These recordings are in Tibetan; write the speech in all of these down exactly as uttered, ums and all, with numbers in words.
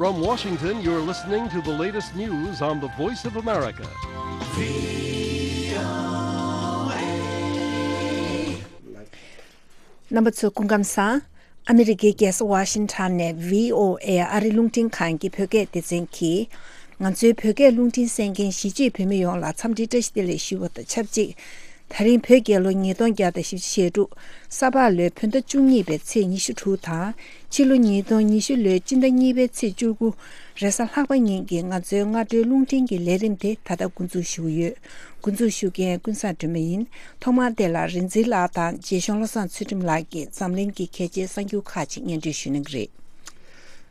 From Washington, you're listening to the latest news on the Voice of America. རྣམ་པ་ཚོ་སྐུ་ཁམས་བཟང་། ཨ་མི་རི་ཀའི་རྒྱལ་ས་ཝ་ཤིང་ཊོན་ནས་བྷི་ཨོ་ཨེ་ཨ་རི་རླུང་འཕྲིན་ཁང་གི་བོད་སྐད་སྡེ་ཚན་གྱིས། ང་ཚོའི་བོད་སྐད་རླུང་འཕྲིན་གསན་མཁན་གཞིས་བྱེས་བོད་མི་ཡོངས་ལ་འཚམས་འདྲི་བཀྲ་ཤིས་བདེ་ལེགས་ཞུ་བ་དང་ཆབས་ཅིག་ད་རིང་བོད་རྒྱལ་ལོ་ཉིས་སྟོང་བརྒྱ་དང་བཞི་བཅུ་ཞེ་དྲུག་ས་ཕག་ལོའི་བོད་ཟླ་བཅུ་གཉིས་པའི་ཚེས་ཉི་ཤུ་དྲུག་དང་། ཕྱི་ལོ་ཉིས་སྟོང་ཉི་ཤུ་ལོའི་སྤྱི་ཟླ་གཉིས་པའི་ཚེས་བཅུ་དགུ་རེས་གཟའ་ལྷག་པ་ཉིན་གྱི་ང་ཚོའི་སྔ་དྲོའི་རླུང་འཕྲིན་གྱི་ལས་རིམ་དེ་ད་ལྟ་འགོ་འཛུགས་ཞུ་གི་ཡོད། འགོ་འཛུགས་ཞུ་མཁན་ཀུན་བཟང་སྒྲོལ་མ་ཡིན། ཐོག་མར་དེ་ལ་རིག་འཛིན་ལགས་དང་རྗེ་གཞུང་བློ་བཟང་ཚུལ་ཁྲིམས་ལགས་ཀྱིས་འཛམ་གླིང་གི་གལ་ཆེའི་གསར་འགྱུར་ཁག་ཅིག་སྙན་སྒྲོན་ཞུ་གནང་གི་རེད།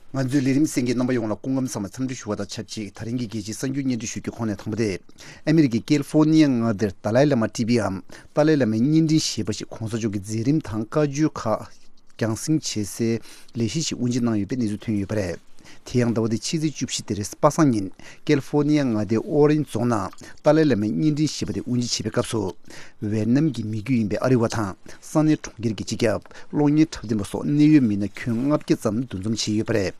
ང་ཚོའི་ལས་རིམ་གསན་མཁན་རྣམ་པ་ཡོངས་ལ་སྐུ་ཁམས་བཟང་བའི་འཚམས་འདྲི་ཞུ་བ་དང་ཆབས་ཅིག་ད་རིང་གི་རྒྱལ་སྤྱིའི་གསར་འགྱུར་སྙན་སྒྲོན་ཞུ་རྒྱུའི་ཁོངས་ནས་དང་པོ་དེ། ཨ་མི་རི་ཀའི་ཀེ་ལི་ཧྥོ་ནི་ཡ་མངའ་སྡེར་ཏཱ་ལའི་བླ་མ་ཊི་བིའམ་ཏཱ་ལའི་བླ་མའི་བརྙན་འཕྲིན་ཞེས་པ་ཞིག་གོང་ས་མཆོག་གི་མཛད་རིམ་དང་བཀའ་ཆོས་ཁག་རྒྱང་སྲིང་བྱེད་སའི་ལས་གཞི་ཞིག་དབུ་འབྱེད་གནང་ཡོད་པའི་གནས་ཚུལ་ཐོན་ཡོད་པ་རེད། དེ་ཡང་ཟླ་བ་འདིའི་ཕྱི་ཚེས་བཅུ་བཞི་སྟེ་རེས་པ་སངས་ཉིན་ཀེ་ལི་ཧྥོ་ནི་ཡ་མངའ་སྡེའི་ཨོ་རེན་ཇི་རྫོང་ནང་ཏཱ་ལའི་བླ་མའི་བརྙན་འཕྲིན་ཞེས་པ་དེ་དབུ་འབྱེད་བྱེད་པའི་སྐབས་སུ། ཝེ་ཏི་ནམ་གྱི་མི་རྒྱུད་ཡིན་པའི་ཨ་རི་བ་དང་ས་གནས་གྲོང་ཁྱེར་གྱི་སྤྱི་ཁྱབ། གློག་བརྙན་འཁྲབ་སྟོན་པ་སོགས་གནད་ཡོད་མི་སྣ་ཁྱོན་ལྔ་བརྒྱ་ཙམ་འདུ་འཛོམས་བྱས་ཡོད་པ་རེད།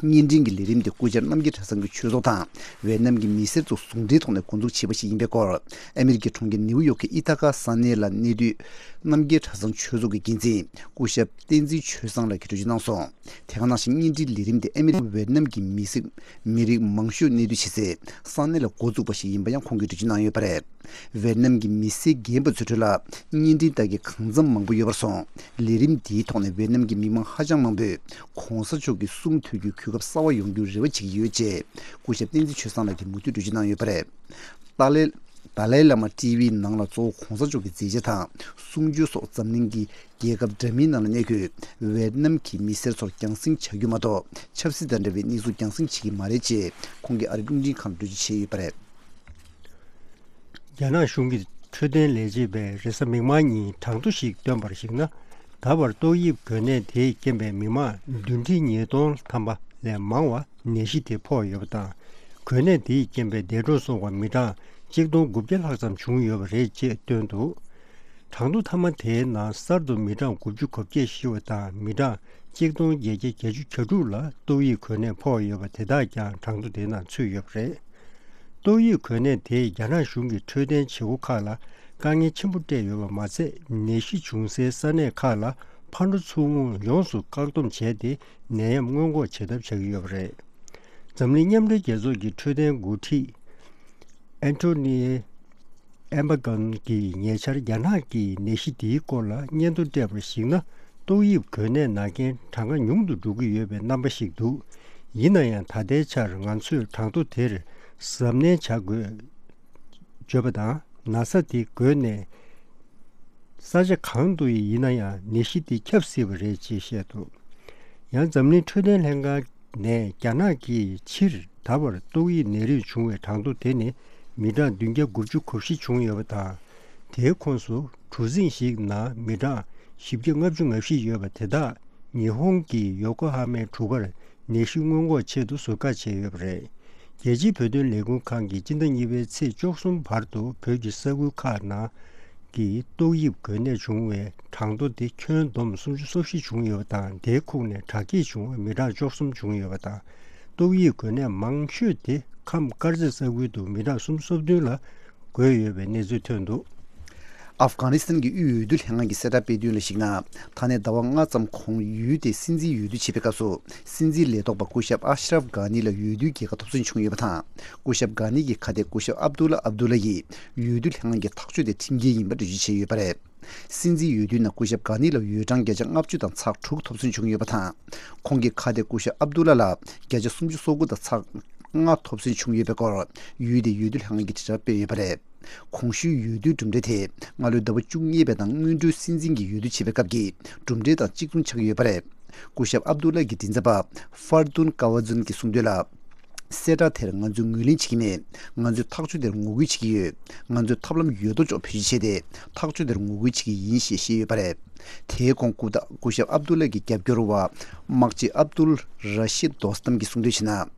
བརྙན་འཕྲིན་གྱི་ལས་རིམ་དེ་སྐུ་བཅར་རྣམ་རྒྱལ་གྲྭ་ཚང་གི་ཆོས་ཚོགས་དང་ཝེ་ཏི་ནམ་གྱི་མི་སེར་ཚོ་ཟུང་འབྲེལ་ཐོག་ནས་འགོ་འཛུགས་བྱས་པ་ཞིག་ཡིན་པའི་སྐོར། ཨ་མི་རི་ཀའི་གྲོང་ཁྱེར་ནེའུ་ཡོག་གི་ཨི་ཐ་ཀ་ས་གནས་ལ་གནས་སྡོད་རྣམ་རྒྱལ་གྲྭ་ཚང་ཆོས་ཚོགས་ཀྱི་འགན་འཛིན་སྐུ་ཞབས་བསྟན་འཛིན་ཆོས་བཟང་ལགས་ཀྱིས་འགྲེལ་བརྗོད་གནང་སོང་། དེ་ག་ནང་བཞིན་བརྙན་འཕྲིན་ལས་རིམ་དེ་ཨ་མི་རི་ཀ་ཝེ་ཏི་ནམ་གྱི་མི་སེར་མི་རིགས་མང་ཤོས་གནས་སྡོད་བྱེད་སའི་ས་གནས་ལ་འགོ་བཙུགས་པ་ཞིག་ཡིན་པ་ཡང་ཁོང་གིས་འགྲེལ་བརྗོད་གནང་ཡོད་པ་རེད། ཝེ་ཏི་ནམ་གྱི་མི་སེར་རྒན་པ་ཚོའི་ཁྲོད་ལ་བརྙན་འཕྲིན་ལྟ་མཁན་གང་འཚམ་མང་པོ་ཡོད་པར་སོང་། ལས་རིམ་འདིའི་ཐོག་ནས་ཝེ་ཏི་ནམ་གྱི་མི་མང་ཧ་ཅང་མང་པོས་གོང་ས་མཆོག་གི་གསུང་ཐོས་རྒྱུའི་གོ་སྐབས་གསར་བ་ཡོང་རྒྱུར་རེ་བ་བྱེད་ཀྱི་ཡོད་ཅེས་སྐུ་ཞབས་བསྟན་འཛིན་ཆོས་བཟང་ལགས་ཀྱིས་མུ་མཐུད་འགྲེལ་བརྗོད་གནང་ཡོད་པ་རེད། ཏཱ་ལའི་ཏཱ་ལའི་བླ་མ་ཊི་བི་ནང་ལ་གཙོ་བོ་གོང་ས་མཆོག་གི་མཛད་རྗེས་དང་གསུང་ཆོས་སོགས་འཛམ་གླིང་གི་རྒྱལ་ཁབ་འདྲ་མིན་ནང་ལ་གནས་འཁོད་ཝེ་ཏི་ནམ་གྱི་མི་སེར་ཚོར་རྒྱང་སྲིང་བྱ་རྒྱུ་མ་གཏོགས་ཆབ་སྲིད་དང་འབྲེལ་བའི་གནས་ཚུལ་རྒྱང་སྲིང་བྱེད་ཀྱི་མ་རེད་ཅེས་ཁོང་གིས་ཨ་རིའི་རླུང་འཕྲིན་ཁང་ལ་འགྲེལ་བརྗོད་བྱས་ཡོད་པ་རེད། རྒྱ་ནག་གཞུང་གི་འཕྲོད་བསྟེན་ལས་བྱེད་པས་རེས་གཟའ་མིག་དམར་ཉིན་གྲངས་ཐོ་ཞིག་བཏོན་པར་གཞིགས་ན། ད་བར་ཏོག་དབྱིབས་འགོས་ནད་དེས་རྐྱེན་པས་མི་མང་བདུན་ཁྲི་ཉིས་སྟོང་ཐམ་པ་ལས་མང་བ་ནད་གཞི་དེ་ཕོག་ཡོད་པ་དང་། འགོས་ནད་དེས་རྐྱེན་པས་འདས་གྲོངས་སོང་བ་མི་གྲངས་གཅིག་སྟོང་དགུ་བརྒྱ་ལྷག་ཙམ་བྱུང་ཡོད་པ་རེད་ཅེས་བཏོན་འདུག་གྲངས་ཐོ་མཐའ་མ་དེའི་ནང་གསར་དུ་མི་གྲངས་དགུ་བཅུ་གོ་བརྒྱད་ཤི་བ་དང་མི་གྲངས་གཅིག་སྟོང་བརྒྱད་བརྒྱ་གྱ་དྲུག་ལ་ཏོག་དབྱིབས་འགོས་ནད་ཕོག་ཡོད་པ་དེ་དག་ཀྱང་གྲངས་ཐོ་དེའི་ནང་ཚུད་ཡོད་པ་རེད། ཏོག་དབྱིབས་འགོས་ནད་དེས་རྒྱ་ནག་གཞུང་གི་འཕྲོད་བསྟེན་བྱེད་སྒོ་ཁག་ལ་དཀའ་ངལ་ཆེན་པོ་སྤྲད་ཡོད་པ་མ་ཚད། ནད་གཞི་བྱུང་སའི་ས་གནས་ཁག་ལ་ཕར་འགྲོ་ཚུར་འོང་ཡོངས་སུ་བཀག་སྡོམ་བྱས་ཏེ་ནད་ཡམས་སྔོན་འགོག་བྱེད་ཐབས་བྱ་གི་ཡོད་པ་རེད། འཛམ་གླིང་མཉམ་འབྲེལ་རྒྱལ་ཚོགས་ཀྱི་འཕྲོད་བསྟེན་འགོ་ཁྲིད་ཨན་ཐོ་ནི་ཨེམ་པ་ཀོན་གྱིས་ཉེ་ཆར་རྒྱ་ནག་གིས་ནད་གཞི་འདིའི་སྐོར་ལ་སྙན་ཐོ་སྤྲད་པར་གཞིགས་ན། ཏོག་དབྱིབས་འགོས་ནད་ན་མཁན་གྲངས་ཀ་ཉུང་དུ་འགྲོ་གི་ཡོད་པའི་རྣམ་པ་ཞིག་འདུག་ཡིན་ན་ཡང་ད་ལྟའི་ཆར་ང་ཚོས་གྲངས་ཐོ་དེར་གཟབ་ནན་བྱ་དགོས། བརྗོད་པ་དང་ན་ཚ་དེ་འགོས་ནས་ས་ཆ་གང་དུ་ཡིན་ན་ཡང་ནད་གཞི་དེ་ཁྱབ་སྲིད་པ་རེད་ཅེས་བཤད་འདུག་ཡང་འཛམ་གླིང་འཕྲོད་བསྟེན་ལྷན་ཁང་ནས་རྒྱ་ནག་གིས་ཕྱིར་ད་བར་ཏོག་དབྱིབས་ནད་རིགས་བྱུང་བའི་གྲངས་ཐོ་དེ་ནི་མི་གྲངས་བདུན་བརྒྱ་དགུ་བཅུ་གོ་བཞི་བྱུང་ཡོད་པ་དང་། དེའི་ཁོངས་སུ་གྲུ་གཟིངས་ཤིག་ནང་མི་གྲངས་བཞི་བརྒྱ་ལྔ་བཅུ་ང་བཞི་ཡོད་པ་དེ་དག་ཉི་ཧོང་གི་ཡོ་ཀོ་ཧ་མའི་གྲུ་ཁར་ནད་གཞི་སྔོན་འགོག་ཆེད་དུ་ཟུར་བཀག་བྱས་ཡོད་པ་རེད། རྒྱལ་སྤྱིའི་བོད་དོན་ལས་ཁུངས་ཁང་གིས་སྤྱི་ཟླ་གཉིས་པའི་ཚེས་བཅུ་གསུམ་བར་དུ་བོད་ཀྱི་ས་ཁུལ་ཁག་ནང་གི་ཏོག་དབྱིབས་འགོས་ནད་བྱུང་བའི་གྲངས་ཐོ་དེ་ཁྱོན་བསྡོམས་སུམ་ཅུ་སོ་བཞི་བྱུང་ཡོད་པ་དང་། དེའི་ཁོངས་ནས་དྲག་སྐྱེད་བྱུང་བའི་མི་གྲངས་བཅུ་གསུམ་བྱུང་ཡོད་པ་དང་། ཏོག་དབྱིབས་འགོས་ནད་མང་ཤོས་དེ་ཁམས་དཀར་མཛེས་ས་ཁུལ་དུ་མི་གྲངས་སུམ་ཅུ་སོ་བདུན་ལ་འགོས་ཡོད་པའི་གནས་ཚུལ་ཐོན་འདུག་ཨབ་གྷ་ནི་སི་ཐན་གྱི་དབུས་འོས་བསྡུ་ལྷན་ཁང་གིས་གསལ་བསྒྲགས་སྤེལ་དོན་ལ་གཞིགས་ན། ད་ནས་ཟླ་བ་ལྔ་ཙམ་གོང་ཡུལ་དེའི་སྲིད་འཛིན་འོས་བསྡུ་བྱེད་པའི་སྐབས་སུ། སྲིད་འཛིན་ལས་ཐོག་པ་སྐུ་ཞབས་ཨ་ཤ་རབ་གྷ་ནི་ལ་འོས་བསྡུའི་རྒྱལ་ཁ་ཐོབ་ཚུལ་བྱུང་ཡོད་པ་དང་། སྐུ་ཞབས་གྷ་ནི་གི་ཁ་གཏད་སྐུ་ཞབས་ཨབ་དུ་ལ་ཨབ་དུ་ལ་ཡིས་འོས་བསྡུ་ལྷན་ཁང་གི་ཐག་གཅོད་དེ་ཁྲིམས་འགལ་ཡིན་པ་འགྲེལ་བརྗོད་བྱས་ཡོད་པ་རེད། སྲིད་འཛིན་འོས་བསྡུའི་ནང་སྐུ་ཞབས་གྷ་ནི་ལ་འོས་གྲངས་བརྒྱ་ཆ་ལྔ་བཅུ་དང་ཚེག་དྲུག་ཐོབ་ཚུལ་བྱུང་ཡོད་པ་དང་། ཁོང་གི་ཁ་གཏད་སྐུ་ཞབས་ཨབ་དུ་ལ་ལ་བརྒྱ་ཆ་སུམ་ཅུ་སོ་དགུ་དང་ཚེག་ལྔ་ཐོབ་ཚུལ་བྱུང་ཡོད་པའི་སྐོར། ཡུལ་དེའི་འོས་བསྡུ་ལྷན་ཁང་གིས་དྲིལ་བསྒྲགས་སྤེལ་ཡོད་པ་རེད། གོང་ཞུས་འོས་བསྡུའི་གྲུབ་འབྲས་དེ་སྔ་ལོའི་ཟླ་བ་བཅུ་གཉིས་པའི་ནང་སྔོན་འགྲོའི་སྲིད་འཛིན་གྱི་འོས་བསྡུ་བྱེད་པའི་སྐབས་ཀྱི་གྲུབ་འབྲས་དང་གཅིག་མཚུངས་ཆགས་ཀྱི་ཡོད་པ་རེད། སྐུ་ཞབས་ཨབ་དུ་ལ་གི་མགྲིན་ཚབ་པ་ཧྥར་དུན་ཀ་ཝ་ཛུན་གྱིས་གསུངས་དོན་ལ། གསལ་བསྒྲགས་དེར་ང་ཚོས་ངོས་ལེན་བྱེད་ཀྱི་མེད། ང་ཚོས་ཐག་གཅོད་དེར་ངོ་རྒོལ་བྱེད་ཀྱི་ཡོད། ང་ཚོས་ཐབས་ལམ་ཡོད་དོ་ཅོག་བེད་སྤྱོད་བྱས་ཏེ་ཐག་གཅོད་དེར་ངོ་རྒོལ་བྱེད་ཀྱི་ཡིན་ཞེས་བཤད་ཡོད་པ་རེད། དེའི་གོང་སྐུ་ད་སྐུ་ཞབས་ཨབ་དུ་ལ་གི་རྒྱབ་སྐྱོར་བ་དམག་སྤྱི་ཨབ་དུལ་ར་ཤིད་དོ་སྟམ་གྱིས་གསུངས་དོན་བྱས་ན།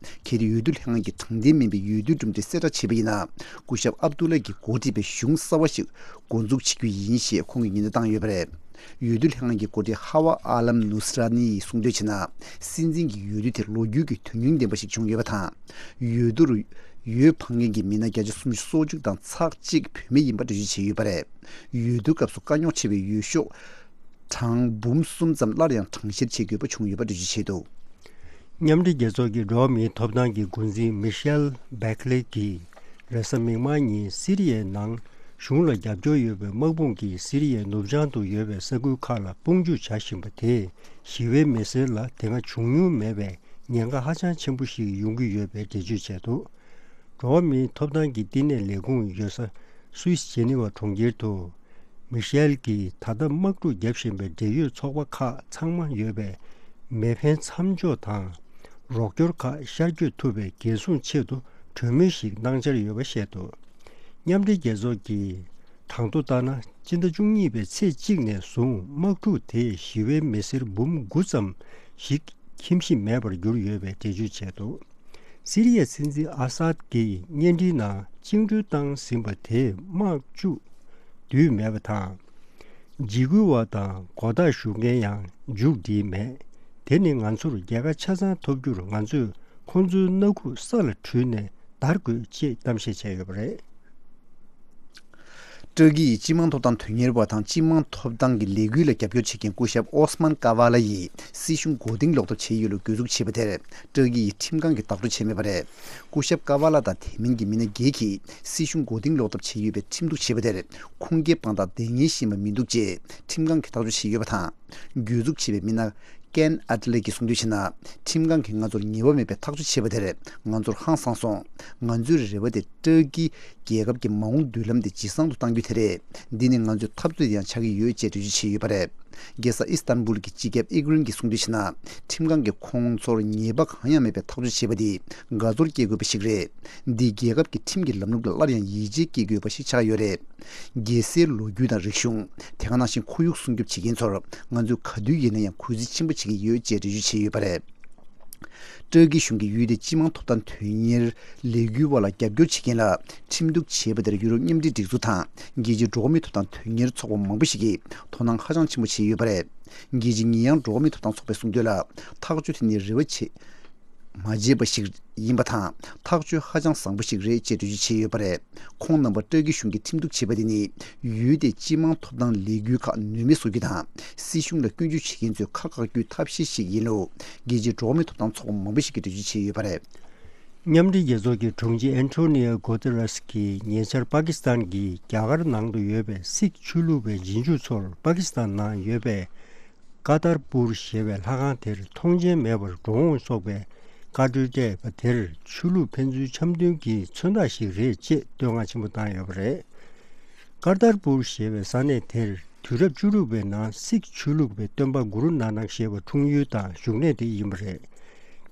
གལ་ཏེ་འོས་བསྡུ་ལྷན་ཁང་གིས་དྲང་བདེན་མིན་པའི་འོས་བསྡུའི་གྲུབ་འབྲས་གསལ་བསྒྲགས་བྱས་པ་ཡིན་ན། སྐུ་ཞབས་ཨབ་དུ་ལ་གིས་འགོ་ཁྲིད་པའི་གཞུང་གསར་བ་ཞིག་འགོ་འཛུགས་བྱེད་རྒྱུ་ཡིན་ཞེས་ཁོང་གིས་ཉེན་བརྡ་བཏང་ཡོད་པ་རེད། འོས་བསྡུ་ལྷན་ཁང་གི་འགོ་ཁྲིད་ཧ་ཝ་ཨ་ལམ་ནུ་སི་ར་ནི་ཡིས་གསུངས་དོན་བྱས་ན། སྲིད་འཛིན་གྱི་འོས་བསྡུ་དེ་ལོ་རྒྱུས་ཀྱི་དོན་སྙིང་ལྡན་པ་ཞིག་བྱུང་ཡོད་པ་དང་། འོས་བསྡུར་འོས་འཕང་མཁན་གྱི་མི་སྣ་བརྒྱ་ཆ་སུམ་ཅུ་སོ་གཅིག་དང་ཚེག་གཅིག་བུད་མེད་ཡིན་པ་འགྲེལ་བརྗོད་བྱས་ཡོད་པ་རེད། འོས་བསྡུ་སྐབས་སུ་དཀའ་རྙོག་ཆེ་བའི་འོས་ཤོག་གྲངས་འབུམ་གསུམ་ཙམ་སླར་ཡང་གྲངས་བཤེར་བྱེད་དགོས་པ་བྱུང་ཡོད་པ་འགྲེལ་བརྗོད་བྱས་འདུག་མཉམ་འབྲེལ་རྒྱལ་ཚོགས་ཀྱི་འགྲོ་བ་མིའི་ཐོབ་ཐང་གི་འགོ་འཛིན་མི་ཤེལ་བྷེག་ལེ་གྱིས་རེས་གཟའ་མིག་དམར་ཉིན་སི་རི་ཡའི་ནང་གཞུང་ལ་རྒྱབ་སྐྱོར་ཡོད་པའི་དམག་དཔུང་གིས་སི་རི་ཡའི་ནུབ་བྱང་དུ་ཡོད་པའི་ས་ཁུལ་ཁག་ལ་དཔུང་འཇུག་བྱ་བཞིན་པ་དེས་ཞི་བའི་མི་སེར་ལ་དེ་སྔ་བྱུང་མྱོང་མེད་པའི་ཉེན་ཁ་ཧ་ཅང་ཆེན་པོ་ཞིག་ཡོང་གི་ཡོད་པའི་འགྲེལ་བརྗོད་བྱས་འདུག་འགྲོ་བ་མིའི་ཐོབ་ཐང་གི་བསྟི་གནས་ལས་ཁུངས་ཡོད་ས་སུད་སི་ཇེ་ནི་ཝ་གྲོང་ཁྱེར་དུ། མི་ཤེལ་གྱིས་ད་ལྟ་དམག་འཁྲུག་བརྒྱབ་བཞིན་པའི་འབྲེལ་ཡོད་ཚོགས་པ་ཁག་ཚང་མ་ཡོད་པའི་མེ་འཕེན་མཚམས་འཇོག་དང་། རོགས་སྐྱོར་ཁག་ཤར་བསྐྱོད་ཐུབ་པའི་འགན་སྲུང་ཆེད་དུ་གྲོས་མོལ་ཞིག་གནང་འཆར་ཡོད་པ་བཤད་འདུག་མཉམ་འབྲེལ་རྒྱལ་ཚོགས་ཀྱིས་གྲངས་ཐོ་ལྟར་ན། སྤྱི་ཟླ་བཅུ་གཉིས་པའི་ཚེས་གཅིག་ནས་བཟུང་དམག་འཁྲུག་དེས་ཞི་བའི་མི་སེར་འབུམ་དགུ་ཙམ་ཞིག་ཁྱིམ་གཞིས་མེད་པར་གྱུར་ཡོད་པའི་འགྲེལ་བརྗོད་བྱས་འདུག་སི་རི་ཡའི་སྲིད་འཛིན་ཨ་སཱད་ཀྱིས་བརྙན་འཕྲིན་ནང་བཅིངས་འགྲོལ་བཏང་ཟིན་པ་དེས་དམག་བཅུག་བསྡུས་མེད་པ་དང་། འཇིགས་སྐུལ་བ་དང་མགོ་བཏགས་ཞུ་མཁན་ཡང་མཇུག་སྒྲིལ་མེད། དེ་ནི་ང་ཚོར་རྒྱལ་ཁ་ཆ་ཚང་ཐོབ་རྒྱུར་ང་ཚོས་ཁོང་ཚོའི་སྣ་ཁུག་ས་ལ་དྲུད་ནས་བདར་དགོས་ཅེས་གཏམ་བཤད་བྱས་ཡོད་པ་རེད། ཏུར་ཀི་ཡི་སྤྱི་དམངས་ཐོབ་ཐང་དོན་གཉེར་བ་དང་སྤྱི་དམངས་ཐོབ་ཐང་གི་ལས་འགུལ་ལ་རྒྱབ་སྐྱོར་བྱེད་མཁན་སྐུ་ཞབས་ཨོ་སི་མན་ཀ་ཝ་ལ་ཡིས་སྲིད་གཞུང་མགོ་རྟིང་སློག་ཐབས་བྱས་ཡོད་ལུགས་གྱོད་འཛུགས་བྱས་པ་དེར་ཏུར་ཀི་ཡི་ཁྲིམས་ཁང་གིས་ལྡོག་ཕྱོགས་བྱས་མེད་པ་རེད། སྐུ་ཞབས་ཀ་ཝ་ལ་དང་དེ་མིན་གྱི་མི་སྣ་བརྒྱད་ཀྱིས་སྲིད་གཞུང་མགོ་རྟིང་སློག་ཐབས་བྱས་ཡོད་པའི་ཁྲིམས་གཏུག་བྱས་པ་དེར་ཁུངས་སྐྱེལ་དཔང་རྟགས་བདེན་དངོས་ཤེས་པ་མི་འདུག་ཅེས་ཁྲིམས་ཁང་གིས་ལྡོག་ཕྱོགས་བྱས་ཡོད་པ་དང་། གྱོད་འཛུགས་བྱས་པའི་མི་སྣ་ཀན་ཨད་ལེ་གིས་གསུངས་དོན་བྱས་ན། ཁྲིམས་ཁང་གིས་ང་ཚོར་ཉེས་པ་མེད་པའི་ཐག་གཅོད་བྱས་པ་དེར་ང་ཚོར་ཧང་སངས་སོང་། ང་ཚོའི་རེ་བ་དེ་ཏུར་ཀི་རྒྱལ་ཁབ་ཀྱི་མ་འོངས་མདུན་ལམ་དེ་ཇེ་བཟང་དུ་གཏང་རྒྱུ་དེ་རེད། འདི་ནི་ང་ཚོའི་འཐབ་རྩོད་ཡང་ཆགས་ཀྱི་ཡོད་ཅེས་འགྲེལ་བརྗོད་བྱས་ཡོད་པ་རེད། རྒྱལ་ས་ཨི་སི་ཐན་བུལ་གྱི་སྤྱི་ཁྱབ་ཨི་གྷི་རིན་གྱིས་གསུངས་དོན་བྱས་ན། ཁྲིམས་ཁང་གིས་ཁོང་ཚོར་ཉེས་པ་གང་ཡང་མེད་པའི་ཐག་གཅོད་བྱས་པ་འདིས་དགའ་ཚོར་སྐྱེ་དགོས་པ་ཞིག་རེད། འདིས་རྒྱལ་ཁབ་ཀྱི་ཁྲིམས་ཀྱི་ལམ་ལུགས་ལ་སླར་ཡང་ཡིད་ཆེས་སྐྱེ་དགོས་པ་ཞིག་ཆགས་ཡོད་རེད། རྒྱལ་སའི་ལོ་རྒྱུས་དང་རིག་གཞུང་། དེ་ག་ནང་བཞིན་ཁོར་ཡུག་སྲུང་སྐྱོབ་བྱེད་མཁན་ཚོར་ང་ཚོས་ག་དུས་ཡིན་ན་ཡང་གུས་བརྩི་ཆེན་པོ་བྱེད་ཀྱི་ཡོད་ཅེས་འགྲེལ་བརྗོད་བྱས་ཡོད་པ་རེད། ཏུར་ཀི་གཞུང་གིས་ཡུལ་དེའི་སྤྱི་དམངས་ཐོབ་ཐང་དོན་གཉེར་ལས་འགུལ་བ་ལ་རྒྱབ་སྐྱོར་བྱེད་མཁན་ལ་ཁྲིམས་གཏུག་བྱས་པ་དེར་ཡུ་རོབ་མཉམ་འབྲེལ་སྒྲིག་འཛུགས་དང་རྒྱལ་སྤྱིའི་འགྲོ་བ་མིའི་ཐོབ་ཐང་དོན་གཉེར་ཚོགས་པ་མང་པོ་ཞིག་གིས་དོ་སྣང་ཧ་ཅང་ཆེན་པོ་བྱས་ཡོད་པ་རེད། རྒྱལ་སྤྱིའི་ཉེས་ཡངས་འགྲོ་བ་མིའི་ཐོབ་ཐང་ཚོགས་པས་གསུངས་དོན་ལ། ཐག་གཅོད་དེ་ནི་རེ་བ་བྱེད་མ་བྱས་པ་ཞིག་ཡིན་པ་དང་། ཐག་གཅོད་ཧ་ཅང་བཟང་པོ་ཞིག་རེད་ཅེས་འགྲེལ་བརྗོད་བྱས་ཡོད་པ་རེད། ཁོང་རྣམ་པ་ཏུར་ཀི་གཞུང་གིས་ཁྲིམས་གཏུག་བྱས་པ་དེ་ནི། ཡུལ་དེའི་སྤྱི་དམངས་ཐོབ་ཐང་ལས་འགུལ་ཁག་ནུས་མེད་བཟོ་རྒྱུ་དང་། སྲིད་གཞུང་ལ་སྐྱོན་བརྗོད་བྱེད་མཁན་ཚོའི་ཁ་བཀག་རྒྱུའི་ཐབས་ཤེས་ཤིག་ཡིན་ལུགས། རྒྱལ་སྤྱིའི་འགྲོ་བ་མིའི་ཐོབ་ཐང་ཚོགས་པ་མང་པོ་ཞིག་གིས་འགྲེལ་བརྗོད་བྱས་ཡོད་པ་རེད། མཉམ་འབྲེལ་རྒྱལ་ཚོགས་ཀྱི་དྲུང་ཆེ་ཨན་ཐོ་ནི་ཡོ་གོ་ཏེ་རེས་ཀྱིས་ཉེ་ཆར་པ་ཀི་སི་ཐན་གྱིས་རྒྱ་གར་ནང་དུ་ཡོད་པའི་སིག་ཆོས་ལུགས་པའི་རྗེས་འཇུག་ཚོར་པ་ཀི་སི་ཐན་ནང་ཡོད་པའི་ཀར་ཏར་པུར་ཞེས་པའི་ལྷ་ཁང་དེར་མཐོང་མཆན་མེད་པར་འགྲོ་འོང་སོགས་པའི་བཀའ་འཁྲོལ་སྤྲད་པ་དེར་ཆོས་ལུགས་ཕན་ཚུན་འཆམ་མཐུན་གྱི་མཚོན་རྟགས་ཤིག་རེད་ཅེས་བསྟོད་བསྔགས་ཆེན་པོ་བཏང་ཡོད་པ་རེད། ཀར་ཏར་པུར་ཞེས་པའི་ས་གནས་དེར་དུས་རབས་བཅུ་དྲུག་པའི་ནང་སིག་ཆོས་ལུགས་པའི་སྟོན་པ་གུ་རུ་ནཱ་ནག་ཞེས་པ་འཁྲུངས་ཡུལ་དང་བཞུགས་གནས་དེ་ཡིན་པ་རེད།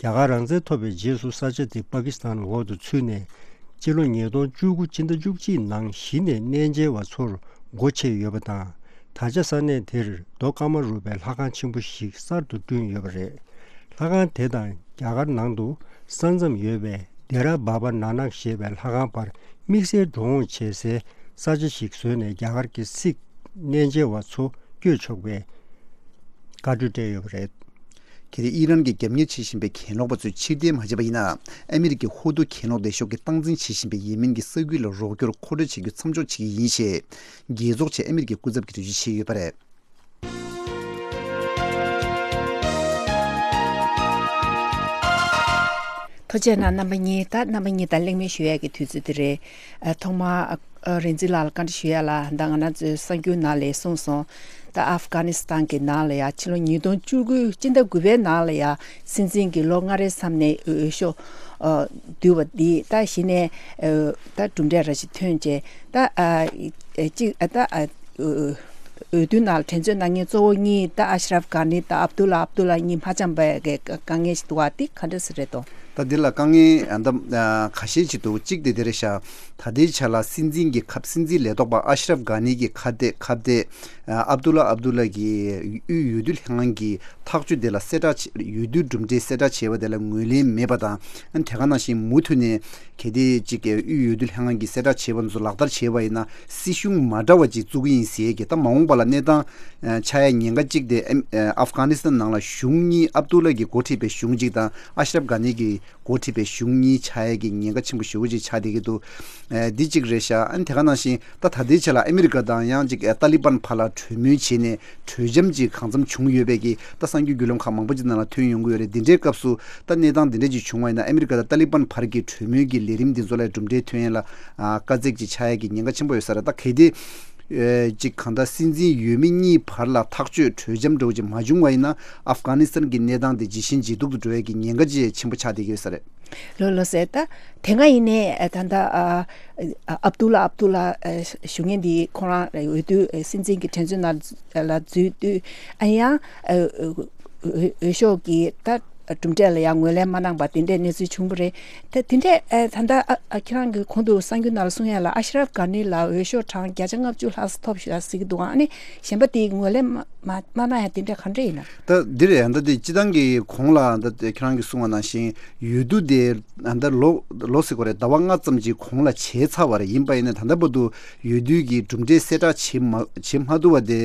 རྒྱ་གར་རང་བཙན་ཐོབ་པའི་རྗེས་སུ་ས་ཆ་དེ་པ་ཀི་སི་ཐན་འོག་ཏུ་ཚུད་ནས་སྤྱི་ལོ་ཉིས་སྟོང་བཅུ་དགུ་སྤྱི་ཟླ་བཅུ་གཅིག་ནང་གཞི་ནས་གནས་མཇལ་བ་ཚོར་སྒོ་ཕྱེ་ཡོད་པ་དང་། ད་ཆ་ས་གནས་དེར་རྡོ་ཀ་མ་རུ་པའི་ལྷ་ཁང་ཆེན་པོ་ཞིག་གསར་དུ་བསྐྲུན་ཡོད་པ་རེད། ལྷ་ཁང་དེ་དང་རྒྱ་གར་ནང་དུ་ས་མཚམས་ཡོད་པའི་དེ་ར་བྷ་བ་ན་ནག་ཞེས་པའི་ལྷ་ཁང་བར་དམིགས་བསལ་འགྲོ་འོང་བྱེད་སའི་ས་ཆ་ཞིག་བཟོས་ནས་རྒྱ་གར་གྱི་སིག་གནས་མཇལ་བ་ཚོ་བསྐྱོད་ཆོག་པའི་བཀའ་འཁྲོལ་སྤྲད་ཡོད་པ་རེད། གལ་ཏེ་ཨི་རན་གྱིས་རྒྱབ་གཉེར་བྱེད་བཞིན་པའི་གྱེན་ལོག་པ་ཚོས་ཕྱིར་འཐེན་མ་བྱས་པ་ཡིན་ན། ཨ་མི་རི་ཀའི་ཧུ་ཏུ་གྱེན་ལོག་སྡེ་ཤོག་གིས་སྟངས་འཛིན་བྱེད་བཞིན་པའི་ཡེ་མེན་གྱི་ས་ཁུལ་ལ་རོགས་སྐྱོར་མཁོ་སྤྲོད་བྱེད་རྒྱུ་མཚམས་འཇོག་བྱེད་ཀྱི་ཡིན་ཞེས། རྒྱལ་ཚོགས་ཆེད་ཨ་མི་རི་ཀའི་སྐུ་ཚབ་ཀྱིས་འགྲེལ་བརྗོད་བྱས་ཡོད་པ་རེད། ཐུགས་རྗེ་གནང་རྣམ་པ་གཉིས། ད་རྣམ་པ་གཉིས་དང་གླེང་མོལ་ཞུ་ཡག་གི་དུས་ཚོད་དེ་རེད། ཨ། ཐོག་མར། ཨ། རིག་འཛིན་ལགས་ལ་བཀའ་འདྲི་ཞུ་ཡག་ལ། ད་ང་རང་ཚོའི་གསར་འགྱུར་ནང་ལ་གསུངས་སོང་། ད་ཨབ་གྷ་ནི་སི་ཐན་གྱི་ནང་ལ་ཡ་ཕྱི་ལོ་ཉིས་སྟོང་བཅུ་དགུ་སྤྱི་ཟླ་དགུ་པའི་ནང་ལ་ཡ་སྲིད་འཛིན་གྱི་ལོ་ལྔ་རེའི་མཚམས་ནས་འོས་ཤོག་ཨ། བསྡུ་བ་འདི་ད་གཞི་ནས། ཨ། ད་གྲུབ་འབྲས་ར་ཞིག་ཐོན་རྗེས་ད། ཨ། ཨ། གཅིག་ཨ། ད། ཨ། འོས་བསྡུ་ནང་ལ་འགྲན་རྩོད་གནང་མཁན་གཙོ་བོ་གཉིས་ད་ཨ་ཤ་རབ་གྷ་ནི་དང་ཨབ་དུ་ལ་ཨབ་དུ་ལ་གཉིས་མ་འཆམ་པའི་གི་དཀའ་ངལ་ཞིག་འདུག་པ། འདི་ག་འདྲ་ཞིག་རེད་དོ། ད་འདི་ལ་དཀའ་ངལ་ཨ་ད་ཨ་ཁ་ཤས་ཅིག་འདུག་གཅིག་དེ་དེ་རེད་ཤག་ད་ལྟའི་ཆ་ལ་སྲིད་འཛིན་གྱི་ཁབ་སྲིད་འཛིན་ལས་ཐོག་པ་ཨ་ཤ་རབ་གྷ་ནི་གི་ཁ་གཏད་ཁ་གཏད་ཨ་ཨབ་དུ་ལ་ཨབ་དུ་ལ་གི་དབུས་འོས་བསྡུ་ལྷན་ཁང་གི་ཐག་གཅོད་དེ་ལ་གསལ་བསྒྲགས་བྱས། འོས་བསྡུ་གྲུབ་འབྲས་གསལ་བསྒྲགས་བྱས་པ་དེ་ལ་ངོས་ལེན་མེད་པ་དང་། ཨ་ནི་དེ་ག་ནང་བཞིན་མུ་མཐུད་ནས་གལ་ཏེ་ཅིག་དབུས་འོས་བསྡུ་ལྷན་ཁང་གིས་གསལ་བསྒྲགས་བྱས་པ་ཚོ་ལག་བསྟར་བྱས་པ་ཡིན་ན་སྲིད་གཞུང་མ་འདྲ་བ་ཅིག་བཙུགས་ཀྱི་ཡིན་ཟེར་གི། ད་མ་འོངས་པ་ལ་གནས་སྟངས་ཆགས་ཡ་ཉེན་ཁ་གཅིག་དེ་ཨ་ཨབ་གྷ་ནི་སི་ཐན་ནང་ལ་གཞུང་གཉིས། ཨབ་དུ་ལ་གིས་འགོ་ཁྲིད་པའི་གཞུང་གཅིག་དང་ཨ་ཤ་རབ་གྷ་ནི་གིས་འགོ་ཁྲིད་པའི་གཞུང་གཉིས་ཆགས་ཡ་གི་ཉེན་ཁ་ཆེན་པོ་ཞེ་པོ་ཅིག་ཆགས་བསྡད་ཀྱི་འདུག་ཨ་འདི་གཅིག་རེད་ཤག་ཨ་ནི་དེ་ག་ནང་བཞིན་ད་ད་ལྟའི་ཆ་ལ་ཨ་མི་རི་ཀ་དང་ཡང་ཅིག་ཨ་ཏཱ་ལི་བན་བར་ལ་གྲོས་མོལ་བྱས་ནས་གྲོས་འཆམ་ཅིག་གང་འཚམ་བྱུང་ཡོད་པའི་གི་ད་གསར་འགྱུར་བརྒྱུད་ལམ་ཁག་མང་པོ་ཅིག་ནང་ལ་ཐོན་ཡོང་གི་ཡོད་རེད། འདི་འདྲའི་སྐབས་སུ་ད་གནས་སྟངས་འདི་འདྲ་ཅིག་བྱུང་བ་ཡིན་ན་ཨ་མི་རི་ཀ་དང་ཏཱ་ལི་བན་བར་གྱི་གྲོས་མོལ་གྱི་ལས་རིམ་འདི་ཚོ་ལ་གྲུབ་འབྲས་ཐོན་ཡ་ལ་ཨ་དཀའ་ཚེགས་ཅིག་ཆགས་ཡ་གི་ཉེན་ཁ་ཆེན་པོ་ཡོད་ས་རེད། ད་གལ་ཏེ་ཨེ་ཅིག་གང་ལྟར་སྲིད་འཛིན་འོས་མི་གཉིས་བར་ལ་ཐག་གཅོད་གྲོས་འཆམ་འདྲ་བོ་ཅིག་མ་བྱུང་བ་ཡིན་ན་ཨབ་གྷ་ནི་སི་ཐན་གྱི་གནས་སྟངས་དེ་ཇེ་ཞན་ཇེ་སྡུག་ཏུ་འགྲོ་ཡ་གི་ཉེན་ཁ་ཅིག་ཆེན་པོ་ཆགས་བསྡད་ཀྱི་ཡོད་ས་རེད། ལོ་ལོ་ཟེར་ད། དེ་སྔ་ཡིན་ནའི་ཨ་ད་ལྟ་ཨ་ཨ་ཨབ་དུ་ལ་ཨབ་དུ་ལ་ཨ་ཞུ་མཁན་འདི་ཁོ་རང་འོས་བསྡུ་ཨ་སྲིད་འཛིན་གྱི་དྲན་གསོའི་ནང་ལ་འཛུལ་དུས་ཨ་ཡང་ཨ་འོས་འོས་ཤོག་གི་ད་གྲུབ་འབྲས་ལ་ཡང་ངོས་ལེན་མ་གནང་པ་དེ་འདྲའི་གནས་ཚུལ་བྱུང་བ་རེད། ད་དེ་འདྲས་ཨ་ད་ལྟ་ཨ་ཨ་ཁྱེད་རང་གི་གོང་དུ་གསར་འགྱུར་ནང་ལ་གསུང་ཡ་ལ་ཨ་ཤ་རབ་གྷ་ནི་ལ་འོས་ཤོག་གྲངས་བརྒྱ་ཆ་ལྔ་བཅུ་ལྷག་ཙམ་ཐོབ་ཤག་ཟེར་གྱི་འདུག་ཨ་ནི་གཞན་པ་དེ་ངོས་ལེན་མ་མ་མ་གནང་ཡ་དེ་འདྲས་ག་འདྲས་ཡིན་ན། ད་འདི་རེད། ད་དེ་སྤྱི་བཏང་གི་གོང་ལ་ད་ཁྱེད་རང་གིས་གསུངས་པ་ནང་བཞིན་འོས་བསྡུ་དེ་ད་ལོ་ལོ་ཟེར་དགོས་རེད། ཟླ་བ་ལྔ་ཙམ་གྱི་གོང་ལ་བྱས་ཚར་བ་རེད། ཡིན་པ་ཡིན་ན་ད་ལྟ་བར་དུ་འོས་བསྡུ་གི་གྲུབ་འབྲས་གསལ་བསྒྲགས་བྱེད་མ་བྱེད་མ་ཐུབ་པ་དེ་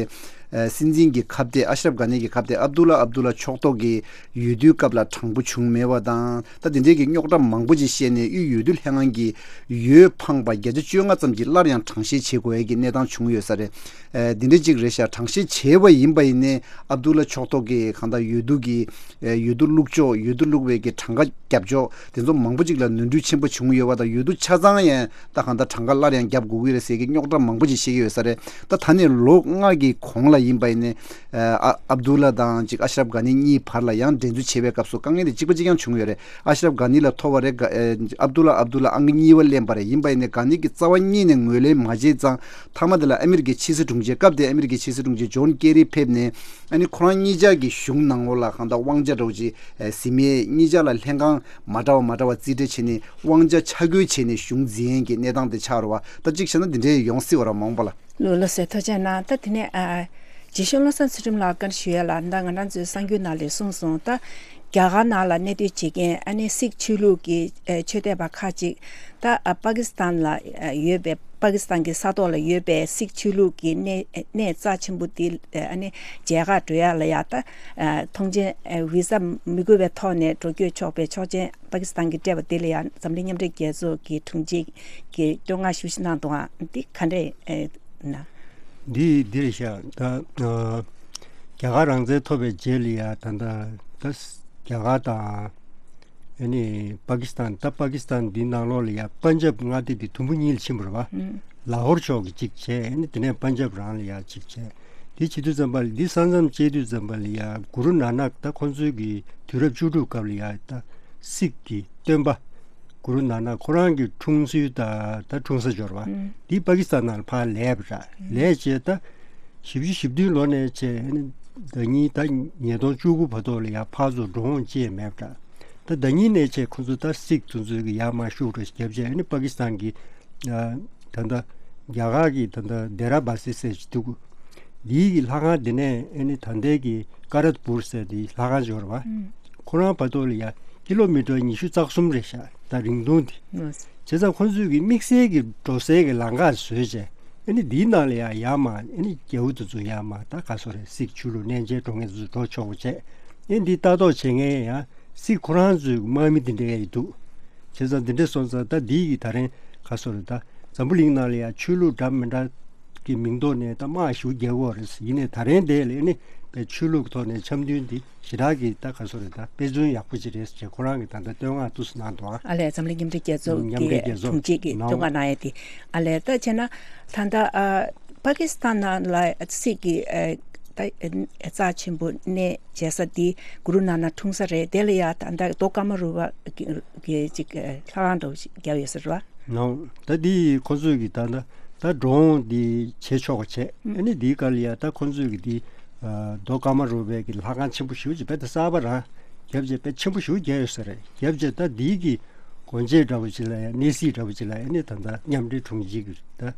ཨ་སྲིད་འཛིན་གྱི་ཁ་གཏད་ཨ་ཤ་རབ་གྷ་ནི་གི་ཁ་གཏད་ཨབ་དུ་ལ་ཨབ་དུ་ལ་ཕྱོགས་གཏོགས་ཀྱི་འོས་བསྡུའི་སྐབས་ལ་དྲང་པོ་བྱུང་མེད་པ་དང་། ད་དེ་འདྲའི་གི་རྙོག་དྲ་མང་པོ་ཅིག་བཤད་ནས་དབུས་འོས་བསྡུ་ལྷན་ཁང་གི་འོས་འཕངས་པ་བརྒྱ་ཆ་བཅོ་ལྔ་ཙམ་གྱིས་སླར་ཡང་གྲངས་བཤེར་བྱེད་དགོས་ཡས་ཀྱི་གནས་སྟངས་བྱུང་ཡོད་ས་རེད། ཨ་འདི་འདྲ་ཅིག་རེད་ཤག་གྲངས་བཤེར་བྱས་པ་ཡིན་པ་ཡིན་ནའི་ཨབ་དུ་ལ་ཕྱོགས་གཏོགས་ཀྱི་གང་ལྟར་འོས་བསྡུ་གི་ཨ་འོས་བསྡུ་བླུགས་ཕྱོགས། འོས་བསྡུ་བླུགས་པའི་གི་གྲངས་ཀ་རྒྱབ་ཕྱོགས་དེ་ཚོ་མང་པོ་ཅིག་ལ་ནོར་འཁྲུལ་ཆེན་པོ་བྱུང་ཡོད་པ་དང་། འོས་བསྡུ་ཆ་ཚང་ཡང་ད་གང་ལྟར་གྲངས་ཀ་སླར་ཡང་རྒྱབ་དགོས་ཀྱི་རེད་ཟེར་གྱི་རྙོག་དྲ་མང་པོ་ཅིག་བཤད་ཀྱི་ཡོད་ས་རེད། ད་ད་ནས་ལོ་ལྔ་གི་གོང་ལ་ཡིན་པ་ཡིན་ནའི་ཨ་ཨབ་དུ་ལ་དང་ཅིག་ཨ་ཤ་རབ་གྷ་ནི་གཉིས་བར་ལ་ཡང་འགྲན་རྩོད་བྱེད་པའི་སྐབས་སུ་དཀའ་ངལ་དེ་གཅིག་པ་གཅིག་རྐྱང་བྱུང་ཡོད་རེད། ཨ་ཤ་རབ་གྷ་ནི་ལ་ཐོབ་པ་རེད། ག་ཨ་ཨབ་དུ་ལ་ཨབ་དུ་ལ་ཨང་ཀི་གཉིས་པ་ལེན་པ་རེད། ཡིན་པ་ཡིན་ནའི་གྷ་ནི་གི་རྩ་བ་ཉིད་ནས་ངོས་ལེན་མ་བྱས་ཙང་། མཐའ་མ་དེ་ལ་ཨ་མི་རི་ཀའི་ཕྱི་སྲིད་དྲུང་ཆེ། སྐབས་དེའི་ཨ་མི་རི་ཀའི་ཕྱི་སྲིད་དྲུང་ཆེ་ཇོན་ཀེ་རི་ཕེབས་ནས་ཨ་ནི་ཁོ་རང་གཉིས་ཆ་གི་གཞུང་ནང་ལོགས་ལ་གང་ལྟར་དབང་ཆ་འདྲ་བོ་ཅིག་ཨ་ཟིན་མེད། གཉིས་ཆ་ལ་ལྷན་ཁང་མ་འདྲ་བ་མ་འདྲ་བ་རྩིས་སྤྲད་བྱས་ནས་དབང་ཆ་ཆ་བགོས་བྱས་ནས་གཞུང་འཛིན་ཡས་ཀྱི་གནས་སྟངས་དེ་ཆགས་རེད་བ། ད་གཅིག་བྱས་ན་འདི་འདྲའི་ཡོང་སྲིད་པ་རེད་མ་འོངས་པ་ལ། ལོ་ལོ་ཟེར་ཐུགས་རྗེ་གནང་། ད་དེ་ནས་ཨ་རྗེ་གཤེགས་བློ་བཟང་ཚུལ་ཁྲིམས་ལགས་བཀའ་འདྲི་ཞུ་ཡ་ལ། ད་ང་རང་ཚོའི་གསར་འགྱུར་ནང་ལ་གསུངས་སོང་། ད་རྒྱ་གར་ནང་ལ་གནས་སྡོད་བྱེད་མཁན་ཨ་ནི་སིག་ཆོས་ལུགས་ཀྱི་ཨ་ཆོས་དད་པ་ཁག་ཅིག་ད་ཨ་པ་ཀི་སི་ཐན་ལ་ཨ་ཡོད་པའི་པ་ཀི་སི་ཐན་གྱི་ས་ཐོག་ལ་ཡོད་པའི་སིག་ཆོས་ལུགས་ཀྱི་གནས་གནས་རྩ་ཆེན་པོ་དེ་ཨ་ནི་མཇལ་ཁ་འགྲོ་ཡ་ལ་ཡ། ད་ཨ་ཐོངས་མཆན་ཨ་བི་ཟ་མི་དགོས་པའི་ཐོག་ནས་འགྲོ་སྐྱོད་ཆོག་པའི་ཆོག་མཆན་པ་ཀི་སི་ཐན་གྱིས་སྤྲད་པ་དེ་ལ་ཡང་འཛམ་གླིང་མཉམ་འབྲེལ་རྒྱལ་ཚོགས་ཀྱི་དྲུང་ཆེ་གིས་བསྟོད་བསྔགས་ཞེ་པོ་ཅིག་གནང་འདུག་ཨ། འདི་ག་འདྲས་ཨེ་ན། འདི་འདི་རེད་ཤག་ད་ཨ་རྒྱ་གར་རང་བཙན་ཐོབ་པའི་རྗེས་ལ་ཡ་ད་ད་ད་རྒྱ་གར་དང་ཨ་ནི་པ་ཀི་སི་ཐན། ད་པ་ཀི་སི་ཐན་འདི་ནང་ལོགས་ལ་ཡ་པན་ཇབ་མངའ་སྡེ་འདི་དུམ་བུ་གཉིས་ལ་ཕྱིན་པ་རེད་བ། ཨུ། ལ་ཧོར་ཕྱོགས་ཀྱི་གཅིག་བྱས། ཨ་ནི་དེ་ནས་པན་ཇབ་རང་ལ་ཡ་གཅིག་བྱས། དེ་བྱེད་དུས་ཙམ་པ་ལ་འདི་ས་མཚམས་བཅད་དུས་ཙམ་པ་ལ་ཡ་གུ་རུ་ནཱ་ནག་ད་ཁོང་ཚོའི་གི་དུས་རབས་བཅུ་དྲུག་སྐབས་ལ་ཡ་ད་སིག་གི་སྟོན་པ་གུ་རུ་ནཱ་ནག་ཁོ་རང་གི་འཁྲུངས་ཚུལ་ད་ད་འཁྲུངས་ས་འབྱོར་བ། ཨུ། འདི་པ་ཀི་སི་ཐན་ནང་ལ་ཕར་ལས་པ་ར། ཨུ། ལས་བྱས་ད་བཞི་བཅུ་ཞེ་བདུན་ལོ་ནས་བྱས་ཨ་ནི་ཟླ་ཉིན་ད་ཉིས་སྟོང་བཅུ་དགུ་བར་དུ་ལ་ཡ་ཕར་ཚུར་འགྲོ་འོང་བྱས་མེད་པ་ར། ད་ཟླ་ཉིན་ནས་བྱས་ཁོ་ཚོ་ད་སིག་དེ་ཚོའི་གི་ཡར་མར་ཤུགས་འགྲོ་ཞིག་བརྒྱབ་བྱས་ཨ་ནི་པ་ཀི་སི་ཐན་གི་ཨ་ད་ལྟ་རྒྱ་གར་གྱི་ད་ལྟ་དེ་ར་བ་སི་ཟེར་ཞིག་འདུག་འདིའི་གི་ལྷ་ཁང་དེ་ནས་ཨ་ནི་ད་ལྟའི་གི་ཀ་རད་པུར་ཟེར་དེའི་ལྷ་ཁང་ཞིག་ཡོད་རེད་བ། ཨུམ། ཁོ་རང་བར་དུ་ལ་ཡ་ཀི་ལོ་མི་ཊར་ཉི་ཤུ་རྩ་གསུམ་རེད་ཤག་ད་རིང་ཐུང་དེ། ཨུམ། བྱས་ཙང་ཁོ་ཚོས་གི་དམིགས་བསལ་གྱི་འགྲོ་སའི་གི་ལམ་ཁ་བཟོས་བྱས་ཨ་ནི་འདིའི་ནང་ལ་ཡ་ཡར་མར་ཨ་ནི་རྒྱལ་པོ་དེ་ཚོ་ཡར་མར་ད་ག་སོ་རེད། སིག་ཆོས་ལུགས་གནས་མཇལ་འགྲོ་མཁན་དེ་ཚོ་འགྲོ་ཆོག་པ་བྱས། ཨ་ནི་འདི་ལྟ་རྟོག་བྱེད་མཁན་ཡང་སིག་ཁོ་རང་ཚོའི་དམག་མི་དེ་འདྲ་ཡ་ཡི་འདུག་བྱས་ཙང་འདི་འདྲ་སོང་ཙང་ད་འདི་གི་ད་རིང་ག་སོ་རེད། ད་འཛམ་བུ་གླིང་ནང་ལ་ཡ་ཆོས་ལུགས་འདྲ་མི་འདྲ་གི་མིང་ཐོག་ནས་ད་དམག་ཞེ་པོ་རྒྱག་གི་ཡོད་རེད། ཡིན་ནའི་ད་རིང་དེ་ལ་ཨ་ནི་པའི་ཆོས་ལུགས་ཐོག་ནས་འཆམ་མཐུན་འདི་ཞེ་དྲག་གི་ད་ག་སོ་རེད། ད་དཔེ་མཚོན་ཡག་པོ་ཅིག་རེད་ཅེས་ཁོ་རང་གི་ད་ལྟ་བསྟོད་བསྔགས་ཏོག་ཙམ་གནང་འདུག་ཨ། ཨ་ལས་འཛམ་གླིང་མཉམ་འབྲེལ་རྒྱལ་ཚོགས་མཉམ་འབྲེལ་ཀྱི་རྒྱལ་ཚོགས་དྲུང་ཆེ་གིས་ནང་བསྟོད་བསྔགས་གནང་ཡ་དེ། ཨ་ལས་ད་བྱས་ན་ད་ལྟ་ཨ་པ་ཀི་སི་ཐན་ནང་ལ་སིག་གི་ཨ་ད་རྩ་ཆེན་པོ་གནས་མཇལ་ས་དེ་གུ་རུ་ནཱ་ནག་འཁྲུངས་ས་རེད། དེ་ལ་ཡ་ད་ལྟ་རྡོ་ཀ་མ་རུ་པ་གི་གི་ཅིག་ལྷ་ཁང་འདྲ་བོ་ཞིག་བརྒྱབ་ཡོད་ས་རེད་བ། ནང་ད་འདི་ཁོ་ཚོས་ཀྱི་ད་ལྟ་ད་འགྲོ་འོང་འདི་བྱེད་ཆོག་པ་བྱས། ཨ་ནི་འདིའི་སྐབས་ལ་ཡ་ད་ཁོ་ཚོས་ཀྱི་འདི་རྡོ་ཀ་མ་རུ་པའི་གི་ལྷ་ཁང་ཆེན་པོ་ཞེ་པོ་ཅིག་རྦད་དེ་གསར་པ་རང་ རྒྱབ་བྱས་དཔེ་ཆེན་པོ་ཞེ་པོ་རྒྱག་ཡོད་ས་རེད། རྒྱབ་བྱས་ད་འདིའི་གི་སྒོ་འབྱེད་འདྲ་པོ་ཅིག་ལ་ཡང་གནས་གཟིགས་འདྲ་པོ་ཅིག་ལ་ཡང་ནི་ད་ལྟ་མཉམ་འབྲེལ་དྲུང་ཆེ་གི་ད་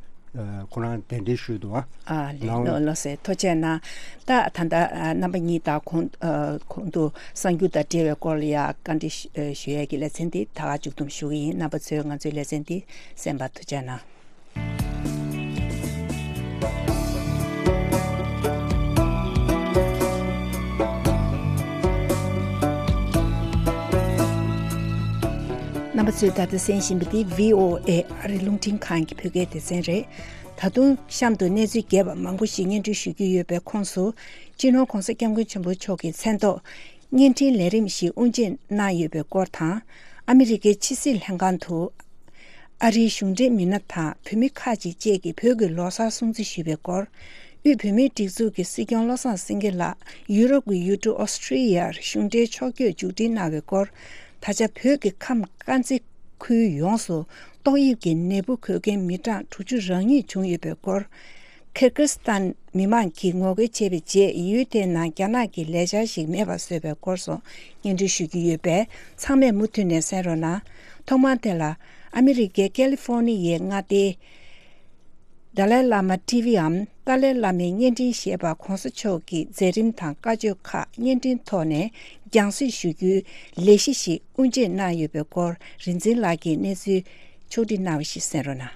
ཁོ་རང་གདན་འདྲེན་ཞུས་འདུག་ཨ། ཨ་ལེ་ལགས་འོང་། ལགས་ལགས་སེ་ཐུགས་རྗེ་གནང་། ད་ད་ལྟ་ཨ་རྣམ་པ་གཉིས་དང་གོང་ཨ་གོང་དུ་གསར་འགྱུར་དང་འབྲེལ་བའི་སྐོར་ལ་ཡང་བཀའ་འདྲི་ཞུ་ཨ་ཞུ་ཡས་ཀྱི་ལེ་ཚན་འདི་ད་ག་མཇུག་བསྡོམས་ཞུ་གི་ཡིན། རྣམ་པ་ཚོས་ང་ཚོའི་ལེ་ཚན་འདི་གསན་པར་ཐུགས་རྗེ་གནང་། རྣམ་པ་ཚོས་ད་ལྟ་གསན་བཞིན་པ་འདི་བྷི་ཨོ་ཨེ་ཨ་རི་རླུང་འཕྲིན་ཁང་གི་བོད་སྐད་སྡེ་ཚན་རེད། ད་དུང་གཤམ་དུ་གནས་ཚུལ་རྒྱས་པ་མང་པོ་ཞིག་སྙན་སྒྲོན་ཞུ་རྒྱུ་ཡོད་པའི་ཁོངས་སུ། སྤྱི་ནོར་༧གོང་ས་༧སྐྱབས་མགོན་ཆེན་པོ་མཆོག་གི་མཚན་ཐོག་བརྙན་འཕྲིན་ལས་རིམ་ཞིག་དབུ་འབྱེད་གནང་ཡོད་པའི་སྐོར་དང་། ཨ་མི་རི་ཀའི་ཕྱི་སྲིད་ལྷན་ཁང་དུ་ཨ་རིའི་གཞུང་འབྲེལ་མི་སྣ་དང་བོད་མི་ཁག་ཅིག་བཅས་ཀྱིས་བོད་ཀྱི་ལོ་གསར་སྲུང་བརྩི་ཞུས་པའི་སྐོར། དབུས་བོད་མིའི་སྒྲིག་འཛུགས་ཀྱི་སྲིད་སྐྱོང་བློ་བཟང་སེང་གེ་ལགས་ཡུ་རོབ་ཀྱི་ཡུལ་གྲུ་ཨོ་སི་ཀྲི་ཡར་གཞུང་འབྲེལ་ཕྱོགས་བསྐྱོད་མཇུག་སྒྲིལ་གནང་བའི་སྐོར། ད་ཆ་བོད་ཀྱི་ཁམས་དཀར་མཛེས་ཁུལ་ཡོངས་སུ་ཏོག་དབྱིབས་ཀྱི་ནད་འབུ་འགོས་མཁན་མི་གྲངས་དྲུག་ཅུ་རང་ཉིད་བྱུང་ཡོད་པའི་སྐོར། ཁིར་ཀི་སི་ཐན་མི་མང་གིས་ངོ་རྒོལ་བྱས་པའི་རྗེས། ཡུལ་དེའི་ནང་རྒྱ་ནག་གི་ལས་འཆར་ཞིག་མེད་པ་བཟོས་པའི་སྐོར་སོགས་སྙན་སྒྲོན་ཞུ་རྒྱུ་ཡོད་པས། ཚང་མས་མུ་མཐུད་ནས་གསན་རོགས་གནང་། ཐོག་མར་དེ་ལ་ཨ་མི་རི་ཀའི་ཀེ་ལི་ཧྥོ་ནི་ཡའི་མངའ་སྡེའི་ཏཱ་ལའི་བླ་མ་ཊི་ཝི་འམ་ཏཱ་ལའི་བླ་མའི་བརྙན་འཕྲིན་ཞེས་པ་༧གོང་ས་མཆོག་གི་མཛད་རིམ་དང་བཀའ་ཆོས་ཁག་བརྙན་འཕྲིན་ཐོག་ནས་རྒྱང་སྲིང་ཞུ་རྒྱུའི་ལས་གཞི་ཞིག་དབུ་འབྱེད་གནང་ཡོད་པའི་སྐོར། རིག་འཛིན་ལགས་ཀྱིས་གནས་ཚུལ་ཕྱོགས་སྒྲིག་གནང་བ་ཞིག་གསན་རོགས་གནང་།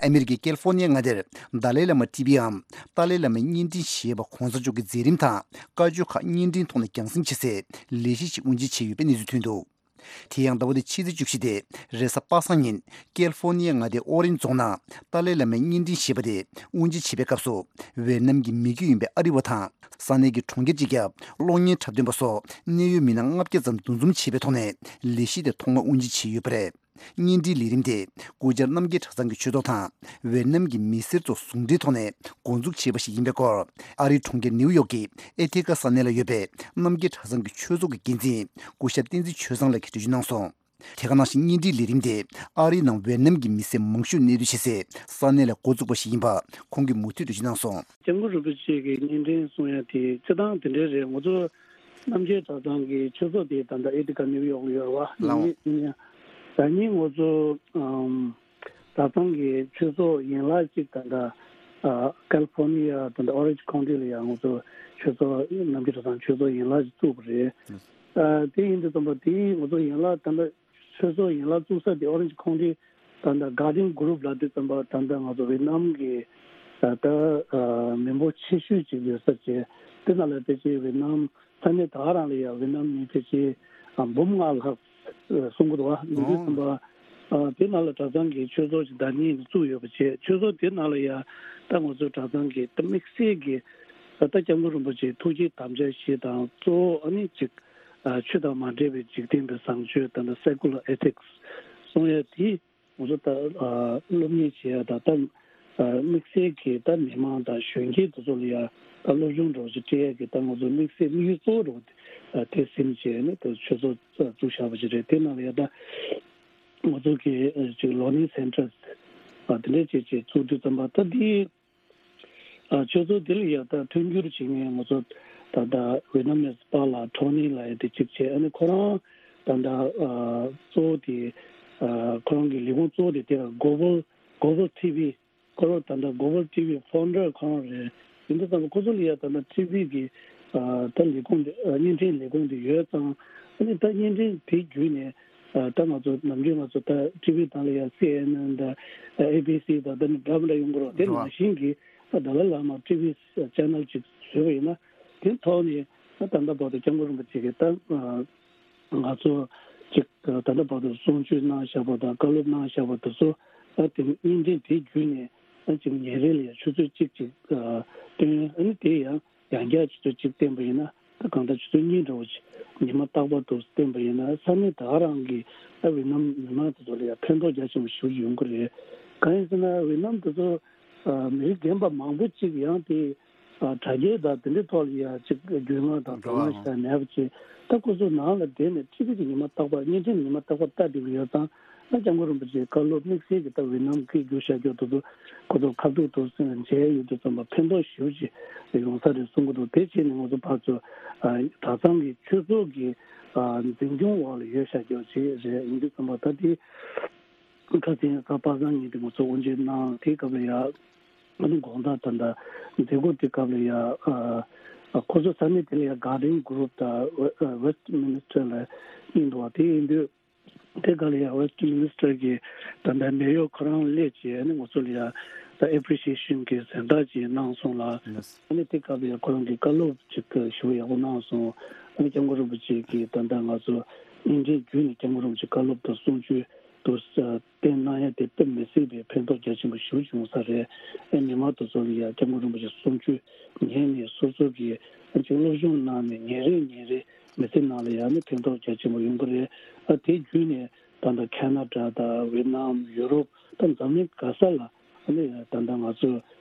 ཨ་མི་རི་ཀའི་ཀེ་ལི་ཧྥོ་ནི་ཡ་མངའ་སྡེར་ཏཱ་ལའི་བླ་མ་ཊི་ཝི་འམ་ཏཱ་ལའི་བླ་མའི་བརྙན་འཕྲིན་ཞེས་པ་༧གོང་ས་མཆོག་གི་མཛད་རིམ་དང་བཀའ་ཆོས་ཁག་བརྙན་འཕྲིན་ཐོག་ནས་རྒྱང་སྲིང་བྱེད་སའི་ལས་གཞི་ཞིག་དབུ་འབྱེད་བྱས་ཡོད་པའི་གནས་ཚུལ་ཐོན་འདུག་དེ་ཡང་ཟླ་བ་འདིའི་ཕྱི་ཚེས་བཅུ་བཞི་སྟེ་རེས་གཟའ་པ་སངས་ཉིན་ཀེ་ལི་ཧྥོ་ནི་ཡ་མངའ་སྡེའི་ཨོ་རེན་རྫོང་ནང་ཏཱ་ལའི་བླ་མའི་བརྙན་འཕྲིན་ཞེས་པ་དེ་དབུ་འབྱེད་བྱེད་པའི་སྐབས་སུ། ཝེ་ནམ་གྱི་མི་རྒྱུད་ཡིན་པའི་ཨ་རི་བ་དང་ས་གནས་ཀྱི་གྲོང་ཁྱེར་གཅིག་ཁྱབ་གློག་བརྙན་འཁྲབ་སྟོན་པ་སོགས་གནད་ཡོད་མི་སྣ་ལྔ་བརྒྱ་ཙམ་འདུ་འཛོམས་བྱས་པའི་ཐོག་ནས་ལས་གཞི་དེ་ཐོག་མར་དབུ་འབྱེད་བྱས་ཡོད་པ་རེད། བརྙན་འཕྲིན་ལས་རིམ་དེ་སྐུ་བཅར་རྣམ་རྒྱལ་གྲྭ་ཚང་གི་ཆོས་ཚོགས་དང་ཝེ་ནམ་གྱི་མི་སེར་ཚོ་ཟུང་འབྲེལ་ཐོག་ནས་འགོ་འཛུགས་བྱས་པ་ཞིག་ཡིན་པའི་སྐོར། ཨ་རིའི་གྲོང་ཁྱེར་ནེའུ་ཡོག་གི་ཨེ་ཐི་ཀ་ས་གནས་ལ་ཡོད་པའི་རྣམ་རྒྱལ་གྲྭ་ཚང་གི་ཆོས་ཚོགས་ཀྱི་འགན་འཛིན་སྐུ་ཞབས་བསྟན་འཛིན་ཆོས་བཟང་ལགས་ཀྱིས་འགྲེལ་བརྗོད་གནང་སོང་། དེ་ག་ནང་བཞིན་བརྙན་འཕྲིན་ལས་རིམ་དེ་ཨ་རིའི་ནང་ཝེ་ནམ་གྱི་མི་སེར་མང་ཤོས་གནས་སྡོད་བྱེད་སའི་ས་གནས་ལ་འགོ་བཙུགས་པ་ཞིག་ཡིན་པ་ཁོང་གིས་མུ་མཐུད་འགྲེལ་བརྗོད་གནང་སོང་། སྐྱབས་མགོན་རིན་པོ་ཆེ་གི་བརྙན་འཕྲིན་གསུང་ཡ་དེ་སྤྱིར་བཏང་དེ་འདྲའི་རེད། ང་ཚོ་རྣམ་རྒྱལ་གྲྭ་ཚང་གི་ཆོས་ཚོགས་དེ་ད་ལྟ་ཨེ་ཐི་ཀ་ནེའུ་ཡོག་ལ་ཡོད་རེད་བ། ལགས་འོང་། ཡིན་ཡང་ད་ནི་ང་ཚོ་ཨམ་གྲྭ་ཚང་གི་ཆོས་ཚོགས་ཡན་ལག་ཅིག་ད་ལྟ་ཨ་ཀལ་ཕོར་ནི་ཡ་ད་ལྟ་ཨོ་རེན་ཇི་ཁའུན་ཊི་ལ་ཡང་ང་ཚོ་ཆོས་ཚོགས་རྣམ་རྒྱལ་གྲྭ་ཚང་ཆོས་ཚོགས་ཡན་ལག་ཅིག་བཙུགས་པ་རེད། ཨ་དེ་ཡིན་དུས་ཙམ་པ་དེ་ང་ཚོ་ཡན་ལག་ད་ལྟ་ཆོས་ཚོགས་ཡན་ལག་བཙུགས་ས་དེ་ཨོ་རེན་ཇི་ཁའུན་ཊི་ད་ལྟ་གར་ཌེན་གུ་རུབ་ལབ་དུས་ཙམ་པ་ད་ལྟ་ང་ཚོ་ཝེ་ནམ་གི་ད་ལྟ་མི་འབོར་ཆེ་ཤོས་ཅིག་ཡོད་ས་བྱས། དེ་ནང་ལ་ཕལ་ཆེར་ཝེ་ནམ་ས་གནས་ད་ག་རང་ལ་ཡང་ཝེ་ནམ་མི་ཕལ་ཆེར་འབུམ་ལྔ་ལྷག་གསུང་གི་འདུག་བ། ཡིན་དུས་ཙམ་པ་དེ་ནང་ལ་གྲྭ་ཚང་གི་ཆོས་ཚོགས་ཤིག་ཟླ་གཉིས་བཙུགས་ཡོད་པ་བྱས། ཆོས་ཚོགས་དེ་ནང་ལ་ཡང་ད་ང་ཚོ་གྲྭ་ཚང་གི་ད་དམིགས་བསལ་གྱི་ད་ལྟ་སྐྱབས་མགོན་རིན་པོ་ཆེའི་ཐུགས་བསྐྱེད་དམ་བཅའ་བཞི་དང་གཙོ་བོ་ཨ་ནི་གཅིག་ཆོས་དང་མ་འདྲེས་པའི་འཇིག་རྟེན་པའི་བཟང་སྤྱོད་ད་ལྟ་སེ་ཀུ་ལར་ཨེ་ཐིག་སི་གསུང་ཡ་དེ་ང་ཚོ་ད་སློབ་གཉེར་བྱེད་ཡ་དང་ད་དམིགས་བསལ་གྱི་ད་མི་མང་དང་གཞོན་སྐྱེས་དེ་ཚོ་ལ་ཡ་ད་སློབ་སྦྱོང་འདྲ་བོ་ཞིག་སྤྲད་ཡ་གི་ད་ང་ཚོ་དམིགས་བསལ་དམིགས་ཡུལ་གཙོ་བོ་འདྲ་བོ་དེ་སེམས་བྱས་ནས་ད་ཆོས་ཚོགས་བཙུགས་བཞག་པ་ཞིག་རེད། དེ་ནང་ལ་ཡ་ད་ང་ཚོ་གི་ཅིག་ལར་ནིང་སེན་ཊར་སི་དེ་འདྲ་བྱས་བྱས་བཙུགས་དུས་ཙམ་པ་ད་དེ། ཨ་ཆོས་ཚོགས་དེ་ལ་ཡ་ད་མཐུན་འགྱུར་བྱེད་མཁན་ང་ཚོ་ད་ལྟ་ཝེ་ནམ་མི་སི་པཱ་ལགས་ཁྲོ་ནི་ལགས་ཡ་དེ་གཅིག་བྱས། ཨ་ནི་ཁོ་རང་ད་ལྟ་ཨ་གཙོ་བོ་དེ་ཨ་ཁོ་རང་གི་ལས་ཁུངས་གཙོ་བོ་དེ་དེ་ལ་གོ་བལ་གོ་བལ་ཊི་ཝི་ཁོ་རང་ད་ལྟ་གོ་བལ་ཊི་ཝི་ཕའུན་ཌར་ཁོ་རང་རེད། ཡིན་དུས་ཙམ་པ་ཁོ་ཚོ་ལ་ཡ་ད་ལྟ་ཊི་ཝི་གི་ཨ་ད་ལས་ཁུངས་དེ་ཨ་བརྙན་འཕྲིན་ལས་ཁུངས་དེ་ཡོད་ཙང་། ཨ་ནི་ད་བརྙན་འཕྲིན་དེ་བརྒྱུད་ནས་ཨ་ད་ང་ཚོ་ནམ་རྒྱུན་ང་ཚོ་ད་ཊི་ཝི་ནང་ལ་ཡ་སི་ཨེན་ཨེན་དང་ཨེ་བི་སི་དང་ད་ནི་འདྲ་མི་འདྲ་ཡོང་གི་རེད། དེ་རེད་བ། ནང་བཞིན་གྱི་ད་ལ་ལ་མ་ཊི་ཝི་ཆེ་ནལ་ཅིག་བཟོས་པ་ཡིན་ན། དེ་ཐོག་ནས་ད་ད་ལྟ་བར་དུ་སྐྱབས་མགོན་རིན་པོ་ཆེ་གིས་ད་ང་ཚོ་ཅིག་ད་ལྟ་བར་དུ་གསུང་ཆོས་གནང་བཞག་པ་དང་བཀའ་སློབ་གནང་བཞག་པ་དེ་ཚོ་ད་དེ་བརྙན་འཕྲིན་དེ་བརྒྱུད་ནས་ད་ཅིག་ཉིན་རེ་ལ་ཡ་ཆུ་ཚོད་གཅིག་ཅིག་སྟོན། ཨ་ནི་དེ་ཡང་ཡང་བསྐྱར་ཆུ་ཚོད་གཅིག་བསྟན་པ་ཡིན་ན་ད་གང་ལྟར་ཆུ་ཚོད་གཉིས་འདྲ་བོ་ཅིག་ཉི་མ་རྟག་པར་དུ་བསྟན་པ་ཡིན་ན་ས་གནས་ད་ག་རང་གི་ཨ་ཝེ་ནམ་མི་མང་དེ་ཚོ་ལ་ཡང་ཕན་ཐོགས་རྒྱ་ཆེན་པོ་ཞིག་ཡོང་གི་རེད། གང་ཡིན་ཟེར་ན་ཝེ་ནམ་དེ་ཚོ་ཨ་མི་རྒན་པ་མང་པོ་ཅིག་ཡང་དེ་ཨ་དྲ་རྒྱའི་དང་དེ་འདྲའི་ཐོག་ལ་ཡང་ཅིག་རྒྱུས་མངའ་དང་དོ་སྣང་ཞིག་མེད་པ་ཅིག་ད་ཁོ་ཚོ་ནང་ལ་བསྡད་ནས་ཊི་ཝི་དེ་ཉི་མ་རྟག་པར་བརྙན་འཕྲིན་ཉི་མ་རྟག་པར་ལྟ་བསྡད་ཀྱི་ཡོད་ཙང་། ད་སྐྱབས་མགོན་རིན་པོ་ཆེའི་བཀའ་སློབ་དམིགས་བསལ་གྱི་ད་ཝེ་ནམ་སྐད་བསྒྱུར་བཤད་རྒྱུ་དེ་ཚོ་ཁོ་ཚོ་ཁ་ཐུག་ཏུ་མཇལ་ཡོང་དུས་ཙམ་པ་ཕན་ཐོགས་ཞེ་པོ་ཅིག་ཡོང་ས་རེད་གསུང་གི་འདུག་དེ་བྱས་ནས་ང་ཚོ་ཕར་ཚུར་གྲྭ་ཚང་གི་ཆོས་ཚོགས་ཀྱི་འཛིན་སྐྱོང་འོག་ལ་ཡོད་བཤད་རྒྱུ་ཅིག་རེད། ཡིན་དུས་ཙམ་པ་ད་དེ་ཁ་སང་གཟའ་པ་སངས་ཉིན་དེ་ང་ཚོ་དབུ་འབྱེད་གནང་། དེའི་སྐབས་ལ་ཡ། ཨ་ནི་དགོང་དག་ད་ལྟ་མཛད་སྒོ་དེ་སྐབས་ལ་ཡ། ཨ། ཁོ་ཚོ་ས་གནས་དེ་ལ་ཡ་Guardian Group དང་West Minister ལ་ཡིན་འདུག་བ། དེ་ཡིན་དུས་དེ་ག་ལ་ཡ་West Minister གི་ད་ལྟ་མེ་ཡོར་ཁོ་རང་སླེབས་བྱས་ཨ་ནི་ང་ཚོ་ལ་ཡ་ད་appreciation གི་གཟེངས་རྟགས་ཅིག་གནང་སོང་ལ། ཨ་ནི་དེ་སྐབས་ལ་ཡ་ཁོ་རང་གི་བཀའ་སློབ་ཅིག་ཞེ་པོ་ཡག་པོ་གནང་སོང་། ཨ་ནི་སྐྱབས་མགོན་རིན་པོ་ཆེ་གིས་ད་ལྟ་ང་ཚོ་བརྙན་འཕྲིན་བརྒྱུད་ནས་སྐྱབས་མགོན་རིན་པོ་ཆེ་བཀའ་སློབ་དང་གསུང་ཆོས། དུ་བསྟན་གནང་ཡ་དེ་དཔེ་མི་སྲིད་པའི་ཕན་ཐོགས་རྒྱ་ཆེན་པོ་ཞེ་པོ་བྱུང་ས་རེད། ཨེ་མི་མང་དེ་ཚོ་ལ་ཡ་སྐྱབས་མགོན་རིན་པོ་ཆེ་གསུང་ཆོས་ཉན་ནས་སོ་སོ་གི་ཅིག་སློབ་སྦྱོང་གནང་ནས་ཉིན་རེ་ཉིན་རེ་མི་ཚེ་ནང་ལ་ཡ་ནི་ཕན་ཐོགས་རྒྱ་ཆེན་པོ་ཡོང་གི་རེད། ཨ་དེ་བརྒྱུད་ནས་ད་ལྟ་ཁེ་ན་ཌ་དང་ཝེ་ནམ་ཡུ་རོབ་དང་འཛམ་གླིང་ག་ས་ལ་ཨ་ནི་ད་ལྟ་ང་ཚོ་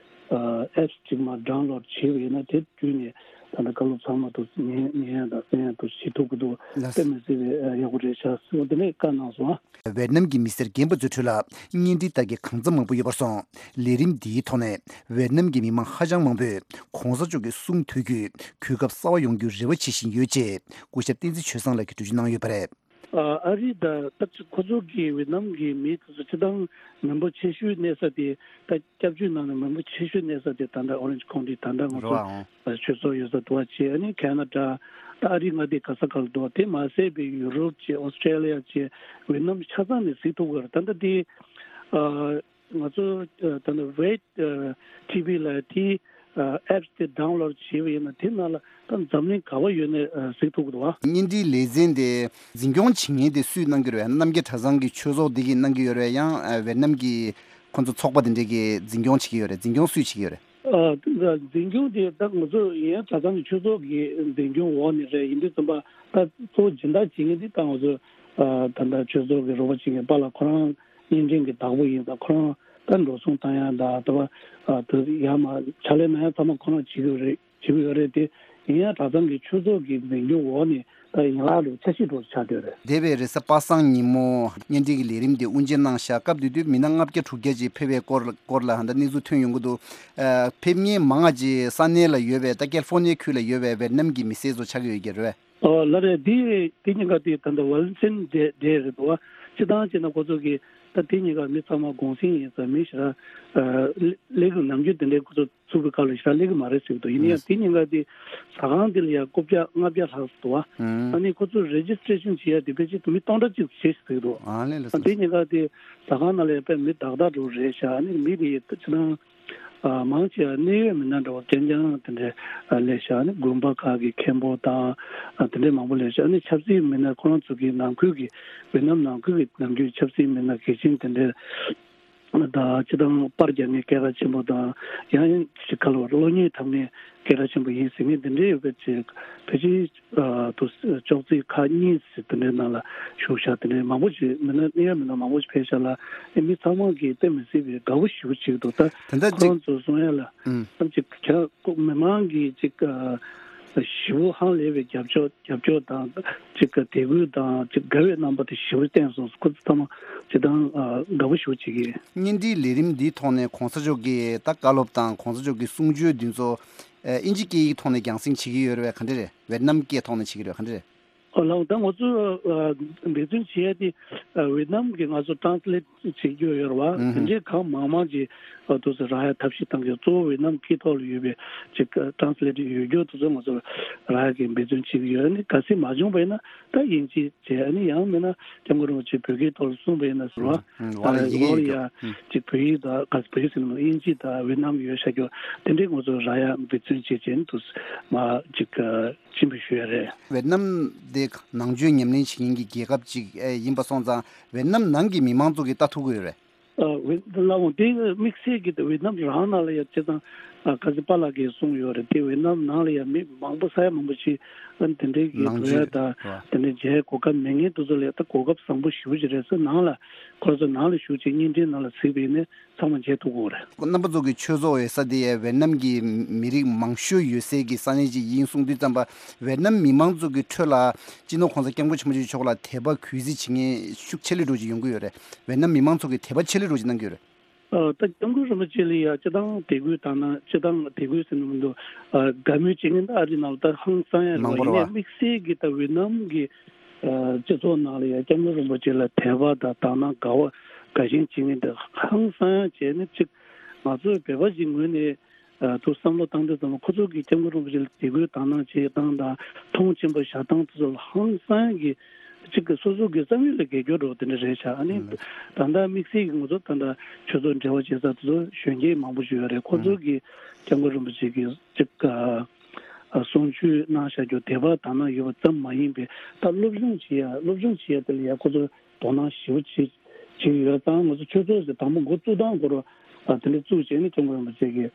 ཨེབ་སི་ཅིག་མར་ཌའུན་ལོཌ་བྱས་པ་ཡིན་ན་དེ་བརྒྱུད་ནས་ད་ལྟ་བཀའ་སློབ་ཚང་མ་དུ་ཉན་ཉན་ཡ་དང་གསན་ཡ་དུ་བྱེད་ཐུབ་ཀྱི་འདུག་ལགས། དཔེ་མི་སྲིད་པའི་ཡག་པོ་རེད་ཤག་ཟེར་བ་དེ་ནས་བཀའ་གནང་སོང་ཨ། ཝེད་ནམ་གྱི་མི་སེར་རྒན་པ་ཚོའི་ཁྲོད་ལ་གཉེན་སྒྲིག་ལྟ་མཁན་གང་འཚམ་མང་པོ་ཡོད་པར་སོང་། ལས་རིམ་འདིའི་ཐོག་ནས་ཝེད་ནམ་གྱི་མི་མང་ཧ་ཅང་མང་པོས་གོང་ས་མཆོག་གི་གསུང་ཐོས་རྒྱུས་གོ་སྐབས་གསར་བ་ཡོང་རྒྱུའི་རེ་བ་བྱེད་བཞིན་ཡོད་ཅེས་སྐུ་ཞབས་བསྟན་འཛིན་ཆོས་བཟང་ལགས་ཀྱིས་འགྲེལ་བརྗོད་གནང་ཡོད་པ་རེད། ཨ་རི་དང་ད་ཁོ་ཚོ་གི་ཝེད་ནམ་གྱི་མི་དེ་ཚོ་སྤྱིར་བཏང་མི་འབོར་ཆེ་ཤོས་གནས་ས་དེ་ད་སྐྱབས་བཅོལ་ནང་ནས་མི་འབོར་ཆེ་ཤོས་གནས་ས་དེ་ད་ལྟ་ཨོ་རེན་ཇི་ཁོང་ཊི་ད་ལྟ་ང་རེད་བ། ཨང་། ཚོ་ཆོས་ཚོགས་ཡོད་ས་དུ་བ་བྱས་ཨ་ནི་ཁེ་ན་ཌ་ད་ཨ་རི་མངའ་སྡེ་ག་ས་ག་ལ་འདུག་དེ་མ་ཟད་པའི་ཡུ་རོབ་བྱས་ཨོ་སི་ཁྲེ་ལི་ཡ་བྱས་ཝེད་ནམ་ཆ་ཚང་ནས་གཟིགས་ཐུབ་ཀྱི་རེད། ད་ལྟ་དེ་ཨ་ང་ཚོ་ད་ལྟ་ཝེད་ཊི་ཝི་ལ་དེ་ཨེབ་སི་དེ་ཌའུན་ལོཌ་བྱས་པ་ཡིན་ན་དེ་ནང་ལ་ད་འཛམ་གླིང་ག་བ་ཡོད་ནས་གཟིགས་ཐུབ་ཀྱི་འདུག་བ། བརྙན་འཕྲིན་ལེ་ཚན་དེ་འཛིན་སྐྱོང་བྱེད་མཁན་དེ་སུས་གནང་གི་རེད། རྣམ་རྒྱལ་གྲྭ་ཚང་གི་ཆོས་ཚོགས་འདི་གིས་གནང་གི་ཡོད་རེད། ཡང་ཝེད་ནམ་གྱི་ཁོང་ཚོ་ཚོགས་པ་དེ་འདྲས་ཀྱིས་འཛིན་སྐྱོང་བྱེད་ཀྱི་ཡོད་རེད། འཛིན་སྐྱོང་སུས་བྱེད་ཀྱི་ཡོད་རེད། ཨ། འཛིན་སྐྱོང་དེ་ད་ང་ཚོ་ཡང་གྲྭ་ཚང་གི་ཆོས་ཚོགས་ཀྱི་འཛིན་སྐྱོང་འོག་ནས་རེད། ཡིན་དུས་ཙམ་པ་ད་གཙོ་བོ་སྦྱིན་བདག་བྱེད་མཁན་དེ་ད་ང་ཚོ་ཨ་ད་ལྟ་ཆོས་ཚོགས་ཀྱི་རོགས་པ་བྱེད་མཁན་པཱ་ལགས་ཁོ་རང་བརྙན་འཕྲིན་གྱི་བདག་པོ་ཡིན་ཙང་ཁོ་རང་ད་འགྲོ་སོང་བཏང་ཡ་ད་ད་ཨ་ད་ཡར་མར་ཕྱག་ལས་གནང་ཡ་ཚང་མ་ཁོ་རང་བྱེད་ཀྱི་ཡོད་རེད། བྱེད་ཀྱི་ཡོད་རེད་དེ། ཡིན་ཡང་གྲྭ་ཚང་གི་ཆོས་ཚོགས་ཀྱི་འཛིན་སྐྱོང་འོག་ནས་ད་ཡན་ལག་ལ་འཆར་གཞི་འགྲོ་ཆགས་བསྡད་རེད། འདས་པའི་རེས་གཟའ་པ་སངས་ཉིན་མོ་བརྙན་འཕྲིན་གྱི་ལས་རིམ་དེ་དབུ་འབྱེད་གནང་ཤག་སྐབས་དེ་དུས་མི་སྣ་ལྔ་བརྒྱ་དྲུག་བརྒྱ་ཅིག་ཕེབས་པའི་སྐོར་སྐོར་ལ་ཧ་ད་གནས་ཚུལ་ཐོན་ཡོང་གི་འདུག་ཨ། ཕེབས་མཁན་མང་བ་ཅིག་ས་གནས་ལ་ཡོད་པའི་ད་ཀལ་ཧྥོ་ནི་ཡ་ཁུལ་ལ་ཡོད་པའི་ཝེད་ནམ་གྱི་མི་སེར་ཚོ་ཆགས་ཀྱི་ཡོད་ཀྱི་རེད། ཨོ་ལགས་རེད། འདི་དེ་གཉིས་ཀ་དེ་ད་ལྟ་ཝ་ལན་ཊི་ཨེན་ཌེ་རེད་འདུག་བ། སྤྱིར་བཏང་བྱས་ན་ཁོ་ཚོ་གི་ད་དེ་གཉིས་ཀ་མི་ཚང་མ་གུང་སེང་ཡིན་ཙང་མི་ཞེ་དྲག་ཨ་སླེབས་ཀྱི་ནམ་རྒྱུན་དེ་འདྲའི་ཁོ་ཚོ་ཚུགས་པའི་སྐབས་ལ་ཞེ་དྲག་སླེབས་ཀྱི་མ་རེད་ཟེར་གྱི་འདུག་ཡིན་ན་ཡང་དེ་གཉིས་ཀ་དེ་ཟ་ཁང་དེ་ལ་ཡང་རྐུབ་བཀྱག་ལྔ་བརྒྱ་ལྷག་ཙམ་འདུག་བ། ཨ་ནི་ཁོ་ཚོ་རེ་ཇི་སི་ཊེ་ཤན་བྱེད་ཡ་དེ་ཕལ་ཆེར་མི་སྟོང་ཕྲག་གཅིག་བྱས་ཟེར་གྱི་འདུག་ཨ་ལས་ལགས་སོ། དེ་གཉིས་ཀ་དེ་ཟ་ཁང་ནང་ལ་ཡང་དཔེ་མི་དག་དག་འགྲོ་རེད་ཤག་ཨ་ནི་མི་དེ་ཡི་ད་ཅི་ན། ཨ་མང་ཆེ་བ་གནད་ཡོད་མི་སྣ་འདྲ་བོ་རྐྱང་རྐྱང་དེ་འདྲའི་ཨ་སླེབས་ཤག་ཨ་ནི་དགོན་པ་ཁག་གི་མཁན་པོ་དང་ཨ་དེ་འདྲའི་མང་པོ་སླེབས་ཤག་ཨ་ནི་ཆབ་སྲིད་མི་སྣ་ཁོ་རང་ཚོ་གི་ནང་ཁུལ་གྱི་ཝེ་ནམ་ནང་ཁུལ་གྱི་ནམ་རྒྱུན་ཆབ་སྲིད་མི་སྣ་གལ་ཆེན་དེ་འདྲའི་དང་སྤྱི་བཏང་པར་རྒྱག་མཁན་སྐད་གྲགས་ཆེན་པོ་དང་ཡང་ཡང་ཅིག་ག་ལ་བ་གློག་བརྙན་འཁྲབ་མཁན་སྐད་གྲགས་ཆེན་པོ་ཡིན་ཟེར་མཁན་དེ་འདྲའི་ཡོད་པའི་ཆེད་ཕལ་ཆེར། ཨ་དུ་ཅོག་ཙེ་ཁག་གཉིས་ཟེར་དེ་འདྲའི་ནང་ལ་བཞུགས་ཤག་དེ་འདྲའི་མང་པོ་ཞིག་མི་སྣ་གནད་ཡོད་མི་སྣ་མང་པོ་ཞིག་ཕེབས་ཤག་ལ་ཨེ་མི་ཚང་མ་གིས་དཔེ་མི་སྲིད་པའི་དགའ་བོ་ཞེ་པོ་བྱེད་ཀྱི་འདུག་ད་ད་ལྟ་ཁོ་རང་ཚོ་གསུང་ཡ་ལ་ཨུམ། ཨམ་ཅིག་ཁྱ་མི་མང་གིས་ཅིག་ཨ་ཞེ་པོ་ཧང་ལས་པའི་རྒྱབ་སྐྱོར་རྒྱབ་སྐྱོར་དང་ཅིག་དད་གུས་དང་ཅིག་དགའ་བའི་རྣམ་པ་དེ་ཞེ་པོ་བསྟན་སོང་། ཁོ་ཚོ་ཚང་མ་ཅིག་དང་ཨ་དགའ་བོ་ཞེ་པོ་བྱེད་ཀྱི། བརྙན་འཕྲིན་ལས་རིམ་འདིའི་ཐོག་ནས་གོང་ས་མཆོག་གིས་ད་བཀའ་སློབ་དང་གོང་ས་མཆོག་གི་གསུང་ཆོས་འདི་ཚོ་ཨ་ཨིན་ཇི་སྐད་ཡིག་ཐོག་ནས་རྒྱང་སྲིང་བྱེད་ཀྱི་ཡོད་རེད་པས། ག་འདྲ་རེད། ཝེད་ནམ་སྐད་ཐོག་ནས་བྱེད་ཀྱི་རེད་པས། ག་འདྲ་རེད། ཨོ་ལགས། ད་ང་ཚོ་ཨ་འབད་བརྩོན་བྱེད་ཡ་དེ་ཨ་ཝེད་ནམ་གྱི་ང་ཚོ་ཊེ་རན་སི་ལེཊ་བྱེད་རྒྱུ་ཡོད་རེད་བ། ཨུ་ཧུམ། དེ་འདྲའི་གང་མང་མང་ཅིག་ཨ་དུ་ཚོ་རག་ཡ་ཐབས་ཤེས་གཏང་གི་ཡོད། གཙོ་བོ་ཝེད་ནམ་སྐད་ཐོག་ལ་ཡོད་པའི་ཅིག་ཨ་ཊེ་རན་སི་ལེཊ་ཡོད་རྒྱུ་དུ་ཚོ་ང་ཚོ་རག་ཡ་གི་འབད་བརྩོན་བྱེད་ཀྱི་ཡོད། ཨ་ནི་གལ་སྲིད་མ་བྱུང་བ་ཡིན་ན་ད་དབྱིན་ཇི་བྱས། ཨ་ནི་ཡང་མིན་ན་སྐྱབས་མགོན་རིན་པོ་ཆེ་བོད་སྐད་ཐོག་ལ་གསུངས་པ་ཡིན་ན་ཟེར་བ། ཨུ་ཧུམ། ད་ལ་ཡི་གེ་ལོ་ཡོད་རྒྱུ། ཡ་ཨུ་ཅིག་བོད་ཡིག་དང་ག་བོད་ཡིག་ཟེར་ན་དབྱིན་ཇི་དང་ཝེད་ནམ་ཡོད་ཤག་རྒྱུ་དེ་འདྲའི་ང་ཚོ་རག་ཡ་འབད་བརྩོན་བྱེད་བྱས་ནས་དུ་མ་ཅིག་ཨ། སྤྱི་འཐུས་ཞུ་ཡ་རེད། ཝེད་ནམ་དེ་ནང་ཆོས་ཉམས་ལེན་བྱེད་མཁན་གྱི་རྒྱལ་ཁབ་ཅིག་ཨེ་ཡིན་པ་སོང་ཙང་ཝེད་ནམ་ནང་གི་མི་མང་ཚོ་གིས་ལྟ་ཐུབ་ཀྱི་ཡོད་རེད། ཨ་ཝེད་ལ་འོང་དེ་དམིགས་བསལ་གྱི་ཝེད་ནམ་རང་ནང་ལ་ཡ་བྱས་ཙང་ ཨ་ཁ་སང་པཱ་ལགས་ཀྱིས་གསུངས་ཡོད་རེད། དེ་ཝེ་ནམ་ནང་ལ་ཡང་མི་མང་པོ་ས་ཡ་མང་པོ་ཅིག་ཨ་དེ་འདྲའི་གི་ནང་འགྲོ་ཡ་ཆེན་དང་རེད་བ། དེ་འདྲའི་མཇལ་གོ་སྐབས་མེད་མཁན་དེ་ཚོ་ལ་ད་གོ་སྐབས་བཟང་པོ་ཞེ་པོ་ཅིག་རེད་ཟེར། ནང་ལ་ཁོ་ཚོ་ནང་ལ་བཞུགས་བྱས་བརྙན་འཕྲིན་ནང་ལ་གཟིགས་པ་ཡིན་ན་ཚང་མ་མཇལ་ཐུབ་ཀྱི་ཡོད་རེད། རྣམ་པ་ཚོ་གི་ཆོས་ཚོགས་ཡོད་ས་དེ་ཝེ་ནམ་གྱི་མི་རིགས་མང་ཤོས་ཡོད་སའི་གི་ས་གནས་ཅིག་ཡིན་གསུངས་དུས་ཙམ་པ། ཝེ་ནམ་མི་མང་ཚོ་གི་ཁྲོད་ལ་སྤྱི་ནོར་གོང་ས་སྐྱབས་མགོན་ཆེན་པོ་མཆོག་ལ་དད་པ་གུས་བརྩི་བྱེད་མཁན་ཤུགས་ཆེ་ལོས་འགྲོ་ཅིག་ཡོང་གི་ཡོད་རེད། ཝེ་ནམ་མི་མང་ཚོ་གི་དད་པ་ཆེ་ལོས་འགྲོ་ཅིག་གནང་གི་ཡོད་རེད། ཨ་ད་སྐྱབས་མགོན་རིན་པོ་ཆེ་ལ་ཡ་སྤྱི་བཏང་དད་གུས་དང་ན་སྤྱི་བཏང་དད་གུས་ཟེར་ན་མི་འདུག་ཨ་དགའ་མོས་བྱེད་མཁན་ད་ཨ་རི་ནང་ལ་ད་ཧང་སང་ཡ་རེད་མང་པོ་རེད་བ། ཡིན་ནའི་དམིགས་བསལ་གྱི་ད་ཝེ་ནམ་གྱི་ཨ་སྤྱི་ཚོགས་ནང་ལ་ཡ་སྐྱབས་མགོན་རིན་པོ་ཆེ་ལ་དད་པ་དང་དག་སྣང་དགའ་བ་དགའ་ཞེན་བྱེད་མཁན་ད་ཧང་སང་ཡ་བྱས་ནས་ཅིག་ང་ཚོའི་བོད་པ་ཞིག་ངོས་ནས་ཨ་ཐུགས་བསམ་བློ་བཏང་དུས་ཙམ་ལ་ཁོ་ཚོ་གི་སྐྱབས་མགོན་རིན་པོ་ཆེ་ལ་དད་གུས་དག་སྣང་བྱེད་སྟངས་དང་མཐོང་ཆེན་པོ་བཞག་སྟངས་དེ་ཚོ་ལ་ཧང་སང་གི་ཅིག་གི་སོ་སོ་གི་བསམ་ཡུལ་ལ་འགལ་སྐྱོ་འགྲོ་དེ་འདྲ་རེད་ཤག་ཨ་ནི་ད་ལྟ་དམིགས་བསལ་གྱི་ང་ཚོ་ད་ལྟ་ཆོས་ཚོགས་འབྲེལ་བ་བྱེད་ས་དེ་ཚོ་གཞོན་སྐྱེས་མང་པོ་ཞིག་ཡོད་རེད། ཁོ་ཚོ་གི་སྐྱབས་མགོན་རིན་པོ་ཆེ་གི་ཅིག་གསུང་ཆོས་གནང་བཞག་རྒྱུ་དད་པ་དག་སྣང་ཡོད་པ་ཙམ་མ་ཡིན་པའི་ད་སློབ་སྦྱོང་བྱེད་ཡ་སློབ་སྦྱོང་བྱེད་ཡ་དེ་ལ་ཡ་ཁོ་ཚོ་དོ་སྣང་ཞེ་པོ་བྱེད་བྱེད་ཡོད་ཙང་། ང་ཚོ་ཆོས་ཚོགས་ཟེར་དང་པོ་འགོ་བཙུགས་སྟངས་སྐོར་དེ་འདྲ་བཙུགས་བྱས་ནས་སྐྱབས་མགོན་རིན་པོ་ཆེ་གི་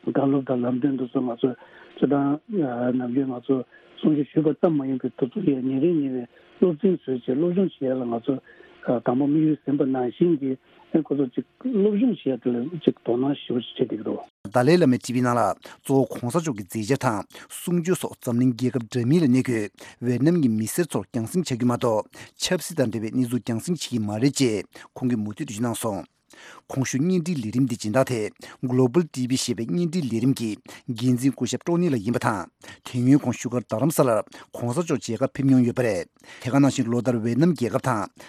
བཀའ་སློབ་དང་ལམ་སྟོན་དེ་ཚོ་ང་ཚོས་སྤྱི་བཏང་ནམ་རྒྱུན་ང་ཚོ་གསུང་ཆོས་ཞུས་པ་ཙམ་མ་ཡིན་པའི་དེ་ཚོ་ཡང་ཉིན་རེ་ཉིན་རེ་སློབ་ཚན་བཟོས་བྱས་སློབ་སྦྱོང་བྱེད་ཡ་ལ་ང་ཚོ་དང་པོ་དམིགས་ཡུལ་ཟིན་པ་ནང་བཞིན་གྱི་ཁོ་ཚོ་ཅིག་སློབ་སྦྱོང་བྱེད་ཡ་དེ་ལ་ཅིག་དོ་སྣང་ཞེ་པོ་ཅིག་བྱེད་བསྡད་ཀྱི་འདུག་ཏཱ་ལའི་བླ་མའི་ཊི་ཝི་ནང་ལ་གཙོ་བོ་གོང་ས་མཆོག་གི་མཛད་འཆར་དང་གསུང་ཆོས་སོགས་འཛམ་གླིང་རྒྱལ་ཁབ་འདྲ་མིན་ལ་གནས་འཁོད་ཝེ་ནམ་གྱི་མི་སེར་ཚོར་རྒྱང་སྲིང་བྱ་རྒྱུ་མ་གཏོགས་ཆབ་སྲིད་དང་འབྲེལ་བའི་གནས་ཚུལ་རྒྱང་སྲིང་བྱེད་ཀྱི་མ་རེད་ཅེས་ཁོང་གིས་མུ་མཐུད་འགྲེལ་བརྗོད་གནང་སོང་། གོང་ཞུས་བརྙན་འཕྲིན་ལས་རིམ་འདི་སྦྱིན་བདག་དེ་Global ཊི་ཝི་ཞེས་པའི་བརྙན་འཕྲིན་ལས་རིམ་གྱི་འགན་འཛིན་སྐུ་ཞབས་ཀྲོ་ནི་ལགས་ཡིན་པ་དང་། དེ་སྔོན་ཁོང་བཞུགས་སྒར་རྡ་རམ་ས་ལར་གོང་ས་མཆོག་མཇལ་ཁ་ཕེབས་མྱོང་ཡོད་པ་རེད། དེ་ག་ནང་བཞིན་ལོ་ལྟར་ཝེ་ནམ་རྒྱལ་ཁབ་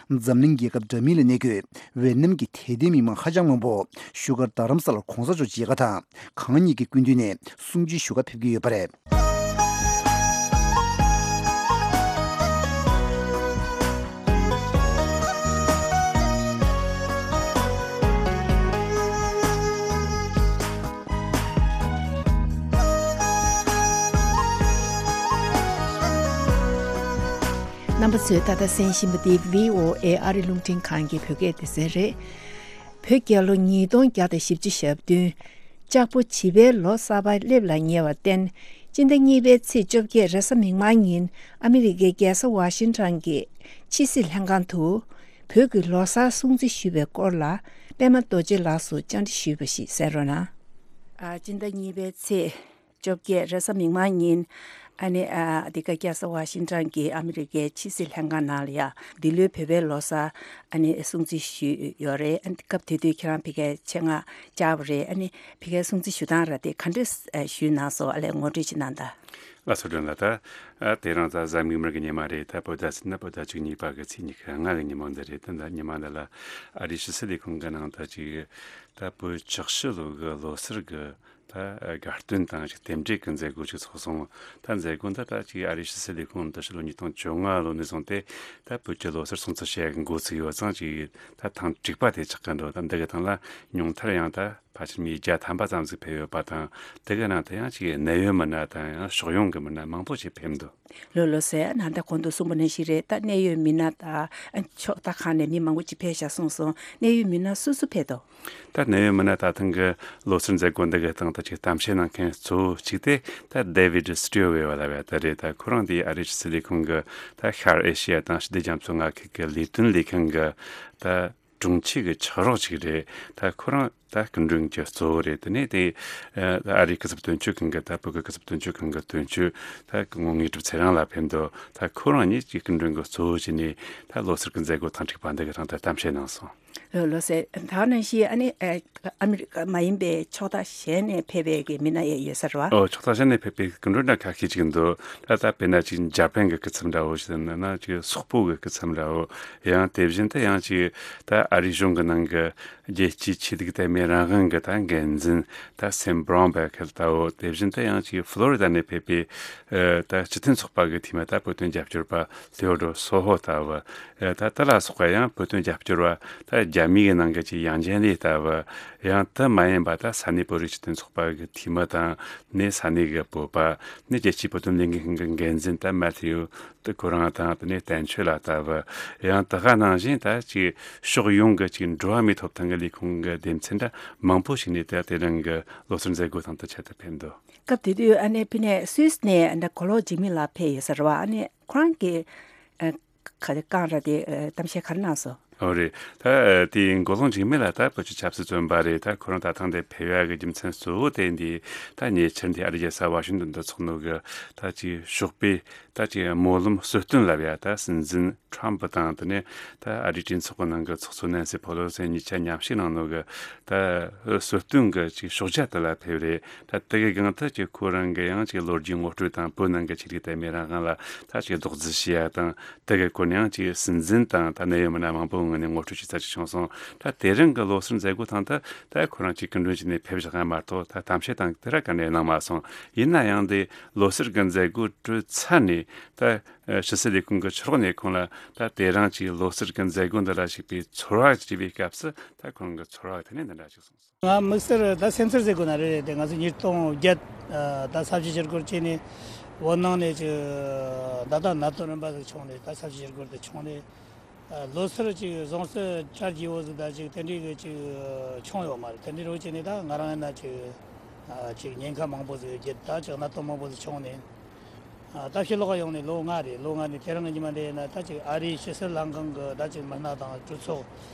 དང་འཛམ་གླིང་རྒྱལ་ཁབ་འདྲ་མིན་ལ་གནས་འཁོད་ཝེ་ནམ་གྱི་དད་ལྡན་མི་མང་ཧ་ཅང་མང་པོ་བཞུགས་སྒར་རྡ་རམ་ས་ལར་གོང་ས་མཆོག་མཇལ་ཁ་དང་གང་ཉིད་ཀྱི་སྐུ་མདུན་ནས་གསུང་ཆོས་ཞུ་གར་ཕེབས་ཀྱི་ཡོད་པ་རེད། རྣམ་པ་ཚོས་ད་ལྟ་གསན་བཞིན་པ་འདི་བྷི་ཨོ་ཨེ་ཨ་རི་རླུང་འཕྲིན་ཁང་གི་བོད་སྐད་སྡེ་ཚན་རེད། བོད་རྒྱལ་ལོ་ཉིས་སྟོང་བརྒྱ་དང་བཞི་བཅུ་ཞེ་བདུན། ལྕགས་ཕོ་བྱིས་པའི་ལོ་གསར་པ་སླེབས་ལ་ཉེ་བར་བརྟེན། སྤྱི་ཟླ་གཉིས་པའི་ཚེས་བཅོ་བརྒྱད་རེས་གཟའ་མིག་དམར་ཉིན་ཨ་མི་རི་ཀའི་རྒྱལ་ས་ཝ་ཤིང་ཊོན་གྱི་ཕྱི་སྲིད་ལྷན་ཁང་དུ། བོད་ཀྱི་ལོ་གསར་སྲུང་བརྩི་ཞུས་པའི་སྐོར་ལ་པད་མ་རྡོ་རྗེ་ལགས་སུ་བཅར་འདྲི་ཞུས་པ་ཞིག་གསན་རོགས་གནང་། ཨ་སྤྱི་ཟླ་གཉིས་པའི་ཚེས་བཅོ་བརྒྱད་རེས་གཟའ་མིག་དམར་ཉིན་ཨ་ནི་ཨ་འདི་ག་རྒྱལ་ས་ཝ་ཤིང་ཊོན་གྱི་ཨ་མི་རི་ཀའི་ཕྱི་སྲིད་ལྷན་ཁང་ནང་ལ་ཡ་འདི་ལོའི་བོད་པའི་ལོ་གསར་ཨ་ནི་སྲུང་བརྩི་ཞུས་ཡོད་རེད། ཨ་ནི་སྐབས་དེ་དུས་ཁྱེད་རང་ཕ་གིར་ཆེད་མངགས་བཅར་བ་རེད། ཨ་ནི་ཕ་གིར་སྲུང་བརྩི་ཞུ་སྟངས་ར་དེ་ག་འདྲས་ཞུས་གནང་སོང་། ཨ་ལས་ངོ་སྤྲོད་ཅིག་གནང་དང་། ལགས་སོ། སྒྲོན་ལགས། ད་ཨ་དེ་རིང་གཟའ་མིག་དམར་གྱི་ཉི་མ་རེད། ད་བོད་ཟླ་ཟེར་ན་བོད་ཟླ་བཅུ་གཉིས་པ་གི་ཚེས་ཉི་ཤུ་ལྔ་གི་ཉིན་མོ་འདི་རེད། ད་ད་ཉི་མ་འདི་ལ་ཨ་རིའི་ཕྱི་སྲིད་ལས་ཁུངས་ཀྱི་ནང་ད་ཅིག་ད་བོད་ཆོག་ཤི་ལོ་གི་ལོ་གསར་གི་ད་དགའ་སྟོན་དང་ཅིག་རྟེན་འབྲེལ་གྱི་མཛད་སྒོ་ཅིག་ཚོགས་སོང་། ད་མཛད་སྒོ་འདི་ད་ཅིག་ཨ་རིའི་ཕྱི་སྲིད་ལས་ཁུངས་འདི་ཕྱི་ལོ་ཉིས་སྟོང་བཅོ་ལྔ་ལོ་ནས་བཟུང་སྟེ་ད་བོད་ཀྱི་ལོ་གསར་སྲུང་བརྩི་བྱེད་ཡག་གི་འགོ་ཚུགས་ཡོད་ཙང་། ཅིག་ད་ཐེངས་དྲུག་པ་དེ་ཆགས་ཀྱི་འདུག་ད་འདི་གི་ཐང་ལ་ཉུང་མཐར་ཡང་ད་ཕལ་ཆེར་མི་བརྒྱ་ཐམ་པ་ཙམ་ཟིག་ཕེབས་ཡོད་པ་དང་། དེ་གི་ནང་དུ་ཡང་ཅིག་གནད་ཡོད་མི་སྣ་དང་ཡང་ཕྱོགས་ཡོངས་ཀྱི་མི་སྣ་མང་པོ་ཞིག་ཕེབས་འདུག་ལོ་ལོ་ཟེར་ན་ད་གོང་དུ་གསུངས་པ་ནང་བཞིན་རེད། ད་གནད་ཡོད་མི་སྣ་དང་ཕྱོགས་མཐའ་ཁག་ནས་མི་མང་པོ་ཅིག་ཕེབས་ཤག་གསུངས་སོང་། གནད་ཡོད་མི་སྣ་སུ་སུ་ཕེབས་འདུག་ད་གནད་ཡོད་མི་སྣ་ད་ཐེངས་ཀྱི་ལོ་གསར་མཛད་སྒོ་འདི་གི་སྟེང་དུ་ཅིག་གཏམ་བཤད་གནང་མཁན་གཙོ་བོ་གཅིག་དེ་ད་David Stilwell་ལབ་ཡ་དེ་རེད། ད་ཁོ་རང་དེ་ཨ་རིའི་ཕྱི་སྲིད་ལས་ཁུངས་ཀྱི་ད་ཤར་ཨེ་ཤི་ཡ་དང་ཞི་བདེ་རྒྱ་མཚོའི་མངའ་ཁུལ་གྱི་ལས་དོན་ལས་ཁུངས་ཀྱི་ད་དྲུང་ཆེ་གི་ཕྱག་རོགས་ཅིག་རེད། ད་ཁོ་རང་ད་སྐུ་མགྲོན་གྱི་གཙོ་བོ་རེད། དེ་ནས་དེ་ཨ་ཨ་རིའི་སྐུ་ཚབ་དོན་གཅོད་ཁང་གི་ད་བོད་ཀྱི་སྐུ་ཚབ་དོན་གཅོད་ཁང་གི་དོན་གཅོད་ད་སྐུ་ངོ་དངོས་གྲུབ་ཚེ་རིང་ལགས་ཕེབས་འདུག་ད་ཁོ་རང་གཉིས་ཀྱིས་སྐུ་མགྲོན་གྱི་གཙོ་བོ་བྱས་ནས་ད་ལོ་གསར་གྱི་མཛད་སྒོ་ཐེངས་དྲུག་པ་འདི་གི་སྟེང་དུ་གཏམ་བཤད་གནང་སོང་། ལོ་ལོ་ཟེར་ད་ནང་བཞིན་ཨ་ནི་ཨ་ཨ་མི་རི་ཀ་མ་ཡིན་པའི་ཕྱོགས་མཐའ་གཞན་ནས་ཕེབས་པའི་གི་མི་སྣ་ཡང་ཡོད་ས་རེད་བ། ཨོ། ཕྱོགས་མཐའ་གཞན་ནས་ཕེབས་པའི་སྐུ་མགྲོན་འདྲ་ཁ་ཤས་ཅིག་འདུག་ད་ད་དཔེར་ན་ཅིག་འཇར་པན་གྱི་སྐུ་ཚབ་འདྲ་བོ་ཞིག་ཡིན་ན་ཅིག་སོག་པོ་གི་སྐུ་ཚབ་འདྲ་བོ། ཡང་དེ་བཞིན་དུ་ཡང་ཅིག་ད་ཨ་རིའི་གཞུང་གི་ནང་གི་རྒྱལ་སྤྱིའི་ཆོས་ལུགས་དད་མོས་རང་དབང་གི་ད་འགན་འཛིན་ད་Sam Brownback་ལྟ་བུ། དེ་བཞིན་དུ་ཡང་ཅིག་ཕློ་རི་ད་ནས་ཕེབས་པའི་ཨ་ད་སྤྱི་མཐུན་ཚོགས་པ་གི་འཐུས་མི་ད་བོད་དོན་རྒྱབ་སྐྱོར་པ་Theodore Soho་ལྟ་བུ། ཨ་ད་དེ་ལ་སོགས་པ་ཡང་བོད་དོན་རྒྱབ་སྐྱོར་བ་ད་རྒྱ་མི་གི་ནང་གི་ཅིག་ཡང་ཅིན་ལི་ལྟ་བུ། ཡང་དེ་མ་ཡིན་པ་ད་ས་གནས་བོད་རིགས་སྤྱི་མཐུན་ཚོགས་པ་གི་འཐུས་མི་དང་ནས་ས་གནས་གི་བོད་པ་ནས་རྒྱལ་སྤྱིའི་བོད་དོན་ལས་འགུལ་ཁང་གི་འགན་འཛིན་ད་Matthew་དེ་ཁོ་རང་དང་དེ་ནས་བསྟན་ཆོས་ལགས་ལྟ་བུ། ཡང་དེ་ག་ནང་བཞིན་ད་ཅིག་ཕྱོགས་ཡོངས་ཀྱི་ཅིག་འགྲོ་བ་མིའི་ཐོབ་ཐང་ ལས་ཁུངས་ཀྱི་སྡེ་ཚན་འདྲ་མང་པོ་ཞིག་ནས་ད་དེ་རིང་གི་ལོ་གསར་མཛད་སྒོ་དང་དུ་ཆེད་དུ་ཕེབས་འདུག་སྐབས་དེ་དུས་ཨ་ནེ་ཕི་ནས་སུད་སི་ནས་ཨ་ནེ་མགོ་ལོག་འཇིགས་མེད་ལགས་ཕེབས་ཡོད་ས་རེད་བ། ཨ་ནེ་ཁོ་རང་གི་ཨ་ག་རེ་རྐང་ར་དེ་ཨ་གཏམ་བཤད་ག་རེ་གནང་སོང་། ཨོ་རེད། ད་དེ་མགོ་ལོག་འཇིགས་མེད་ལགས་ད་བོད་ཀྱི་ཆབ་སྲིད་བཙོན་པ་རེད། ད་ཁོ་རང་ད་ཐེངས་འདིར་ཕེབས་ཡག་གི་རྒྱུ་མཚན་གཙོ་བོ་དེ་འདི་ད་ཉེ་ཆར་འདི་ཨ་རིའི་རྒྱལ་ས་ཝ་ཤིང་ཏོན་དུ་ཚོགས་ནོ་གི་ད་ཅིག་ཞོགས་པའི་ད་ཅིག་སྨོན་ལམ་གསོལ་སྟོན་ལབ་ཡ། ད་སྲིད་འཛིན་ཁྲོམ་ཕུ་དང་དེ་ནས་ད་ཨ་རིའི་གྲོས་ཚོགས་ཀྱི་ནང་གི་ཚོགས་གཙོ་ནན་སི་ཕོ་ལོ་སི་གཉིས་ཆ་མཉམ་ཞུགས་གནང་ནོ་གི་ད་གསོལ་སྟོན་གྱི་ཅིག་ཕྱག་རྒྱ་དེ་ལ་ཕེབས་རེད། ད་དེ་གི་སྒང་དུ་ཅིག་ཁོ་རང་གི་ཡང་ཅིག་ལོ་རྒྱུས་ངོ་སྤྲོད་དང་བོད་ནང་གི་ཆོས་ལུགས་དད་མོས་རང་དབང་ལ་ད་ཅིག་རྡོག་རྫིས་བྱེད་ཡ་དང་། དེ་གི་སྐོར་ནས་ཡང་ཅིག་སྲིད་འཛིན་དང་ད་གནད་ཡོད་མི་སྣ་མང་པོའི་ངོས་ནས་ངོ་སྤྲོད་བྱེད་ས་ཅིག་བྱུང་སོང་། ད་དེ་རིང་གི་ལོ་གསར་མཛད་སྒོ་ཐེངས་དེ་ད་ཁོ་རང་ཅིག་སྐུ་མགྲོན་བྱས་ནས་ཕེབས་བཞག་ཡ་མ་གཏོགས་ད་གཏམ་བཤད་དང་དེ་ར་ག་ནས་གནང་མ་སོང་། ཡིན་ན་ཡང་དེ་ལོ་གསར་གི་མཛད་སྒོ་གྲོལ་ཚར་ནས་ད་ཕྱི་སྲིད་ལས་ཁུངས་ཀྱི་ཕྱི་ལོགས་ནས་ཁོང་ལ་ད་དེ་རིང་ཅིག་ལོ་གསར་གི་མཛད་སྒོ་འདི་ལ་ཞུགས་པའི་ཚོར་བ་ཅིག་བྱས་པའི་སྐབས་སུ་ད་ཁོ་རང་གི་ཚོར་བ་དེ་ནས་འདི་འདྲ་ཞིག་གསུངས་སོང་། ང་དམིགས་བསལ་ད་སེམས་ཚོར་ཟེར་དགོས་ན་རེད་རེད་དེ། ང་ཚོ་ཉིས་སྟོང་བརྒྱད་ད་ས་བྱི་ཞི་རྒོལ་བྱས་ནས་བོད་ནང་ནས་ཅིག་ད་ལྟ་གནད་དོན་རིམ་པ་ཟིག་བྱུང་ནས། ད་ས་བྱི་ཞི་རྒོལ་དེ་བྱུང་ནས་ལོ་སར་ཅིག་བཟང་སྤྱོད་གྲ་རྒྱས་པོ་ཟིག་ད་ཅིག་དེ་འདྲའི་གི་ཅིག་བྱུང་ཡོད་མ་རེད། དེ་འདྲའི་རོགས་བྱས་ནས་ད་ང་རང་ཡིན་ན་ཅིག་ཅིག་ཉེན་ཁ་མང་པོ་ཟིག་བརྒྱུད། ད་ཅིག་གནད་དོན་མང་པོ་ཟིག་བྱུང་ནས། ད་ཕྱི་ལོགས་ཡོང་ནས་ལོ་ལྔ་རེད། ལོ་ལྔ་ནས་དེ་རིང་གི་ཉི་མ་འདི་ཡིན་ན་ད་ཅིག་ཨ་རིའི་ཕྱི་སྲིད་ལྷན་ཁང་གི་ད་ཅིག་མི་སྣ་དང་གྲོས་ཚོགས།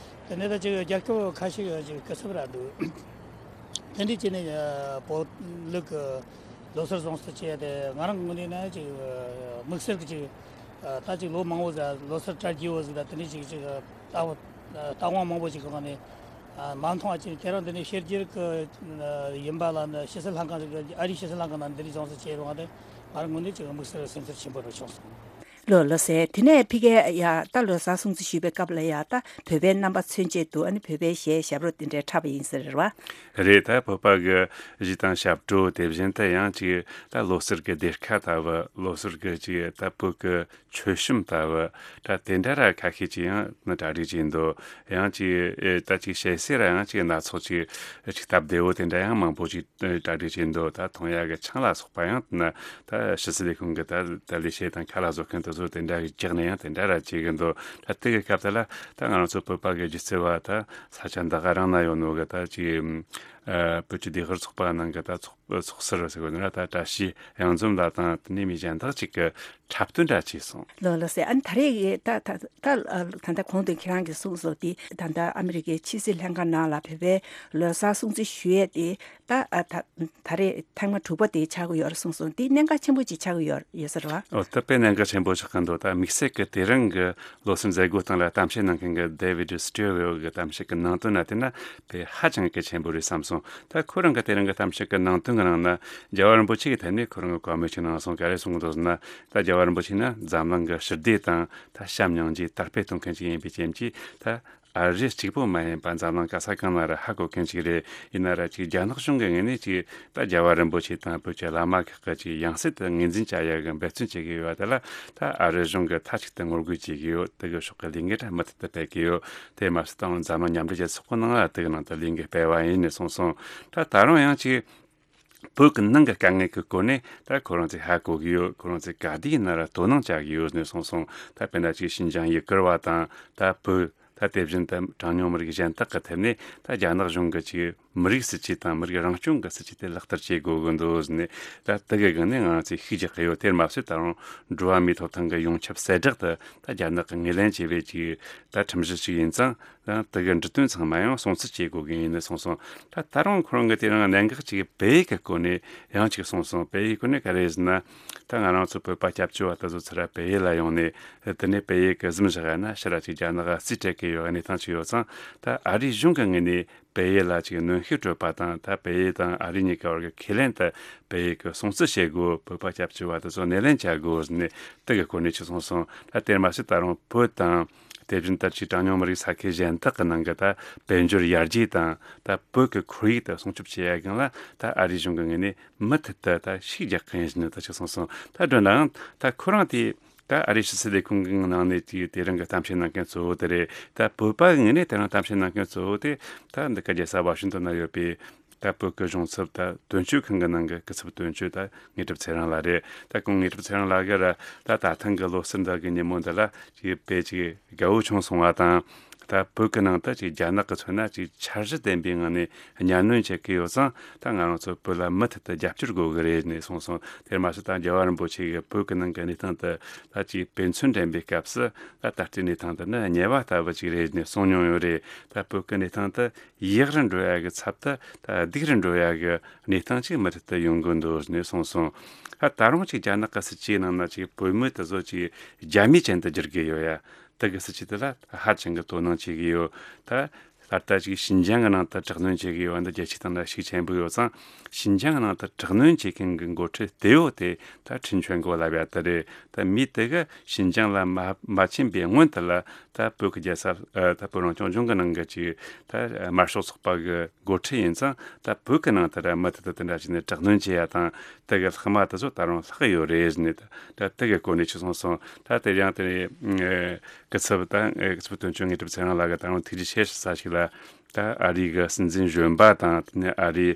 དེ་ནས་ད་ཅིག་རྒྱལ་ཁབ་ཁ་ཤས་ཀྱི་ཅིག་སྐུ་ཚབ་ར་འདུག་དེ་འདྲའི་བྱས་ནས་བོད་ལུགས་ཀྱི་ལོ་སར་བཟང་སྤྱོད་བྱས་ཏེ། ང་རང་གི་ངོས་ནས་ན་ཅིག་དམིགས་བསལ་གྱི་ཅིག་ད་ཅིག་ལོ་མང་པོ་ཟིག་ལོ་སར་གྲ་རྒྱས་པོ་ཟིག་ད་དེ་འདྲའི་ཅིག་ཅིག་ལྟ་བ་ལྟ་དབང་མང་པོ་ཞིག་གི་སྒང་ནས་མ་མཐོང་བ་ཅིག་དེ་རིང་འདི་ནས་ཕྱི་རྒྱལ་གྱི་ཡིན་པ་ལ་ནི་ཕྱི་སྲིད་ལྷན་ཁང་ཞིག་གི་ཨ་རིའི་ཕྱི་སྲིད་ལྷན་ཁང་ནང་འདི་འདྲའི་བཟང་སྤྱོད་བྱས་ཡོང་བ་དེ་ང་རང་ངོས་ནས་ཅིག་དམིགས་བསལ་སེམས་ཚོར་ཆེན་པོ་རུ་བྱུང་སོང་། ལོ་ལོ་ཟེར། དེ་ནས་ཕ་གིར་ཡ་ད་ལོ་གསར་སྲུང་བརྩི་ཞུས་པའི་སྐབས་ལ་ཡ་ད་བོད་པའི་རྣམ་པ་མཚོན་བྱེད་དུ་ཨ་ནི་བོད་པའི་གཞས་ཞབས་བྲོ་དེ་འདྲ་འཁྲབ་པ་ཡིན་ཟེར་རེད་བ། རེད། ད་བོད་པ་གི་གཞས་དང་ཞབས་བྲོ་དེ་བཞིན་དུ་ཡང་ཅིག་ད་ལོ་སར་གི་སྡེར་ཁ་ལྟ་བུ། ལོ་སར་གི་ཅིག་ད་བོད་གི་མཆོད་གཤོམ་ལྟ་བུ་ད་དེ་འདྲ་ར་ཁ་ཤས་ཅིག་ཡང་ནི་གྲ་སྒྲིག་བྱས་འདུག་ཡང་ཅིག་ཨེ་ད་ཅིག་གཞས་སེ་ར་ཡང་ཅིག་སྣ་ཚོགས་ཅིག་ཅིག་སྟབས་བདེ་བོ་དེ་འདྲ་ཡང་མང་པོ་ཅིག་གྲ་སྒྲིག་བྱས་འདུག་ད་མཐོང་ཡག་གི་ཆང་ལ་སོགས་པ་ཡང་ན་ད་ཕྱི་སྲིད་ལས་ཁུངས་ཀྱི་ད་ད་ལས་བྱེད་དང་ཁ་ལག་བཟོ་མཁན་དེ་ཚོ་དེ་འདྲ་གི་རྒྱག་ནས་ཡང་དེ་འདྲ་ར་བྱེད་གི་འདུག་ད་དེ་གི་སྐབས་དེ་ལ་ད་ང་རང་ཚོ་བོད་པ་གི་སྒྱུ་རྩལ་བ་ད་ས་ཆ་འདི་ག་རང་ན་ཡོད་ནོ་གི་ད་ཅིག་ཨ་བོད་ཀྱི་ལྡེ་ཤག་ཚོགས་པ་ནང་གི་ད་ཚོགས་ཚོགས་ཟུར་ཟེར་གི་འདུག་ན། ད་བཀྲ་ཤིས་གཡང་འཛོམས་ལགས་དང་དེ་ནས་མི་གཞན་དག་ཅིག་གི་འཁྲབ་སྟོན་འདྲ་བྱས་སོང་། ལོ་ལོ་ཟེར། ཨ་ནི་ད་རེས་ད་ད་ད་ད་ལྟ་གོང་དུ་ཁྱེད་རང་གིས་གསུངས་སོང་དེ། ད་ལྟ་ཨ་མི་རི་ཀའི་ཕྱི་སྲིད་ལྷན་ཁང་ནང་ལ་བོད་པའི་ལོ་གསར་སྲུང་བརྩི་ཞུ་ཡས་དེ་ད་ཨ་ད་ད་རེས་ཐེངས་མ་དྲུག་པ་དེ་ཆགས་ཀྱི་ཡོད་རེད་གསུངས་སོང་། དེ་གནད་འགག་ཆེན་པོ་ཅིག་ཆགས་ཀྱི་ཡོད་ཡོད་ས་རེད་བ། ཨོ་ད་དཔེ་གནད་འགག་ཆེན་པོ་ཆགས་ཀྱི་འདུག་ད་དམིགས་བསལ་གྱི་དེ་རིང་གི་ལོ་གསར་མཛད་སྒོ་སྟེང་ལ་གཏམ་བཤད་གནང་མཁན་གྱི་David Stilwell་གྱི་གཏམ་བཤད་ཀྱི་ནང་དོན་ན་བལྟས་ན་དཔེ་ཧ་ཅང་གི་ཆེན་པོ་རེད་བསམ་སོང་། ད་ཁོ་རང་གི་དེ་རིང་གི་གཏམ་བཤད་ཀྱི་ནང་དོན་གྱི་ནང་ན་རྒྱལ་བ་རིན་པོ་ཆེ་གི་ཐད་ནས་ཁོ་རང་གི་བཀའ་མོལ་ཅིག་གནང་སོང་། ག་རེ་གསུངས་འདུག་ཟེར་ན། ད་རྒྱལ་བ་རིན་པོ་ཆེ་ནི་འཛམ་གླིང་གི་ཞི་བདེ་དང་ད་བྱམས་སྙིང་རྗེ་དར་སྤེལ་གཏོང་མཁན་ཅིག་ཡིན་པའི་རྐྱེན་གྱིས། ད་ཨ་རི་གཅིག་པོ་མ་ཡིན་པ་འཛམ་གླིང་ག་ས་གང་ན་ར་ཧ་གོ་མཁན་ཅིག་རེད། ཡིན་ན་ར་ཅིག་རྒྱ་ནག་གཞུང་གི་ངོས་ནས་ཅིག་ད་རྒྱལ་བ་རིན་པོ་ཆེ་དང་བོད་ཀྱི་བླ་མ་ཁག་གི་ཅིག་ཡང་སྲིད་དུ་ངོས་འཛིན་བྱ་ཡག་གི་འབད་བརྩོན་བྱེད་ཀྱི་ཡོད་པ་དེ་ལ་ད་ཨ་རི་གཞུང་གིས་མཐའ་གཅིག་ཏུ་ངོ་རྒོལ་བྱེད་ཀྱི་ཡོད། དེ་གི་ཕྱོགས་ཀྱི་ལས་འགུལ་ར་མུ་མཐུད་དུ་སྤེལ་གྱི་ཡོད། དེ་མ་ཟད་ད་འཛམ་གླིང་མཉམ་འབྲེལ་རྒྱལ་ཚོགས་ཀྱི་ནང་ལ་དེ་གི་ནང་དུ་ལས་འགུལ་སྤེལ་བ་ཡིན་ནས་གསུངས་སོང་། ད་ད་རུང་ཡང་ཅིག་བོད་ཀྱི་ནང་གི་དཀའ་ངལ་གྱི་སྐོར་ནས་ད་ཁོ་རང་ཚོས་ཧ་གོ་གི་ཡོད། ཁོ་རང་ཚོས་ག་དུས་ཡིན་ན་ར་དོ་སྣང་བྱ་གི་ཡོད་ནས་གསུངས་སོང་། ད་དཔེར་ན་ཅིག་ཤིན་ཅང་ཡུ་གུར་བ་དང་ད་བོད། ད་དེ་བཞིན་དུ་གྲངས་ཉུང་མི་རིགས་གཞན་དག་གི་ཐད་ནས་ད་རྒྱ་ནག་གཞུང་གི་ཅིག་མི་རིགས་སྲིད་ཇུས་དང་མི་རིགས་རང་སྐྱོང་གི་སྲིད་ཇུས་དེ་ལག་བསྟར་བྱེད་དགོས་ཀྱི་འདུག་ཟེར་ནས། ད་དེ་གི་སྒང་ནས་ང་རང་ཚོས་ཤུགས་རྒྱག་གི་ཡོད། དེར་མ་ཟད་ད་རུང་འགྲོ་བ་མིའི་ཐོབ་ཐང་གི་ཡོངས་ཁྱབ་གསལ་བསྒྲགས་དེ་ད་རྒྱ་ནག་གི་ངོས་ལེན་བྱས་པའི་ཅིག་ད་ཁྲིམས་གཞི་ཞིག་ཡིན་ཙང་། ད་དེ་གི་འབྲི་དོན་ཚང་མ་ཡང་སྲུང་བརྩི་བྱེད་དགོས་ཀྱི་ཡིན་ནས་གསུངས་སོང་། ད་ད་རུང་ཁོ་རང་གིས་དེ་རིང་གནད་འགག་ཅིག་བལ་ཡུལ་གྱི་སྐོར་ནས་ཡང་ཅིག་གསུངས་སོང་། བལ་ཡུལ་སྐོར་ནས་ག་རེ་ཟེར་ན། ད་ང་རང་ཚོ་བོད་པ་སྐྱབས་བཅོལ་བ་དེ་ཚོ་ཚུར་ར་བལ་ཡུལ་ལ་ཡོང་ནས། དེ་ནས་བལ་ཡུལ་གྱི་གཟིམ་བཞག་ཡ་ན་ཕྱིར་ར་ཅིག་རྒྱ་ནག་ག་རྩིས་སྤྲད་ཀྱི་ཡོད་གནས་སྟངས་ཅིག་ཡོད་ཙང་། ད་ཨ་རིའི་གཞུང་གི་ངོས་ནས་བལ་ཡུལ་ལ་ཅིག་གནོན་ཤུགས་སྤྲོད་པ་དང་། ད་བལ་ཡུལ་དང་ཨ་རི་གཉིས་ཀ་བར་གྱི་ཁས་ལེན་དེ་བལ་ཡུལ་གྱིས་སྲུང་བརྩི་བྱེད་དགོས། བོད་པ་སྐྱབས་བཅོལ་བ་དེ་ཚོ་སྣེ་ལེན་བྱ་དགོས་ཟེར་ནས་དེ་གི་སྐོར་ནས་ཅིག་གསུངས་སོང་། ད་དེར་མ་ཟད་ད་རུང་བོད་དང་། དེ་བཞིན་ད་ཅིག་གྲངས་ཉུང་མི་རིགས་ས་ཁུལ་གཞན་དག་གི་ནང་གི་ད་དཔལ་འབྱོར་ཡར་རྒྱས་དང་ད་བོད་ཀྱི་ཁོར་ཡུག་དེ་སྲུང་སྐྱོབ་བྱེད་ཡ་སྒང་ལ་ད་ཨ་རིའི་གཞུང་གི་ངོས་ནས་མུ་མཐུད་དུ་ད་ཤུགས་རྒྱག་གི་ཡིན་ཟེར་ནས་ད་ཅིག་གསུངས་སོང་། ད་འདྲ་ནའང་ད་ཁོ་རང་དེ་ད་ཨ་རིའི་ཕྱི་སྲིད་ལས་ཁུངས་ཀྱི་ནང་ནས་དེ་དེ་རིང་གི་གཏམ་བཤད་གནང་མཁན་གཙོ་བོ་དེ་རེད། ད་བོད་པ་གི་ངོས་ནས་དེ་རིང་གཏམ་བཤད་གནང་མཁན་གཙོ་བོ་དེ་ད་འདི་ག་རྒྱལ་ས་ཝ་ཤིང་ཏོན་ན་ཡོད་པའི་ད་བོད་ཀྱི་གཞུང་ཚབ་ད་དོན་གཅོད་ཁང་གི་ནང་གི་སྐུ་ཚབ་དོན་གཅོད་ད་དངོས་གྲུབ་ཚེ་རིང་ལགས་རེད། ད་ཁོང་དངོས་གྲུབ་ཚེ་རིང་ལགས་ཀྱིས་ར་ད་ད་ཐེངས་ཀྱི་ལོ་གསར་འདི་གི་ཉིན་མོ་འདི་ལ་ཅིག་དཔེ་ཅིག་དགའ་བོ་བྱུང་སོང་བ་དང་། ད་བོད་ཀྱི་ནང་དུ་ཅིག་རྒྱ་ནག་གིས་མཚོན་ན་ཅིག་འཆར་གཞི་ལྡན་པའི་ངང་ནས་གཉའ་གནོན་བྱེད་ཀྱི་ཡོད་ཙང་། ད་ང་རང་ཚོ་བོད་ལ་མུ་མཐུད་དུ་རྒྱབ་སྐྱོར་དགོས་ཀྱི་རེད་ནས་གསུངས་སོང་། དེར་མ་ཟད་ད་རྒྱལ་བ་རིན་པོ་ཆེ་གིས་བོད་ཀྱི་ནང་གི་གནས་སྟངས་དེ་ད་ཅིག་དཔེ་མཚོན་འདྲེན་པའི་སྐབས་སུ། ད་ད་ལྟའི་གནས་སྟངས་དེ་ནི་དམྱལ་བ་ལྟ་བུ་ཅིག་རེད་ནས་གསུངས་མྱོང་ཡོད་རེད། ད་བོད་ཀྱི་གནས་སྟངས་དེ་ཡག་རུ་འགྲོ་ཡ་གི་ཚབ་ཏུ་ད་སྡུག་རུ་འགྲོ་ཡ་གི་གནས་སྟངས་ཅིག་མུ་མཐུད་དུ་ཡོང་གི་འདུག་ནས་གསུངས་སོང་། ད་ད་རུང་ཅིག་རྒྱ་ནག་གི་སྲིད་ཇུས་ནང་ན་ཅིག་བོད་མི་དེ་ཚོ་ཅིག་རྒྱ་མིའི་ཅན་དུ་བསྒྱུར་གི་ཡོད་ཡ། དེ་གི་སྲིད་ཇུས་དེ་ལ་ཧ་ཅང་གི་དོ་སྣང་བྱེད་ཀྱི་ཡོད། ད་ད་ལྟ་ཅིག་ཞིན་ཅང་གི་ནང་དུ་དྲག་གནོན་བྱེད་ཀྱི་ཡོད་པ་འདི་རྒྱལ་སྤྱིའི་སྟེང་ན་ཤུགས་ཆེན་པོ་ཡོད་ཙང་། ཞིན་ཅང་གི་ནང་དུ་དྲག་གནོན་བྱེད་མཁན་གྱི་འགོ་ཁྲིད་དེ་ཡོད་དེ་ད་ཁྲིན་ཆོན་གོ་ལབ་ཡ་དེ་རེད། ད་མི་དེ་གི་ཞིན་ཅང་ལ་མ་མ་ཕྱིན་པའི་སྔོན་དུ་ལ། ད་བོད་ཀྱི་རྒྱལ་ས། ཨ། ད་བོད་རང་སྐྱོང་ལྗོངས་ཀྱི་ནང་གི་ཅིག་ད་དམར་ཤོག་ཚོགས་པ་གི་འགོ་ཁྲིད་ཡིན་ཙང་། ད་བོད་ཀྱི་ནང་དུ་ར་མུ་མཐུད་དུ་དེ་འདྲ་བྱས་ནས་དྲག་གནོན་བྱེད་ཡ་དང་། དེ་གི་ལྷག་མ་དེ་ཚོ་ད་རུང་ལྷག་གི་ཡོད་རེད་ཟེར་ནས། ད་དེ་གི་སྐོར་ནས་ཅིག་གསུངས་སོང་། ད་དེ་ཡང་དེ་ནས་སྐུ་ཚབ་དང་། སྐུ་ཚབ་དོན་གཅོད་ངེས་གྲུབ་ཚེ་རིང་ལགས་ཀྱིས་ད་རུང་ཐུགས་རྗེ་ཆེ་ཞུ་ས་ཞིག་ལ། ད་ཨ་རི་གི་སྲིད་འཛིན་གཞོན་པ་དང་། དེ་ནས་ཨ་རི་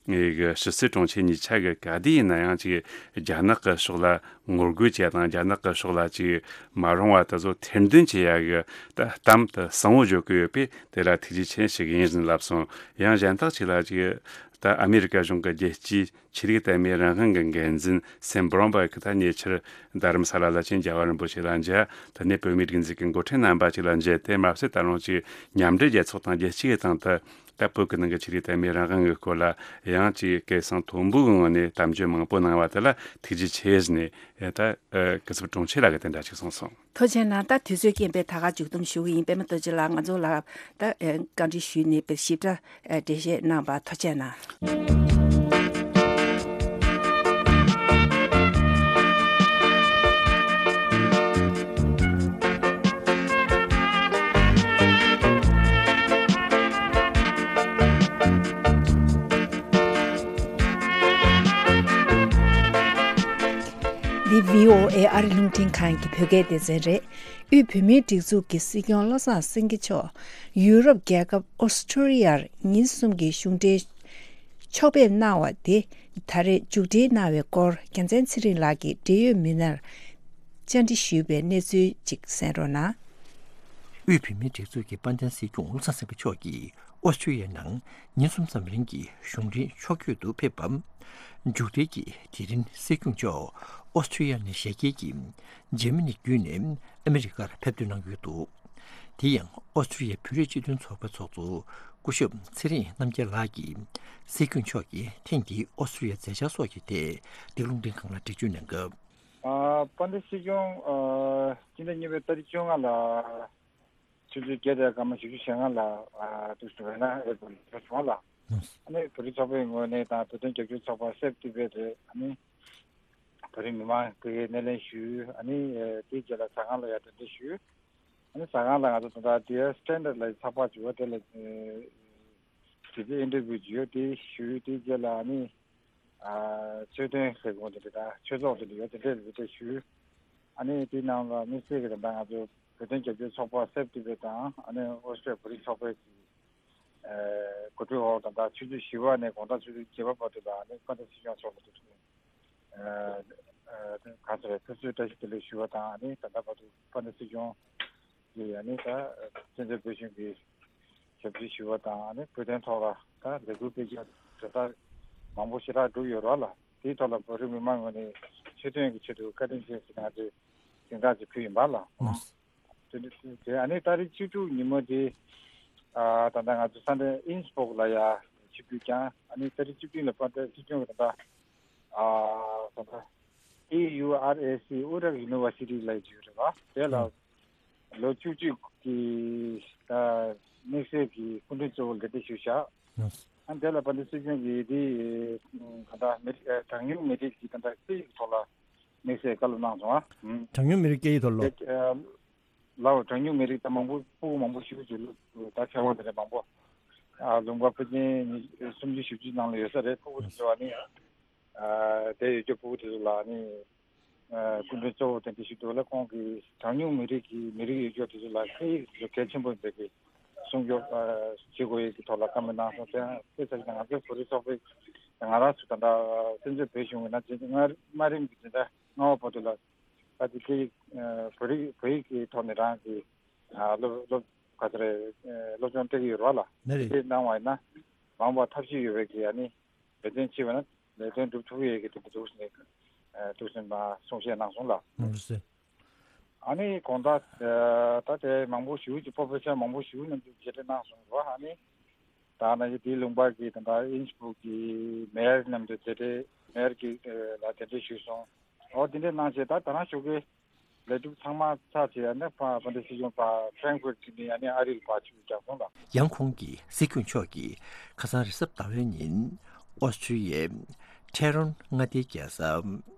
གི་ཕྱི་སྲིད་དྲུང་ཆེ་གཉིས་ཆ་གི་ག་དུས་ཡིན་ན་ཡང་ཅིག་རྒྱ་ནག་གི་ཕྱོགས་ལ་ངོ་རྒོལ་བྱེད་ཡ་དང་། རྒྱ་ནག་གི་ཕྱོགས་ལ་ཅིག་མ་རུང་བ་དེ་ཚོ་ཐེར་འདོན་བྱེད་ཡ་གི་ད་གཏམ་དེ་གསལ་བོ་བརྗོད་ཀྱི་ཡོད་པས། དེ་ལ་ཐུགས་རྗེ་ཆེ་ཞུ་གི་ཡིན་ཟེར་ལབ་སོང་། ཡང་གཞན་དག་ཅིག་ལ་ཅིག་ད་ཨ་མེ་རི་ཀ་གཞུང་གི་རྒྱལ་སྤྱིའི་ཆོས་ལུགས་དད་མོས་རང་དབང་གི་འགན་འཛིན་སེམ་བྷོ་རོན་པ་གིས་ད་ཉེ་ཆར་རྡ་རམ་ས་ལ་ལ་ཅིག་རྒྱལ་བ་རིན་པོ་ཆེ་ལ་མཇལ། དེ་ནས་བོད་མིའི་སྒྲིག་འཛུགས་ཀྱི་འགོ་ཁྲིད་རྣམ་པ་ཅིག་ལ་མཇལ། དེ་མ་ཟད་ད་རུང་ཅིག་མཉམ་འབྲེལ་རྒྱལ་ཚོགས་དང་རྒྱལ་སྤྱི་ཡི་སྟེང་དུ་ད་བོད་ཀྱི་ནང་གི་ཆོས་ལུགས་དད་མོས་རང་དབང་གི་སྐོར་ལ་ཡང་ཅིག་སྐད་གསང་མཐོན་པོའི་ངང་ནས་གཏམ་བརྗོད་མང་པོ་གནང་བ་དེ་ལ་ཐུགས་རྗེ་ཆེ་ཟེར་ནས། ད་སྐུ་ཚབ་དྲུང་ཆེ་ལགས་ཀྱིས་དེ་འདྲ་ཅིག་གསུངས་སོང་། ཐུགས་རྗེ་གནང་། ད་དུས་ཚོད་རྐྱེན་པས་ད་ག་མཇུག་བསྡོམས་ཞུ་གི་ཡིན། པད་མ་རྡོ་རྗེ་ལགས་ང་ཚོ་ལ་ད་བཀའ་འདྲི་ཞུས་ནས་དཔེ་ཞིབ་ཕྲ་འགྲེལ་བཤད་གནང་བར་ཐུགས་རྗེ་གནང་། འདི་བྷི་ཨོ་ཨེ་ཨ་རི་རླུང་འཕྲིན་ཁང་གི་བོད་སྐད་སྡེ་ཚན་རེད། དབུས་བོད་མིའི་སྒྲིག་འཛུགས་ཀྱི་སྲིད་སྐྱོང་བློ་བཟང་སེང་གེ་མཆོག་ཡུ་རོབ་རྒྱལ་ཁབ་ཨོ་སི་ཁྲུ་ལི་ཡར་ཉིན་གསུམ་གྱི་གཞུང་འབྲེལ་ཕྱོགས་ཕེབས་གནང་བ་དེ་ད་རེས་མཇུག་སྒྲིལ་གནང་བའི་སྐོར་རྒྱལ་མཚན་ཚེ་རིང་ལགས་ཀྱིས་འབྲེལ་ཡོད་མི་སྣར་བཅར་འདྲི་ཞུས་པའི་གནས་ཚུལ་ཅིག་གསན་རོགས་གནང་། དབུས་བོད་མིའི་སྒྲིག་འཛུགས་ཀྱི་དཔལ་ལྡན་སྲིད་སྐྱོང་བློ་བཟང་སེང་གེ་མཆོག་གིས་ཨོ་སི་ཁྲུ་ལི་ཡའི་ནང་ཉིན་གསུམ་ཙམ་རིང་གི་གཞུང་འབྲེལ་ཕྱོགས་བསྐྱོད་དུ་ཕེབས་པ། མཇུག་སྒྲིལ་གྱིས་དེ་རིང་སྲིད་སྐྱོང་མཆོག་ཨོ་སི་ཁྲུ་ལི་ཡ་ནས་ཞལ་གྱེས་ཀྱིས་འཇར་མ་ནི་བརྒྱུད་ནས་ཨ་མི་རི་ཀར་ཕེབས་ཐོན་གནང་ཡོད་འདུག་དེ་ཡང་ཨོ་སི་ཁྲུ་ལི་ཡ་བོད་རིགས་སྤྱི་མཐུན་ཚོགས་པའི་ཚོགས་གཙོ་སྐུ་ཞབས་ཚེ་རིང་རྣམ་རྒྱལ་ལགས་ཀྱིས་སྲིད་སྐྱོང་མཆོག་གིས་ཐེངས་འདིའི་ཨོ་སི་ཁྲུ་ལི་ཡ་མཛད་འཆར་སོགས་ཀྱི་ཐད་འདི་རླུང་འཕྲིན་ཁང་ལ་འགྲེལ་བརྗོད་གནང་སྐབས། ཨ། དཔལ་ལྡན་སྲིད་སྐྱོང་། ཨ། སྤྱི་ཟླ་གཉིས་པའི་ཏ་རིག་བཅོ་ལྔ་ལ་ཆུ་ཚོད་བརྒྱད་དང་སྐར་མ་བཞི་བཅུ་ཞེ་ལྔ་ལ། ཨ། དུས་སུ་ཝེ་ན་ཨེར་པོར་ཊི་ལ་བྱུང་བ་ལ། ཨ་ནི་བོད་རིགས་ཚོགས་པའི་ངོས་ནས་དང་བོད་དོན་རྒྱབ་སྐྱོར་ཚོགས་པ་སེབ་ཏི་བེད་དེ། ཨ་ནི་བོད་རིགས་མི་མང་གི་སྣེ་ལེན་ཞུས། ཨ་ནི་དེའི་རྗེས་ལ་ཟ་ཁང་ལ་ཡར་གདན་འདྲེན་ཞུས། ཨ་ནི་ཟ་ཁང་ལ་ང་ཚོ་ད་ལྟ་ཌི་ཡར་སི་ཊེན་ཌར་ལ་ཚགས་པར་བྱུང་བ་དེ་ལ་དེ་ཚོ་ཨིན་ཊར་བིའུ་བྱས་ཡོད། དེ་ཞུས། དེའི་རྗེས་ལ་ཨ་ནི། ཨ། ཆོས་དོན་ཟེར་དགོས་དེ་འདྲ་དང་ཆོས་ཚོགས་དེ་འདྲ་ཡོད། དེ་འདྲས་ལ་དེ་འདྲས་ཞུས། ཨ་ནི་དེའི་ནང་ལ་དམིགས་བསལ་གྱི་ད་ལྟ་ང་ཚོ་བོད་དོན་རྒྱབ་སྐྱོར་ཚོགས་པ་སེབ་ཏི་བེད་དང་ཨ་ནི་ཨོ་སི་ཀྲི་ཡ་བོད་རིགས་ཚོགས་པའི་གི། ཨ། གོ་སྒྲིག་འོག་ད་ལྟ་ཆུ་ཚོད་བཞི་པ་ནས་དགོང་དག་ཆུ་ཚོད་བརྒྱད་པ་བར་དུ་ལ་ཨ་ནི་དཔལ་ལྡན་སྲིད་སྐྱོང་མཆོག་ལ་དུ་ཐུག་ནས། ཨ། ཨ། ག་ཚོད་རེད། ཕེབས་བསུའི་བཀྲ་ཤིས་བདེ་ལེགས་ཞུ་བ་དང་། ཨ་ནི་ད་ལྟ་བར་དུ་དཔལ་ལྡན་སྲིད་སྐྱོང་གིས་ཨ་ནི་ད་བཙན་བྱོལ་བོད་གཞུང་གི་ཞབས་ཕྱི་ཞུ་བ་དང་། ཨ་ནི་བོད་དོན་ཐོག་ལ་ད་ལས་འགུལ་སྤེལ་རྒྱུ་དེ་དག་མང་པོ་ཞེ་དྲག་བསྒྲུབས་ཡོད་རེད་ལ། དེའི་ཐོག་ལ་བོད་རིགས་མི་མང་ངོས་ནས་ཆོས་དོན་གྱི་ཆེད་དུ་བཀའ་དྲིན་ཆེ་ཟེར་ང་ཚོས་སྙན་སེང་ཅིག་ཕུལ་ཡིན་པ་ལ། ལགས། དེ་དེ་ཨ་ནི་ཏ་རིག་བཅུ་དྲུག་ཉིན་མོ་དེ། ཨ། ད་ལྟ་ང་ཚོ་ས་གནས་ཨིན་སི་སྦུག་ལ་ཡ་ཆིབས་བསྒྱུར་བསྐྱངས། ཨ་ནི་ཏ་རིག་བཅུ་བདུན་ལ་དཔལ་ལྡན་སྲིད་སྐྱོང་གིས་ད་ལྟ། ཨ། ད་ལྟ་ཨེ་ཡུ་ཨར་ཨེ་སི་ཨུ་ཊ་ཡུ་ནི་ཝར་སི་ཊི་ལ་ཡ་བཅར་བ་དེ་ལ། ལོ་བཅུ་གཅིག་གི་ད་དམིགས་བསལ་གྱི་སྐུ་མགྲོན་གཙོ་བོ་ལ་གདན་འདྲེན་ཞུས་བཞག་ཨ་ནི་དེ་ལ་དཔལ་ལྡན་སྲིད་སྐྱོང་གིས་དེ་ད་ལྟ་མི་རིགས། གྲངས་ཉུང་མི་རིགས་ཀྱི་ད་ལྟ་སྐད་ཡིག་ཐོག་ལ་དམིགས་བསལ་བཀའ་སློབ་གནང་སོང་ཨ། གྲངས་ཉུང་མི་རིགས་སྐད་ཡིག་ཐོག་ལ། ལའོ། གྲངས་ཉུང་མི་རིགས་ད་མང་པོ་ཕྲུ་གུ་མང་པོ་ཞིག་ཅིག་ད་ཆར་པ་དེ་འདྲ་མང་པོ། ཨ། ལུང་པ་ཕལ་ཆེར་ཉི་སུམ་ཅུ་བཞི་བཅུ་ནང་ལ་ཡོད་ས་རེད། ཕྲུ་གུ་དེ་ཚོ་ཨ་ནི། ཨ། དེ་ཡོད་རྒྱུ་ཕྲུ་གུ་དེ་ཚོ་ལ་ཨ་ནི། ཨ། སྐུ་མགྲོན་གཙོ་བོ་དེ་འདྲ་ཞིག་འདུག་ལ། ཁོང་གིས་གྲངས་ཉུང་མི་རིགས་ཀྱི་མི་རིགས་ཡོད་རྒྱུ་དེ་ཚོ་ལ་སྐད་ཡིག་དེ་ཚོ་གལ་ཆེན་པོ་ཡིན་པའི་གི་སྲུང་སྐྱོབ། ཨ། བྱེད་དགོས་ཡས་ཀྱི་ཐོག་ལ་བཀའ་མོལ་གནང་སོང་། དེ་ཡང་དཔེ་ཆ་ཞིག་ང་ཚོའི་བོད་རིགས་ཚོགས་པའི་ང་རང་ཚོ་ད་ལྟ་བཙན་བྱོལ་བོད་གཞུང་གི་ནང་དེ་སྔ་མ་རིམ་གྱི་དེ་འདྲ་སྔ་བ་བར་དུ་ལ་ད་ལྟ་སྐད་ཡིག་ཨ། བོད་རིགས་བོད་ཡིག་གི་ཐོག་ནས་རང་གི། ཨ། སློབ་སློབ་ ག་ཚོད་རེད། སློབ་སྦྱོང་སྤྲད་ཀྱི་ཡོད་རེད་བ་ལ། ནི་རེད། དེ་གནང་བ་ཡིན་ན་མ་འོངས་པ་ཐབས་ཤེས་ཡོད་པའི་གི་ཨ་ནི་ལས་དོན་བྱས་པ་ན་ལས་དོན་སྒྲུབ་ཐུབ་ཡས་ཀྱི་དེ་འདྲ་འདུག་ཟེར་ནས་འདུག་ཟེར་ནས་གསུང་བཤད་གནང་སོང་ལ། ནི་རེད། ཨ་ནི་དགོང་དག་ད་དེ་མང་པོ་ཞིག་གི་པོ་པོ་ཆེ་མང་པོ་ཞིག་མཉམ་དུ་མཇལ་འཕྲད་གནང་སོང་རེད་བ། ཨ་ནི་ད་ནི་དེའི་ལུང་པ་གི་ད་ལྟ་ཨིན་སྦུག་གི་མེར་མཉམ་དུ་མཇལ་འཕྲད་མེར་གི་ལ་གདན་འདྲེན་ཞུས་སོང་། ཨོ་དེ་འདྲས་གནང་བྱས་ད་ད་རང་ཞོགས་ཀས་ལས་སྒྲུབ་ཚང་མ་ཚར་བྱས་ཨ་ནི་ཕ་ཕ་འདྲ་སྲིད་སྐྱོང་ཕ་ཕྲན་ཀུར་གྱི་ནི་ཨ་ནི་ཨ་རིར་ཕར་ཆུ་རྒྱག་སོང་ལ། ཡང་ཁོང་གིས་སྲིད་སྐྱོང་མཆོག་གིས་ཁ་སང་རེས་གཟའ་ཟླ་བའི་ཉིན་ཨོ་སི་ཁྲུ་ཡའི་ཁྲེ་རོན་མངའ་སྡེའི་རྒྱལ་ས་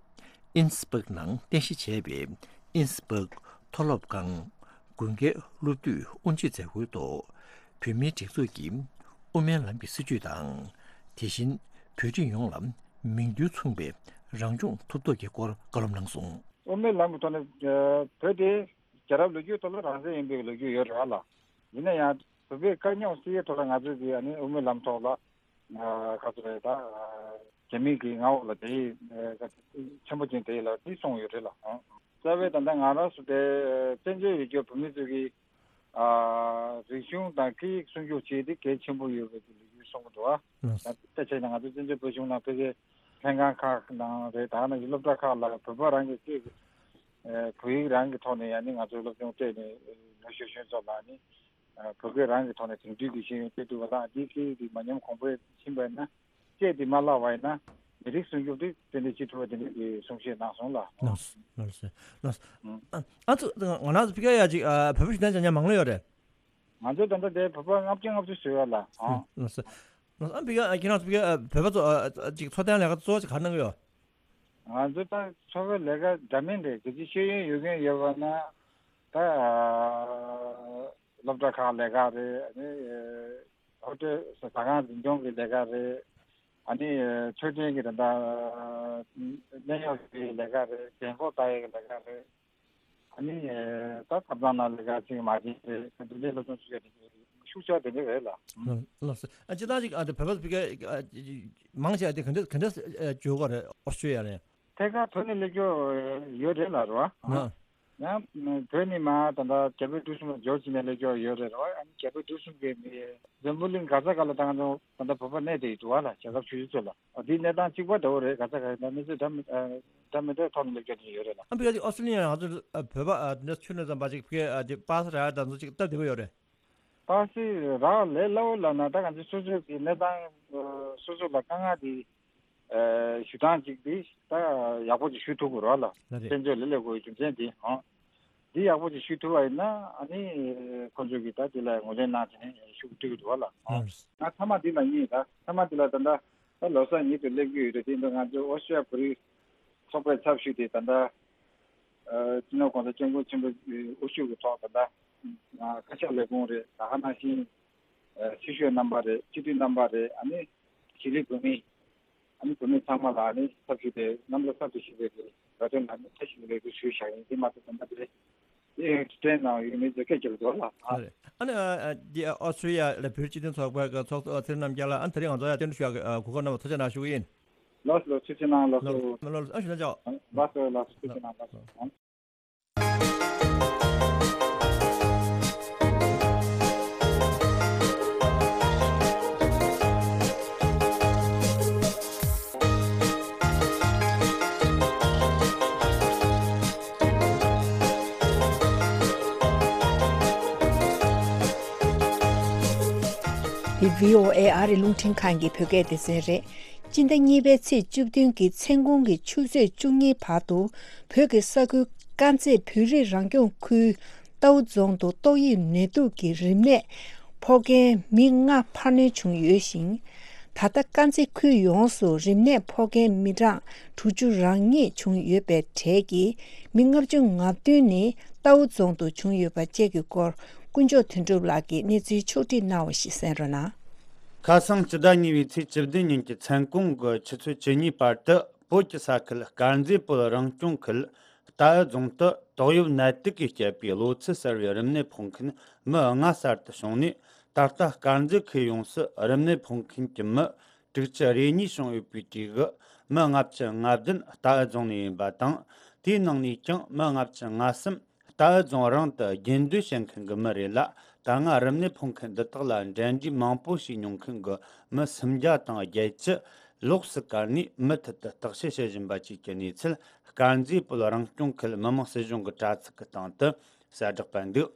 ཨིན་སྦག་ནང་རྟེན་གཞི་བྱས་པའི་ཨིན་སྦག་མཐོ་སློབ་ཁང་དགུན་ཁའི་སློབ་དུས་དབུ་འབྱེད་མཛད་སྒོའི་ཐོག་བོད་མིའི་སྒྲིག་འཛུགས་ཀྱི་དབུ་མའི་ལམ་གྱི་སྲིད་བྱུས་དང་། དེ་བཞིན་བོད་རིགས་ཡོངས་ལ་མིང་དོན་མཚུངས་པའི་རང་སྐྱོང་ཐོབ་ཐབས་ཀྱི་སྐོར་བཀའ་སློབ་གནང་སོང་། དབུ་མའི་ལམ་གྱི་ཐོག་ནས་བོད་དེ་རྒྱལ་རབས་ལོ་རྒྱུས་ཐོག་ལ་རང་བཙན་ཡིན་པའི་ལོ་རྒྱུས་ཡོད་རེད་བ་ལ། ཡིན་ན་ཡང་བོད་པའི་དཀའ་རྙོག་སེལ་ཡས་ཐོག་ལ་ང་ཚོས་ཀྱི་ཨ་ནི་དབུ་མའི་ལམ་ཐོག་ལ་ག་ཚོད་རེད་ད། རྒྱ་མི་གི་མངའ་འོག་ལ་དེ་ཆེན་པོ་ཅན་དེ་ལ་དེ་སོང་ཡོད་རེད་ལ། རྩ་བའི་ད་ལྟ་ང་རང་ཚོ་དེ་བཙན་བྱོལ་ཡུལ་གྱི་བོད་མི་ཚོ་གི་རིག་གཞུང་དང་སྐད་ཡིག་སྲུང་སྐྱོབ་བྱེད་དེ་གལ་ཆེན་པོ་ཡོད་པའི་ལོ་རྒྱུས་གསུང་གི་འདུག་ཨ། ད་ཆ་ན་ང་ཚོ་བཙན་བྱོལ་བོད་གཞུང་ནང་ཕལ་ཆེར་ལྷན་ཁང་ཁག་ནང་རེད། ད་ནང་གི་སློབ་གྲྭ་ཁག་ལ་བོད་པ་རང་གི་སྐད་བོད་ཡིག་རང་གི་ཐོག་ནས་ཡང་ནི་ང་ཚོའི་སློབ་སྦྱོང་སྤྲད་ནས་ལོ་ཤོད་ཤོད་ཚོ་ལ་ནི་བོད་སྐད་རང་གི་ཐོག་ནས་དེང་དུས་ཀྱི་ཤེས་ཡོན་སྤྲད་ཐུབ་པ་དང་འདིའི་སྐད་ཡིག་འདི་མ་ཉམས་གོང་འཕེལ་ཕྱིན་པ་ཡིན་ན་སྐད་འདི་མ་བརླག་པ་ཡིན་ན་མི་རིགས་སྲུང་སྐྱོབ་འདི་ཏན་ཏན་བྱེད་ཐུབ་པ་དེ་འདྲ་གི་གསུང་བཤད་གནང་སོང་ལ། ལགས་སོ་ལགས་སོ་ལགས་སོ། ཨ་ཨ་ཚོ་ང་རང་ཚོ་ཕ་གིར་ཡ་ཅིག་བོད་པ་ཞུ་དན་ཅང་ཉ་མང་ལོ་ཡོད་རེད། ང་ཚོ་ད་ལྟ་དེ་བོད་པ་ལྔ་བཅུ་ལྔ་བཅུ་ཞུ་ཡོད་ལ། ལགས་སོ་ལགས་སོ། ཨ་ཕ་གིར་ཁྱེད་རང་ཚོ་ཕ་གིར་བོད་པ་ཚོ་ཅིག་འཚོ་སྟངས་ལས་ཀ་གཙོ་བོ་ཅིག་ག་རེ་གནང་གི་ཡོད། ང་ཚོ་ད་འཚོ་བའི་ལས་ཀ་འདྲ་མིན་རེད། གལ་སྲིད་ཤེས་ཡོན་ཡོད་མཁན་ཡོད་པ་ན་ད་སློབ་གྲྭ་ཁག་ལས་ཀ་རེད། ཨ་ནི་ཧོ་ཊེལ་ཟ་ཁང་འཛིན་སྐྱོང་གི་ལས་ཀ་རེད། ཨ་ནི་འཕྲོད་བསྟེན་གྱི་ད་ལྟ་གནས་ཡག་གི་ལས་ཀ་རེད། རྒན་འཁོགས་ལྟ་ཡག་གི་ལས་ཀ་རེད། ཨ་ནི་ད་ཐབ་ཚང་ནང་ལས་ཀ་ཅིག་མ་བྱེད་རེད། འདི་འདྲའི་སློབ་སྦྱོང་ཅིག་ཡོད་དེ་ཤུགས་ཆེ་བ་དེ་འདྲ་རེད་ལ། ལགས་སོ། ཨ་སྤྱིར་བཏང་ཅིག་ཨ་དེ་བོད་པ་ཚོ་ཕ་གིར་མང་ཆེ་བ་དེ་ག་འདྲ་ག་འདྲ་འགྱོ་གི་རེད། ཨོ་སི་ཀྲི་ཡ་ལ། ཐད་ཀར་བོད་ནས་སླེབས་ཀྱོག་ཡོད་རེད་ལ་རོ། ཡང་བོད་ནས་མ་ད་ལྟ་རྒྱ་བལ་འབྲུག་གསུམ་ལ་འབྱོར་ཕྱིན་ནས་སླེབས་ཀྱོག་ཡོད་རེད་རོ། ཨ་ནི་རྒྱ་བལ་འབྲུག་གསུམ་གྱི་མི་འཛམ་བུ་གླིང་ག་ས་ག་ལ་ད་ང་ཚོ་ད་ལྟ་བོད་པ་གནས་བསྡད་ཡོད་འདུག་བ་ལ། རྒྱལ་ཁབ་ཆུང་ཆུང་ཚོ་ལ་འདིའི་གནས་སྟངས་གཅིག་པ་འདྲ་བོ་རེད། ག་ས་ག་ལ་གནས་ཚུལ་འདྲ་མི་འདྲ་མི་འདྲའི་ཐོག་ནས་སླེབས་ཀྱོག་དེ་ཡོད་རེད་ལ། ཨ་ཕ་གིར་ཨོ་སི་ཀྲི་ཡ་ང་ཚོ་བོད་པ་འདི་འདྲ་ཆུ་ནས་ཙམ་པ་ཅིག་ཕ་གིར་པ་ས་ར་དང་ཚོ་ཅིག་སྟབས་བདེ་པོ་ཡོད་རེད། པ་སི་རག་ལས་སླ་བོ་ལབ་ན་ད་ང་ཚོ་སོ་སོ་གི་གནས་སྟངས་སོ་སོ་ལ་དཀའ་ངལ་དེ་ཞུ་སྟངས་ཅིག་དེ་ད་ཡག་པོ་ཅིག་ཞུ་ཐུབ་དགོས་རོགས་ལ། ལགས་རེད། བཙན་བྱོལ་ལ་སླེབས་དགོས་རྒྱུ་མཚན་དེ་ཧང་འདི་ཡག་པོ་ཅིག་ཞུ་ཐུབ་པ་ཡིན་ན་ཨ་ནི་ཁོང་ཚོ་གིས་ད་དེ་ལ་ངོས་ལེན་གནང་བྱས་ནས་ཞུ་གི་འགྲིག་གི་འདུག་བ་ལ། ལགས་རེད། ང་མཐའ་མ་འདི་ལ་ཉེ་ད་མཐའ་མ་འདི་ལ་ད་ལྟ་ད་ལོ་གསར་ཉིན་དུ་སླེབས་ཀྱི་ཡོད་རེད། དེ་ཡིན་དུས་ང་ཚོ་ཨོ་སི་ཀྲི་ཡ་བོད་རིགས་ཚོགས་པའི་ཚབ་ཞུས་ཏེ་ད་ལྟ་སྤྱི་ནོར་༸གོང་ས་༸སྐྱབས་མགོན་ཆེན་པོའི་དབུ་བཞུགས་ཀྱི་ཐོག་ད་ལྟ་བཀའ་ཤག་ལས་ཁུངས་རེད། ད་ག་ནང་བཞིན་ཕྱི་ཤོག་རྣམ་པ་རེད། སྤྱི་འཐུས་རྣམ་པ་རེད། ཨ་ནི་གཞིས་ལུས་བོད་མི་ཨ་ནི་བོད་མི་ཚང་མ་ལ་ཨ་ནི་ཚབ་ཞུས་ཏེ་རྣམ་པ་གསར་དུ་ཞུགས་པའི་ལས་དོན་ལ་ཨ་ནི་ཚབ་ཞུས་ཏེ་ལས་འགུལ་ཞུས་བཞག་ཡིན། དེ་མ་ཟད་ད་ལྟ་དེ་དེ་ཡང་ཊི་ཊི་ཨེན་ནང་ཡོད་མི་ཚོ་སྐད་རྒྱབ་འགྲོ་ལ། ཨ་རེད། ཨ་ནི་འདི་ཨོ་སི་ཀྲི་ཡ་ལ་བོད་སྤྱི་མཐུན་ཚོགས་པའི་ཚོགས་གཙོ་ཚེ་རིང་རྣམ་རྒྱལ་ལགས། ཨ་ནི་དེ་རིང་ང་ཚོ་ཡ་བསྟན་འགྲོ་ཞུ་ཡ་གོ་སྐབས་གནང་བར་ཐུགས་རྗེ་གནང་ཞུ་གི་ཡིན། ལགས་སོ། ཐུགས་རྗེ་གནང་། ལགས་སོ། ལགས་སོ། ཨ་ཞུ་ན་ཅོག་ལགས་སོ། ལགས་སོ། ཐུགས་རྗེ་གནང་། ལགས་སོ། འདི་བྷི་ཨོ་ཨེ་ཨ་རི་རླུང་འཕྲིན་ཁང་གི་བོད་སྐད་སྡེ་ཚན་རེད། སྤྱི་ཟླ་གཉིས་པའི་ཚེས་བཅུ་བདུན་གྱི་མཚན་གུང་གི་ཆུ་ཚོད་བཅུ་གཉིས་བར་དུ་བོད་ཀྱི་ས་ཁུལ་དཀར་མཛེས་བོད་རིགས་རང་སྐྱོང་ཁུལ་རྟའུ་རྫོང་དུ་ཏོག་དབྱིབས་ནད་དུག་གི་རིམས་ནད་ཕོག་མཁན་མི་ལྔ་འཕར་སྣོན་བྱུང་ཡོད་ཞིང་། ད་ལྟ་དཀར་མཛེས་ཁུལ་ཡོངས་སུ་རིམས་ནད་ཕོག་མཁན་མི་གྲངས་དྲུག་ཅུ་རང་གཉིས་བྱུང་ཡོད་པའི་གྲས་ཀྱི་མི་ལྔ་བཅུ་ང་བདུན་ནི་རྟའུ་རྫོང་དུ་བྱུང་ཡོད་པ་བཅས་ཀྱི་སྐོར་དཀོན་མཆོག་དོན་གྲུབ་ལགས་ཀྱིས་གནས་ཚུལ་ཕྱོགས་བསྒྲིགས་གནང་བ་ཞིག་གསན་རོགས་གནང་། ཁ་སང་སྤྱི་ཟླ་གཉིས་པའི་ཚེས་བཅུ་བདུན་ཉིན་གྱི་མཚན་གུང་གི་ཆུ་ཚོད་བཅུ་གཉིས་བར་དུ་བོད་ཀྱི་ས་ཁུལ་དཀར་མཛེས་བོད་རང་སྐྱོང་ཁུལ་རྟའུ་རྫོང་དུ་ཏོག་དབྱིབས་ནད་དུག་གིས་བསྐྱེད་པའི་གློ་ཚད་གསར་བའི་རིམས་ནད་ཕོག་མཁན་མི་ལྔ་གསར་དུ་བྱུང་ནས། ད་ལྟ་དཀར་མཛེས་ཁུལ་ཡོངས་སུ་རིམས་ནད་ཕོག་མཁན་གྱི་མི་དྲུག་ཅུ་རེ་གཉིས་བྱུང་ཡོད་པའི་གྲས་ཀྱི་མི་ལྔ་བཅུ་ང་བདུན་རྟའུ་རྫོང་ནས་ཡིན་པ་དང་། དེའི་ནང་ནས་ཀྱང་མི་ལྔ་བཅུ་ང་གསུམ་ རྟའུ་རྫོང་རང་དུ་རྒྱུན་སྡོད་བྱེད་མཁན་གྱི་མི་རེད་ལ། ད་སྔ་རིམས་ནད་ཕོག་མཁན་འདི་དག་ལ་འབྲེལ་འདྲིས་མང་པོ་བྱས་མྱོང་མཁན་གྱི་མི་སུམ་བརྒྱ་དང་བརྒྱད་ཅུ་ལོགས་སུ་བཀར་ནས། མུ་མཐུད་དུ་བརྟག་དཔྱད་བྱེད་བཞིན་པ་བཅས་ཀྱི་གནས་ཚུལ་དཀར་མཛེས་བོད་རང་སྐྱོང་ཁུལ་མི་དམངས་སྲིད་གཞུང་གི་དྲ་ཚིགས་ཀྱི་སྟེང་དུ་གསལ་བསྒྲགས་སྤེལ་འདུག་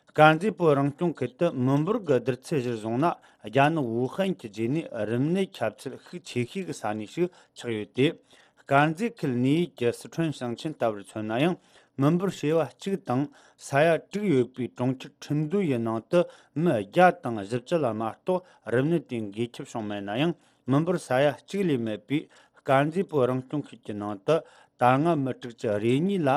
དཀར་མཛེས་བོད་རང་སྐྱོང་ཁུལ་དུ་མི་འབོར་གྱི་བསྡུར་ཚད་གཞིར་བཟུང་ན། རྒྱ་ནག་ཝུ་ཧན་གྱི་རྗེས་ནས་རིམས་ནད་ཁྱབ་ཚད་ཤུགས་ཆེ་ཤོས་ཀྱི་ས་གནས་ཤིག་ཆགས་ཡོད་དེ། དཀར་མཛེས་ཁུལ་ནུས་ཡུལ་གྱི་སི་ཁྲོན་ཞིང་ཆེན་ལྟ་བུར་མཚོན་ན་ཡང་། མི་འབོར་བྱེ་བ་གཅིག་དང་ས་ཡ་དྲུག་ཡོད་པའི་གྲོང་ཁྱེར་ཁྲིན་ཏུའུ་ཡི་ནང་དུ་མི་བརྒྱ་དང་བཞི་བཅུ་ལ་མ་གཏོགས་རིམས་ནད་དེ་འགོས་ཁྱབ་བྱུང་མེད་ན་ཡང་། མི་འབོར་ས་ཡ་གཅིག་ལས་མེད་པའི་དཀར་མཛེས་བོད་རང་སྐྱོང་ཁུལ་གྱི་ནང་དུ་ད་སྔ་མི་དྲུག་ཅུ་རེ་གཉིས་ལ་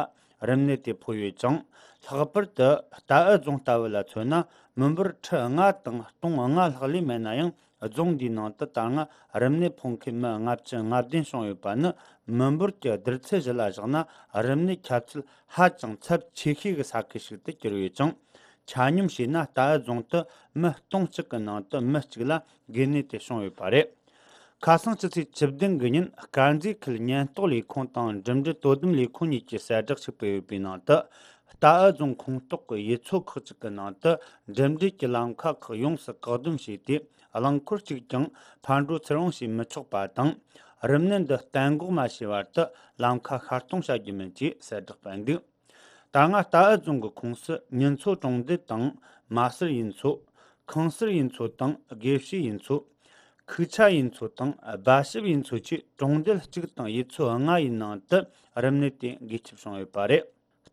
རིམས་ནད་དེ་ཕོག་ཡོད་ཅིང་། ལྷག་པར་དུ་རྟའུ་རྫོང་ལྟ་བུ་ལ་མཚོན་ན། མི་འབོར་ཁྲི་ལྔ་དང་སྟོང་ལྔ་ལྷག་ལས་མེད་ན་ཡང་། རྫོང་འདིའི་ནང་དུ་ད་སྔ་རིམས་ནད་ཕོག་མཁན་མི་ལྔ་བཅུ་ང་བདུན་བྱུང་ཡོད་པ་ནི། མི་འབོར་གྱི་བསྡུར་ཚད་གཞི་ལ་བཞག་ན། རིམས་ནད་ཁྱབ་ཚད་ཧ་ཅང་ཚབས་ཆེ་ཤོས་ཀྱི་ས་ཁུལ་ཞིག་ཏུ་གྱུར་ཡོད་ཅིང་། ཆ་སྙོམས་བྱས་ན། རྟའུ་རྫོང་དུ་མི་སྟོང་གཅིག་གི་ནང་དུ་མི་གཅིག་ལ་འགོས་ནད་དེ་བྱུང་ཡོད་པ་རེད། ཁ་སང་ཕྱི་ཚེས་བཅུ་བདུན་གྱི་ཉིན། དཀར་མཛེས་ཁུལ་ཉེན་རྟོག་ལས་ཁུངས་དང་འགྲིམ་འགྲུལ་དོ་དམ་ལས་ཁུངས་གཉིས་ཀྱིས་གསལ་བསྒྲགས་ཤིག་སྤེལ་ཡོད་པའི་ནང་དུ། རྟའུ་རྫོང་ཁོངས་གཏོགས་ཀྱི་ཡུལ་ཚོ་ཁག་ཅིག་གི་ནང་དུ་འགྲིམ་འགྲུལ་གྱི་ལམ་ཁ་ཁག་ཡོངས་སུ་བཀག་སྡོམ་བྱས་ཏེ། རླངས་འཁོར་གཅིག་ཀྱང་ཕར་འགྲོ་ཚུར་འོང་བྱེད་མི་ཆོག་པ་དང་། རིམས་ནད་འདི་གཏན་འགོག་མ་བྱས་བར་དུ་ལམ་ཁ་ཤར་གཏོང་བྱ་རྒྱུ་མིན་ཅེས་གསལ་བསྒྲགས་སྤེལ་འདུག་ད་སྔ་རྟའུ་རྫོང་གི་ཁོངས་སུ་ཉིན་མཚོ་གྲོང་རྡལ་དང་། མ་སེར་ཡུལ་ཚོ། ཁང་སེར་ཡུལ་ཚོ་དང་། དགེ་བཤེས་ཡུལ་ཚོ། ཁུག་ཆ་ཡུལ་ཚོ་དང་། སྦ་ཞབས་ཡུལ་ཚོ་བཅས་གྲོང་རྡལ་གཅིག་དང་ཡུལ་ཚོ་ལྔ་ཡི་ནང་དུ་རིམས་ནད་དེ་འགོས་ཁྱབ་བྱུང་ཡོད་པ་རེད།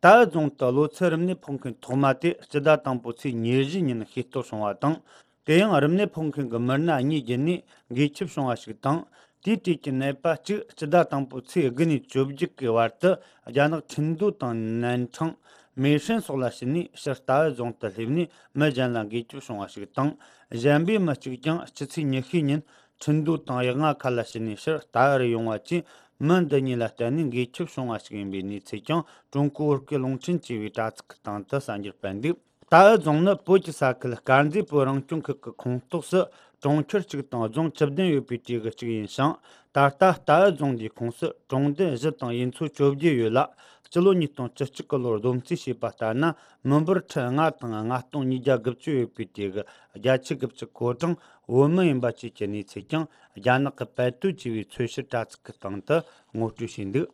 རྟའུ་རྫོང་དུ་གློ་ཚད་རིམས་ནད་ཕོག་མཁན་ཐོག་མ་དེ་སྤྱི་ཟླ་དང་པོའི་ཚེས་ཉེར་བཞི་ཉིན་ཤེས་རྟོགས་བྱུང་བ་དང་། དེ་ཡང་རིམས་ནད་ཕོག་མཁན་གྱི་མི་སྣ་གཉིས་བརྒྱུད་ནས་འགོས་ཁྱབ་བྱུང་བ་ཞིག་དང་། དེའི་གྲས་ཀྱི་ནད་པ་གཅིག་སྤྱི་ཟླ་དང་པོའི་ཚེས་དགུ་ནས་བཅོ་བརྒྱད་ཀྱི་བར་དུ་རྒྱ་ནག་ཁྲིན་ཏུའུ་དང་ནན་ཁྲང་། མེ་ཧྲེང་སོགས་ལ་ཕྱིན་ནས་ཕྱིར་རྟའུ་རྫོང་དུ་སླེབས་ནས་མི་གཞན་ལ་འགོས་ཁྱབ་བྱུང་བ་ཞིག་དང་། གཞན་པའི་མི་གཅིག་ཀྱང་ཕྱི་ཚེས་ཉི་ཤུའི་ཉིན་ཁྲིན་ཏུའུ་དང་ཡ་ང་ཁ་ལ་ཕྱིན་ནས་ཕྱིར་རྟའུ་རུ་ཡོང་བ་བཅས། མི་འདི་གཉིས་ལ་བརྟེན་ནས་འགོས་ཁྱབ་བྱུང་བ་ཞིག་ཡིན་པའི་གནས་ཚུལ་ཀྱང་ཀྲུང་གོ་བོད་སྐད་རླུང་འཕྲིན་ཅེས་པའི་དྲ་ཚིགས་ཀྱི་སྟེང་དུ་གསར་འགྱུར་སྤེལ་འདུག་རྟའུ་རྫོང་ནི་བོད་ཀྱི་ས་ཁུལ་དཀར་མཛེས་བོད་རང་སྐྱོང་ཁུལ་གྱི་ཁོངས་གཏོགས་སུ་གྲོང་ཁྱེར་གཅིག་དང་རྫོང་བཅུ་བདུན་ཡོད་པའི་གྲས་ཀྱི་གཅིག་ཡིན་ཞིང་། ད་ལྟ་རྟའུ་རྫོང་འདིའི་ཁོངས་སུ་གྲོང་རྡལ་བཞི་དང་ཡུལ་ཚོ་བཅོ་བརྒྱད་ཡོད་ལ། སྤྱི་ལོ་ཉིས་སྟོང་བཅུ་གཅིག་གི་ལོར་བསྡོམས་རྩིས་བྱས་པ་ལྟར་ན། མི་འབོར་ཁྲི་ལྔ་དང་ལྔ་སྟོང་ཉིས་བརྒྱ་དགུ་བཅུ་ཡོད་པའི་གྲས་ཀྱི་བརྒྱད་ཅུ་གི་གཅིག་གོ་གྲངས་བོད་མི་ཡིན་པ་བཅས་ཀྱི་གནས་ཚུལ་ཀྱང་རྒྱ་ནག་གི་པད་ཏུའུ་ཅེས་པའི་འཚོལ་བཤེར་དྲ་ཚིགས་ཀྱི་སྟེང་དུ་ངོ་སྤྲོད་བྱས་འདུག་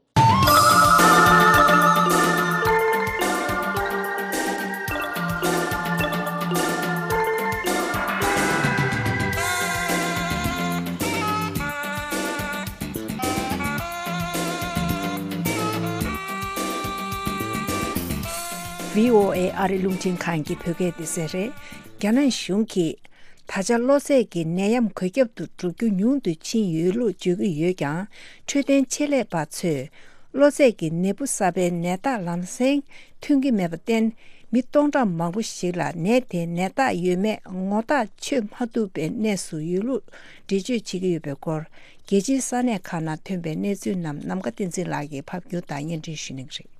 བྷི་ཨོ་ཨེ་ཨ་རི་རླུང་འཕྲིན་ཁང་གི་བོད་སྐད་སྡེ་ཚན་རེད། རྒྱ་ནག་གཞུང་གིས་ད་ཆ་གློ་ཚད་ཀྱི་ནད་ཡམས་འགོས་ཁྱབ་ཏུ་འགྲོ་རྒྱུ་ཉུང་དུ་ཕྱིན་ཡོད་ལུགས་བརྗོད་ཀྱི་ཡོད་ཀྱང་། འཕྲོད་བསྟེན་ཆེད་ལས་པ་ཚོས་གློ་ཚད་ཀྱི་ནད་འབུ་གསར་པའི་ནད་རྟགས་ལམ་སེང་ཐོན་གྱི་མེད་པར་བརྟེན། མི་སྟོང་ཕྲག་མང་པོ་ཞིག་ལ་ནད་དེའི་ནད་རྟགས་ཡོད་མེད་ངོ་ཐག་ཆོད་མ་ཐུབ་པའི་གནས་སུ་ཡོད་ལུགས་འགྲེལ་བརྗོད་བྱེད་ཀྱི་ཡོད་པའི་སྐོར། རྒྱལ་སྤྱིའི་ས་གནས་ཁག་ནང་ཐོན་པའི་གནས་ཚུལ་རྣམས་ནམ་མཁའ་བསྟན་འཛིན་ལགས་ཀྱིས་ཕབ་སྒྱུར་དང་སྙན་སྒྲོན་ཞུ་གནང་གི་རེད།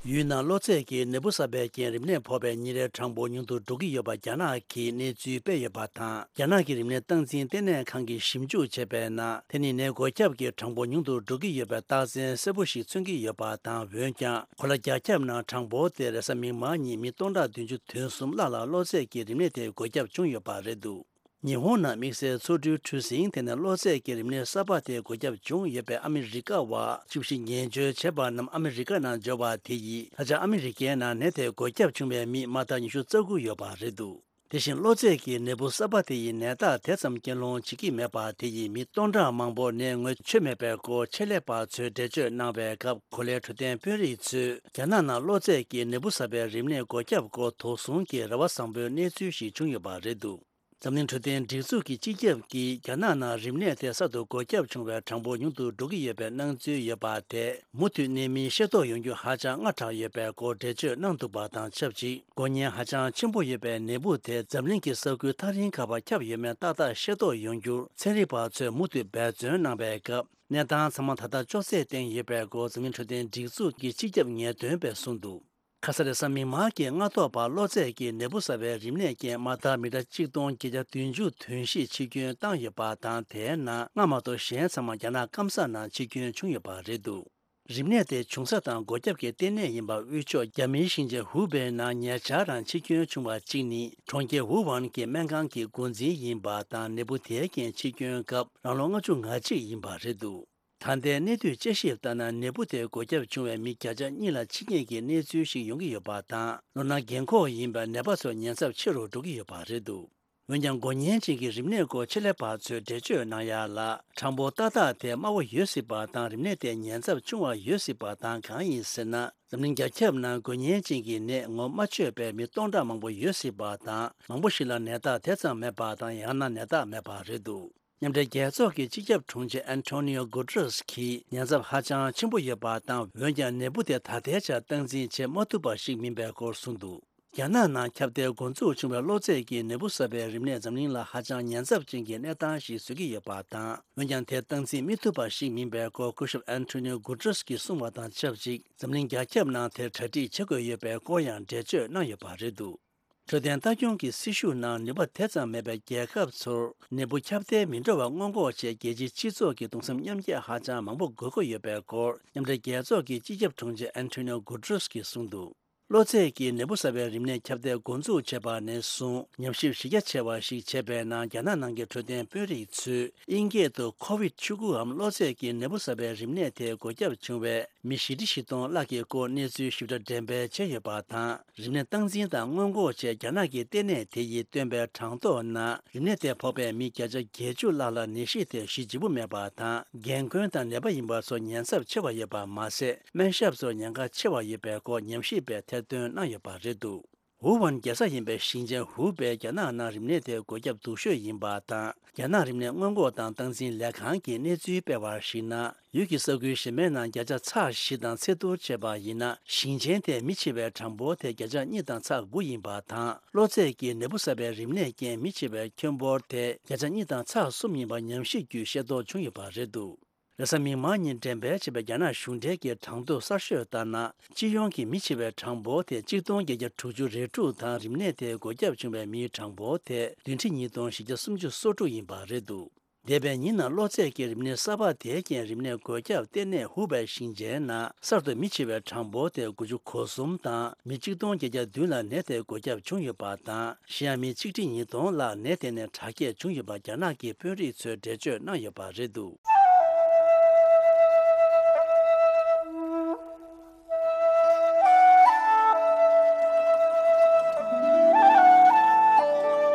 ཡུལ་ནང་གློ་ཚད་ཀྱི་ནད་འབུ་གསར་པའི་རྐྱེན་རིམས་ནད་ཕོག་པའི་ཉིན་རེའི་གྲངས་འབོར་ཉུང་དུ་འགྲོ་གི་ཡོད་པ་རྒྱ་ནག་གིས་གནས་ཚུལ་སྤེལ་ཡོད་པ་དང་། རྒྱ་ནག་གི་རིམས་ནད་སྟངས་འཛིན་ལྟེ་གནས་ཁང་གིས་ཞིབ་འཇུག་བྱས་པའི་ནང་། དེ་ནི་ནད་འགོས་ཁྱབ་ཀྱི་གྲངས་འབོར་ཉུང་དུ་འགྲོ་གི་ཡོད་པའི་རྟགས་མཚན་གསལ་པོ་ཞིག་མཚོན་གྱི་ཡོད་པ་དང་། འོན་ཀྱང་གོ་ལ་བརྒྱ་ཁྱབ་ནང་གྲངས་འབོར་དེ་རེས་གཟའ་མིག་དམར་ཉིན་མི་སྟོང་ཕྲག་བདུན་ཅུ་དོན་གསུམ་ལྷག་ལ་གློ་ཚད་ཀྱི་རིམས་ནད་དེ་འགོས་ཁྱབ་བྱུང་ཡོད་པ་རེད་འདུག་ཉི་ཧོང་ནང་དམིགས་བསལ་ཚོགས་འདུའི་གྲུ་གཟིངས་དེ་ནས་གློ་ཚད་ཀྱི་རིམས་ནད་གསར་པ་དེ་འགོས་ཁྱབ་བྱུང་ཡོད་པའི་ཨ་མི་རི་ཀ་བ་བཅུ་བཞི་ངན་བྱུས་བྱས་པ་རྣམས་ཨ་མི་རི་ཀ་ནང་འབྱོར་བ་དེ་ཡིས། ད་ཆ་ཨ་མི་རི་ཀའི་ནང་ནད་དེ་འགོས་ཁྱབ་བྱུང་བའི་མི་མ་དག་ཉི་ཤུ་རྩ་དགུ་ཡོད་པ་རེད་འདུག་དེ་བཞིན་གློ་ཚད་ཀྱི་ནད་འབུ་གསར་པ་དེ་ཡི་ནད་རྟགས་དེ་ཙམ་རྐྱེན་སློང་བྱེད་ཀྱི་མེད་པ་དེ་ཡིས་མི་སྟོང་ཕྲག་མང་པོར་ནད་ངོས་ཆོད་མེད་པའི་སྐོར་ཆེད་ལས་པ་ཚོས་འགྲེལ་བརྗོད་གནང་བའི་སྐབས། གོ་ལའི་འཕྲོད་བསྟེན་དཔོན་རིགས་ཚོས་རྒྱ་ནག་ནང་གློ་ཚད་ཀྱི་ནད་འབུ་གསར་པའི་རིམས་ནད་འགོས་ཁྱབ་སྐོར་དོགས་ཟོན་གྱི་རེ་བ་བཟང་པོའི་གནས་ཚུལ་ཞིག་བྱུང་ཡོད་པ་རེད་འདུག་འཛམ་གླིང་འཕྲོད་བསྟེན་སྒྲིག་འཛུགས་ཀྱི་སྤྱི་ཁྱབ་ཀྱིས་རྒྱ་ནག་ནང་རིམས་ནད་དེ་གསར་དུ་འགོས་ཁྱབ་བྱུང་བའི་གྲངས་འབོར་ཉུང་དུ་འགྲོ་གི་ཡོད་པའི་སྣང་ཚུལ་ཡོད་པ་དེ་མུ་མཐུད་གནས་མིན་ཤེས་རྟོགས་ཡོང་རྒྱུ་ཧ་ཅང་སྔ་དྲགས་ཡོད་པའི་སྐོར་འགྲེལ་བརྗོད་གནང་འདུག་པ་དང་ཆབས་ཅིག་འགོས་ཉེན་ཧ་ཅང་ཆེན་པོ་ཡོད་པའི་ནད་འབུ་དེ་འཛམ་གླིང་གི་ས་ཁུལ་ཐག་རིང་ཁག་པར་ཁྱབ་ཡོད་མེད་ཏག་ཏག་ཤེས་རྟོགས་ཡོང་རྒྱུར་ཚན་རིག་པ་ཚོས་མུ་མཐུད་འབད་བརྩོན་གནང་བའི་སྐབས། གནས་སྟངས་ཚང་མ་ད་ལྟ་ཅོག་ཙེའི་སྟེང་ཡོད་པའི་སྐོར་འཛམ་གླིང་འཕྲོད་བསྟེན་སྒྲིག་འཛུགས་ཀྱི་སྤྱི་ཁྱབ་ངེས་སྟོན་པས་གསུངས་འདུག་ཁ་ས་རེས་གཟའ་མིག་དམར་གྱི་སྔ་ཐོག་བར་གློ་ཚད་ཀྱི་ནད་འབུ་གསར་བའི་རིམས་ནད་རྐྱེན་མ་དག་མི་གྲངས་གཅིག་སྟོང་བརྒྱད་བརྒྱ་བདུན་ཅུ་ཐོན་གཤིས་འཆི་སྐྱོན་བཏང་ཡོད་པ་དང་། དེའི་ནང་སྔ་མ་གཏོགས་གཞན་ཚང་མ་རྒྱ་ནག་སྐམ་ས་ནང་འཆི་སྐྱོན་བྱུང་ཡོད་པ་རེད་འདུག་རིམས་ནད་དེ་བྱུང་ས་དང་འགོས་ཁྱབ་ཀྱི་ལྟེ་གནས་ཡིན་པ་དབུས་ཕྱོགས་རྒྱ་མིའི་ཞིང་ཆེན་ཧུའུ་པེ་ནང་ཉེ་ཆར་རང་འཆི་སྐྱོན་བྱུང་བ་གཅིག་ནི་གྲོང་ཁྱེར་ཝུ་ཝན་གྱི་སྨན་ཁང་གི་འགོ་འཛིན་ཡིན་པ་དང་ནད་འབུ་དེའི་རྐྱེན་འཆི་སྐྱོན་སྐབས་རང་ལོ་ལྔ་བཅུ་ང་གཅིག་ཡིན་པ་རེད་འདུག་ད་ལྟའི་གནས་སྡུད་དཔྱད་ཞིབ་ལྟར་ན་ནད་འབུ་དེ་འགོས་ཁྱབ་བྱུང་བའི་མི་བརྒྱ་ཆ་གཉིས་ལ་འཆི་ངེས་ཀྱི་གནས་ཚུལ་ཞིག་ཡོང་གི་ཡོད་པ་དང་ལོ་ན་རྒན་འཁོགས་ཡིན་པའི་ནད་པ་ཚོ་ཉེན་ཚབས་ཆེ་རུ་འགྲོ་གི་ཡོད་པ་རེད་འདུག་འོན་ཀྱང་འགོས་ཉེན་ཅན་གྱི་རིམས་ནད་སྐོར་ཆེད་ལས་པ་ཚོས་འགྲེལ་བརྗོད་གནང་ཡ་ལ་གྲངས་འབོར་ཏག་ཏག་དེ་དམའ་བོ་ཡོད་སྲིད་པ་དང་རིམས་ནད་དེ་ཉེན་ཚབས་ཆུང་བ་ཡོད་སྲིད་པ་དང་གང་ཡིན་ཟེར་ན་འཛམ་གླིང་རྒྱ་ཁྱབ་ནང་འགོས་ཉེན་ཅན་གྱི་ནད་ངོ་མ་ཆོད་པའི་མི་སྟོང་ཕྲག་མང་པོ་ཡོད་སྲིད་པ་དང་མང་པོ་ཞིག་ལ་ནད་རྟགས་དེ་ཙམ་མེད་པ་དང་ཡང་ན་ནད་རྟགས་མེད་པ་རེད་འདུག་མཉམ་འབྲེལ་རྒྱལ་ཚོགས་ཀྱི་སྤྱི་ཁྱབ་དྲུང་ཆེ་ཨན་ཐོ་ནིའོ་གུ་ཏྲེས་ཀྱིས་ཉེན་ཚབས་ཧ་ཅང་ཆེན་པོ་ཡོད་པ་དང་འོན་ཀྱང་ནད་འབུ་དེ་ད་ལྟའི་ཆར་སྟངས་འཛིན་བྱེད་མ་ཐུབ་པ་ཞིག་མིན་པའི་སྐོར་གསུངས་འདུག་རྒྱ་ནག་ནང་ཁྱབ་གདལ་འགོ་འཛུགས་བྱུང་བའི་གློ་ཚད་ཀྱི་ནད་འབུ་གསར་པས་རིམས་ནད་འཛམ་གླིང་ལ་ཧ་ཅང་ཉེན་ཚབས་ཅན་གྱི་གནས་སྟངས་ཤིག་བཟོ་གི་ཡོད་པ་དང་འོན་ཀྱང་དེ་སྟངས་འཛིན་མི་ཐུབ་པ་ཞིག་མིན་པའི་སྐོར་སྐུ་ཞབས་ཨན་ཐོ་ནིའོ་གུ་ཏྲེས་ཀྱིས་གསུངས་པ་དང་ཆབས་ཅིག་འཛམ་གླིང་རྒྱ་ཁྱབ་ནང་དེར་གྲ་སྒྲིག་བྱེད་དགོས་ཡོད་པའི་སྐོར་ཡང་འགྲེལ་བརྗོད་གནང་ཡོད་པ་རེད་འདུག་འཕྲོད་བསྟེན་ལྟ་སྐྱོང་གི་སྲི་ཞུ་ནང་ནུས་པ་དེ་ཙམ་མེད་པའི་རྒྱལ་ཁབ་ཚོར་ནད་འབུ་ཁྱབ་གདལ་མི་འགྲོ་བ་སྔོན་འགོག་ཆེད་རྒྱལ་སྤྱིའི་སྤྱི་ཚོགས་ཀྱི་གདུང་སེམས་མཉམ་སྐྱེད་ཧ་ཅང་མང་པོ་དགོས་མཁོ་ཡོད་པའི་སྐོར་མཉམ་འབྲེལ་རྒྱལ་ཚོགས་ཀྱི་སྤྱི་ཁྱབ་དྲུང་ཆེ་ཨན་ཐོ་ནིའོ་གུ་ཏྲེས་ཀྱིས་གསུངས་འདུག་གློ་ཚད་ཀྱི་ནད་འབུ་གསར་པའི་རིམས་ནད་ཁྱབ་གདལ་འགོ་འཛུགས་བྱས་པ་ནས་བཟུང་ཉམས་ཞིབ་གཞི་རྒྱ་ཆེ་བ་ཞིག་བྱས་པའི་ནང་རྒྱ་ནག་ནང་གི་འཕྲོད་བསྟེན་དཔོན་རིགས་ཚོས་དབྱིན་སྐད་དུ་ཁོ་ཝིད་བཅུ་དགུའམ་གློ་ཚད་ཀྱི་ནད་འབུ་གསར་པའི་རིམས་ནད་དེ་འགོས་ཁྱབ་བྱུང་བའི་མི་བཞི་ཁྲི་བཞི་སྟོང་ལྷག་གི་སྐོར་གནས་ཚུལ་ཞིབ་ཕྲ་འགྲེམས་སྤེལ་བྱས་ཡོད་པ་དང་། རིམས་ནད་སྟངས་འཛིན་དང་སྔོན་འགོག་ཆེད་རྒྱ་ནག་གི་ལྟེ་གནས་དེ་ཡིས་བཏོན་པའི་གྲངས་ཐོ་ནང་རིམས་ནད་དེ་ཕོག་པའི་མི་བརྒྱ་ཆ་བརྒྱད་ཅུ་ལྷག་ལ་ནད་གཞི་དེ་ཞི་འཇིགས་པོ་མེད་པ་དང་རྒན་རྒོན་དང་ནད་པ་ཡིན་པ་ཚོ་ཉེན་ཚབས་ཆེ་བ་ཡོད་པ་མ་ཟད་སྨན་ཞབས་ཚོར་ཉེན་ཁ་ཆེ་བ་ཡོད་པའི་སྐོར་ཉམས་ཞིབ་པས་ཐེར་འདོན་གནང་ཡོད་པ་རེད་འདུག་ཝུ་ཝན་རྒྱལ་ས་ཡིན་པའི་ཞིང་ཆེན་ཧུའུ་པེ་རྒྱ་ནག་ནང་རིམས་ནད་དེ་འགོས་ཁྱབ་སྡུག་ཤོས་ཡིན་པ་དང་། རྒྱ་ནག་རིམས་ནད་སྔོན་འགོག་དང་སྟངས་འཛིན་ལས་ཁང་གིས་གནས་ཚུལ་སྤེལ་བར་གཞིགས་ན། ཡུལ་གྱི་ས་ཁུལ་གཞན་པའི་ནང་བརྒྱ་ཆ་ཚེག་བཞི་དང་ཚད་བསྡུར་བྱས་པ་ཡིན་ན། ཞིང་ཆེན་དེའི་མི་འཆི་བའི་གྲངས་འབོར་དེ་བརྒྱ་ཆ་གཉིས་དང་ཚེག་དགུ་ཡིན་པ་དང་། གློ་ཚད་ཀྱི་ནད་འབུ་གསར་པའི་རིམས་ནད་རྐྱེན་མི་འཆི་བའི་ཁྱོན་འབོར་དེ་བརྒྱ་ཆ་གཉིས་དང་ཚེག་གསུམ་ཡིན་པ་ཉམས་ཞིབ་བརྒྱུད་ཤེས་རྟོགས་བྱུང་ཡོད་པ་རེད་འདུག་རེས་གཟའ་མིག་དམར་ཉིན་འགྲེམས་སྤེལ་བྱས་པའི་རྒྱ་ནག་གཞུང་འབྲེལ་གྱི་གྲངས་ཐོ་གསར་ཤོས་ལྟར་ན། སྤྱི་ཡོངས་ཀྱི་མི་འཆི་བའི་གྲངས་འབོར་དེ་གཅིག་སྟོང་བརྒྱད་བརྒྱ་དྲུག་ཅུ་རེ་དྲུག་དང་རིམས་ནད་དེ་འགོས་ཁྱབ་བྱུང་བའི་མིའི་གྲངས་འབོར་དེ་བདུན་ཁྲི་ཉིས་སྟོང་བཞི་བརྒྱ་སུམ་ཅུ་སོ་དྲུག་ཡིན་པ་རེད་འདུག་འདས་པའི་ཉིན་ནང་གློ་ཚད་ཀྱི་རིམས་ནད་གསར་པ་དེའི་རྐྱེན་རིམས་ནད་འགོས་ཁྱབ་ལྟེ་གནས་ཧུའུ་པའི་ཞིང་ཆེན་ནང་གསར་དུ་མི་འཆི་བའི་གྲངས་འབོར་དེ་དགུ་བཅུ་གོ་གསུམ་དང་མི་གཅིག་སྟོང་བརྒྱད་བརྒྱ་བདུན་ལ་ནད་དེ་འགོས་ཁྱབ་བྱུང་ཡོད་པ་དང་། གཞན་ཡང་མི་གཅིག་ཁྲི་ཉིས་སྟོང་ལྷག་ནད་དེ་ནས་དྲག་སྐྱེད་བྱུང་ཡོད་པ་རྒྱ་ནག་གི་དཔོན་རིགས་ཚོས་འགྲེལ་བརྗོད་གནང་ཡོད་པ་རེད་འདུག་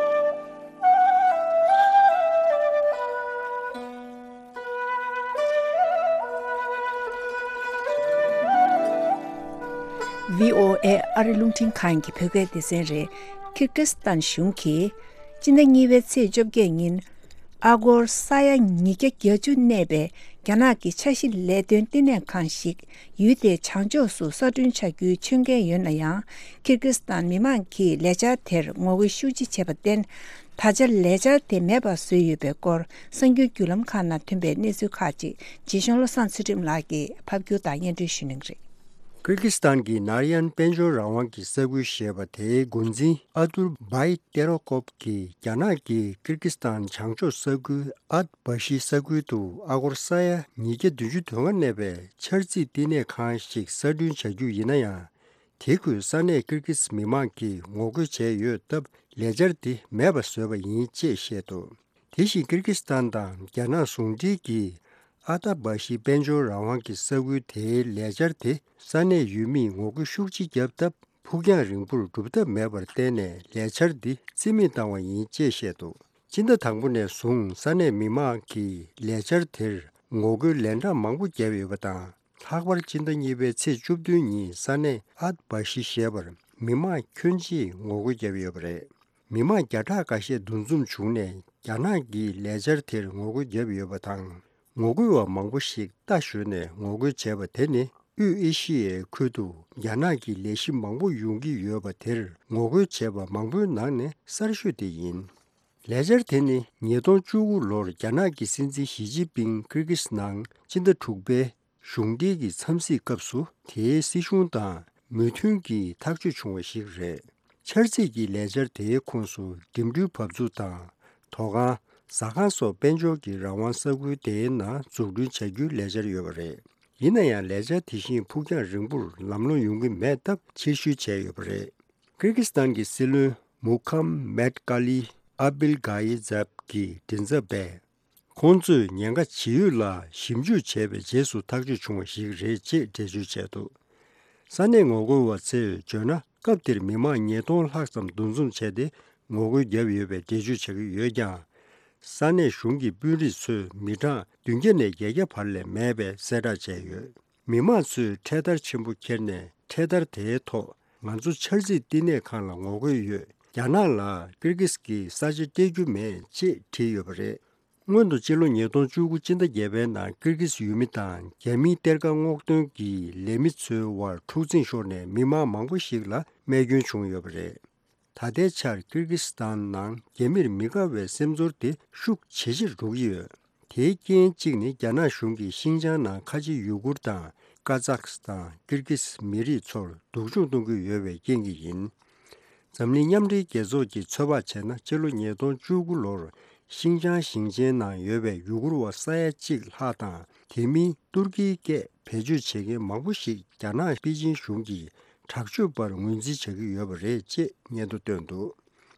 བྷི་ཨོ་ཨེ་ཨ་རི་རླུང་འཕྲིན་ཁང་གི་བོད་སྐད་སྡེ་ཚན་རེད། ཀིར་ཀིས་ཏན་གཞུང་གིས་སྤྱི་ཟླ་གཉིས་པའི་ཚེས་བཅོ་བརྒྱད་ཉིན། ཨ་སྒོར་ས་ཡ་ཉིས་བརྒྱ་གྱ་བཅུ་གནས་པའི་རྒྱ་ནག་གི་འཆར་གཞི་ལས་དོན་ལྟེ་གནས་ཁང་ཞིག་ཡུལ་དེའི་བྱང་ཕྱོགས་སུ་གསར་སྐྲུན་བྱ་རྒྱུའི་ཆོད་མཁན་ཡོད་ན་ཡང་། ཀིར་ཀིས་ཏན་མི་མང་གིས་ལས་འཆར་དེར་ངོ་རྒོལ་ཤུགས་ཆེ་བྱས་པར་བརྟེན། ད་ཆ་ལས་འཆར་དེ་མེད་པར་བཟོས་ཡོད་པའི་སྐོར་གསར་འགྱུར་བརྒྱུད་ལམ་ཁག་ནང་ཐོན་པའི་གནས་ཚུལ་ཁག་ཅིག་རྗེ་གཞུང་བློ་བཟང་ཚུལ་ཁྲིམས་ལགས་ཀྱིས་ཕབ་སྒྱུར་དང་སྙན་སྒྲོན་ཞུ་གནང་གི་རེད། ཀིར་ཀིས་ཏན་གྱི་ནར་ཡན་དཔལ་འབྱོར་རང་དབང་གི་ས་ཁུལ་ཞེས་པ་དེའི་འགོ་འཛིན་ཨ་ཏུར་བྷའི་ཏེ་རོ་ཀོབ་ཀྱིས་རྒྱ་ནག་གིས་ཀིར་ཀིས་ཏན་བྱང་ཕྱོགས་ས་ཁུལ་ཨད་བྷ་ཤི་ས་ཁུལ་དུ་ཨ་སྒོར་ས་ཡ་ཉིས་བརྒྱ་བདུན་ཅུ་དོན་ལྔ་གནས་པའི་འཆར་རྩིས་བསྟི་གནས་ཁང་ཞིག་གསར་སྐྲུན་བྱ་རྒྱུ་ཡིན་ན་ཡང་། དེ་ཁུལ་ས་གནས་ཀིར་ཀིས་མི་མང་གིས་ངོ་རྒོལ་བྱས་ཡོད་སྟབས། ལས་འཆར་འདི་མེད་པ་བཟོས་པ་ཡིན་ཅེས་བཤད་འདུག་དེ་བཞིན་ཀིར་ཀིས་ཏན་དང་རྒྱ་ནག་ཟུང་འབྲེལ་གྱིས་ཨ་ཏ་བྷ་ཤི་དཔལ་འབྱོར་རང་དབང་གི་ས་ཁུལ་དེའི་ལས་འཆར་དེ་ས་གནས་ཡུལ་མིས་ངོ་རྒོལ་ཤུགས་ཆེ་བརྒྱབ་སྟབས། ཕུགས་རྒྱང་རིང་པོར་འགྲུབ་ཐབས་མེད་པར་བརྟེན་ནས་ལས་འཆར་འདི་རྩིས་མེད་བཏང་བ་ཡིན་ཅེས་བཤད་འདུག་སྤྱི་ཟླ་དང་པོ་ནས་བཟུང་ས་གནས་མི་མང་གིས་ལས་འཆར་དེར་ངོ་རྒོལ་ལན་གྲངས་མང་པོ་བརྒྱབ་ཡོད་པ་དང་། ལྷག་པར་སྤྱི་ཟླ་གཉིས་པའི་ཚེས་བཅུ་བདུན་ཉིན་ས་གནས་ཨད་བྷ་ཤི་ཞེས་པར་མི་མང་ཁྱོན་ཆེས་ངོ་རྒོལ་བརྒྱབ་ཡོད་པ་རེད། མི་མང་བརྒྱ་ཕྲག་འགའ་ཤས་འདུ་འཛོམས་བྱུང་ནས་རྒྱ་ནག་གིས་ལས་འཆར་དེར་ངོ་རྒོལ་བརྒྱབ་ཡོད་པ་དང་། ངོ་རྒོལ་བ་མང་པོ་ཞིག་རྟ་ཞོན་ནས་ངོ་རྒོལ་བྱས་པ་དེ་ནི་དབུས་ཨེ་ཤི་ཡའི་ཁུལ་དུ་རྒྱ་ནག་གི་ལས་གཞི་མང་པོ་ཡོང་གི་ཡོད་པ་དེར་ངོ་རྒོལ་བྱས་པ་མང་པོའི་ནང་ནས་གསར་ཤོས་དེ་ཡིན། ལས་འཆར་དེ་ནི་ཉིས་སྟོང་བཅུ་དགུ་ལོར་རྒྱ་ནག་གི་སྲིད་འཛིན་ཞི་ཅིན་ཕིང་ཀིར་ཀིས་ནང་སྤྱི་ཟླ་དྲུག་པའི་གཞུང་འབྲེལ་གྱི་འཚམས་གཟིགས་སྐབས་སུ་དེའི་སྲིད་གཞུང་དང་མོས་མཐུན་གྱིས་ཐག་གཅོད་བྱུང་བ་ཞིག་རེད། འཆར་རྩིས་ཀྱི་ལས་འཆར་དེའི་ཁོངས་སུ་འགྲིམ་འགྲུལ་བབས་ཚུགས་དང་། དོ་ཁང་། ཟ་ཁང་སོགས་དཔལ་འབྱོར་གྱི་རང་དབང་ས་ཁུལ་དེའི་ནང་འཛུགས་སྐྲུན་བྱ་རྒྱུའི་ལས་འཆར་ཡོད་པ་རེད། ཡིན་ན་ཡང་ལས་འཆར་དེ་བཞིན་ཕུགས་རྒྱང་རིང་པོར་ལམ་ལྷོང་ཡོང་གི་མེད་སྟབས་ཕྱིར་བཤོལ་བྱས་ཡོད་པ་རེད། ཀིར་ཀིས་ཐན་གྱི་སྲིད་བློན་མུ་ཁམ་མེད་ཀ་ལི་ཨ་བིལ་གྷ་ཡེ་ཛབ་ཀྱི་མགྲིན་ཚབ་པས། ཁོང་ཚོས་ཉེན་ཁ་ཇི་ཡོད་ལ་ཞིབ་འཇུག་བྱས་པའི་རྗེས་སུ་ཐག་གཅོད་བྱུང་བ་ཞིག་རེད་ཅེས་འགྲེལ་བརྗོད་བྱས་འདུག། ས་གནས་ངོ་རྒོལ་བ་ཚོས་བརྗོད་ན། སྐབས་དེར་མི་མང་ཉིས་སྟོང་ལྷག་ཙམ་འདུ་འཛོམས་བྱས་ཏེ་ངོ་རྒོལ་བརྒྱབ་ཡོད་པའི་འགྲེལ་བརྗོད་བྱ་གི་ཡོད་ཀྱང་། ས་གནས་གཞུང་གི་དཔོན་རིགས་ཚོས་མི་གྲངས་བདུན་བརྒྱ་ནས་བརྒྱད་བརྒྱ་བར་ལས་མེད་པའི་གསལ་བསྒྲགས་བྱས་ཡོད། མི་མང་ཚོས་འཕྲེད་དར་ཆེན་པོ་ཁྱེར་ནས། འཕྲེད་དར་དེའི་ཐོག་ང་ཚོ་འཆར་རྩིས་བསྟི་གནས་ཁང་ལ་ངོ་རྒོལ་ཡོད། རྒྱ་ནག་ལ་ཀིར་ཀིས་ཀྱི་ས་ཆ་སྤྲད་རྒྱུ་མེད་ཅེས་བྲིས་ཡོད་པ་རེད། སྔོན་དུ་སྤྱི་ལོ་ཉིས་སྟོང་བཅུ་དགུ་སྤྱི་ཟླ་བརྒྱད་པའི་ནང་ཀིར་ཀིས་ཡུལ་མི་དང་རྒྱ་མིའི་གཏེར་ཁ་སྔོག་འདོན་གྱི་ལས་མི་ཚོའི་དབར་འཁྲུག་འཛིང་ཤོར་ནས་མི་མང་མང་པོ་ཞིག་ལ་རྨས་སྐྱོན་བྱུང་ཡོད་པ་རེད། ད་ལྟའི་ཆར་ཀིར་ཀིས་ཐན་ནང་རྒྱ་མིར་མི་དགའ་བའི་སེམས་ཚོར་དེ་ཤུགས་ཇེ་ཆེར་འགྲོ་གི་ཡོད། དེའི་རྐྱེན་གཅིག་ནི་རྒྱ་ནག་གཞུང་གིས་ཤིང་ཅང་ནང་ཁ་ཆེ་ཡུ་གུར་དང་ཀ་ཛག་སི་ཐན། ཀིར་ཀིས་མི་རིགས་ཚོར་སྡུག་སྦྱོང་གཏོང་གི་ཡོད་པའི་རྐྱེན་གྱིས་ཡིན། འཛམ་གླིང་མཉམ་འབྲེལ་རྒྱལ་ཚོགས་ཀྱིས་ཚོད་དཔག་བྱས་ན། སྤྱི་ལོ་ཉིས་སྟོང་བཅུ་དགུ་ལོར་ཤིང་ཅང་ཞིང་ཆེན་ནང་ཡོད་པའི་ཡུ་གུར་བ་ས་ཡ་གཅིག་ལྷག་དང་། དེ་མིན་ཏུར་ཀིའི་སྐད་བེད་སྤྱོད་བྱེད་མཁན་མང་པོ་ཞིག་རྒྱ་ནག་པེ་ཅིན་གཞུང་གིས་དྲག་སྤྱོད་པར་ངོས་འཛིན་བྱ་གི་ཡོད་པ་རེད་ཅེས་སྙན་ཐོ་བཏོན་འདུག།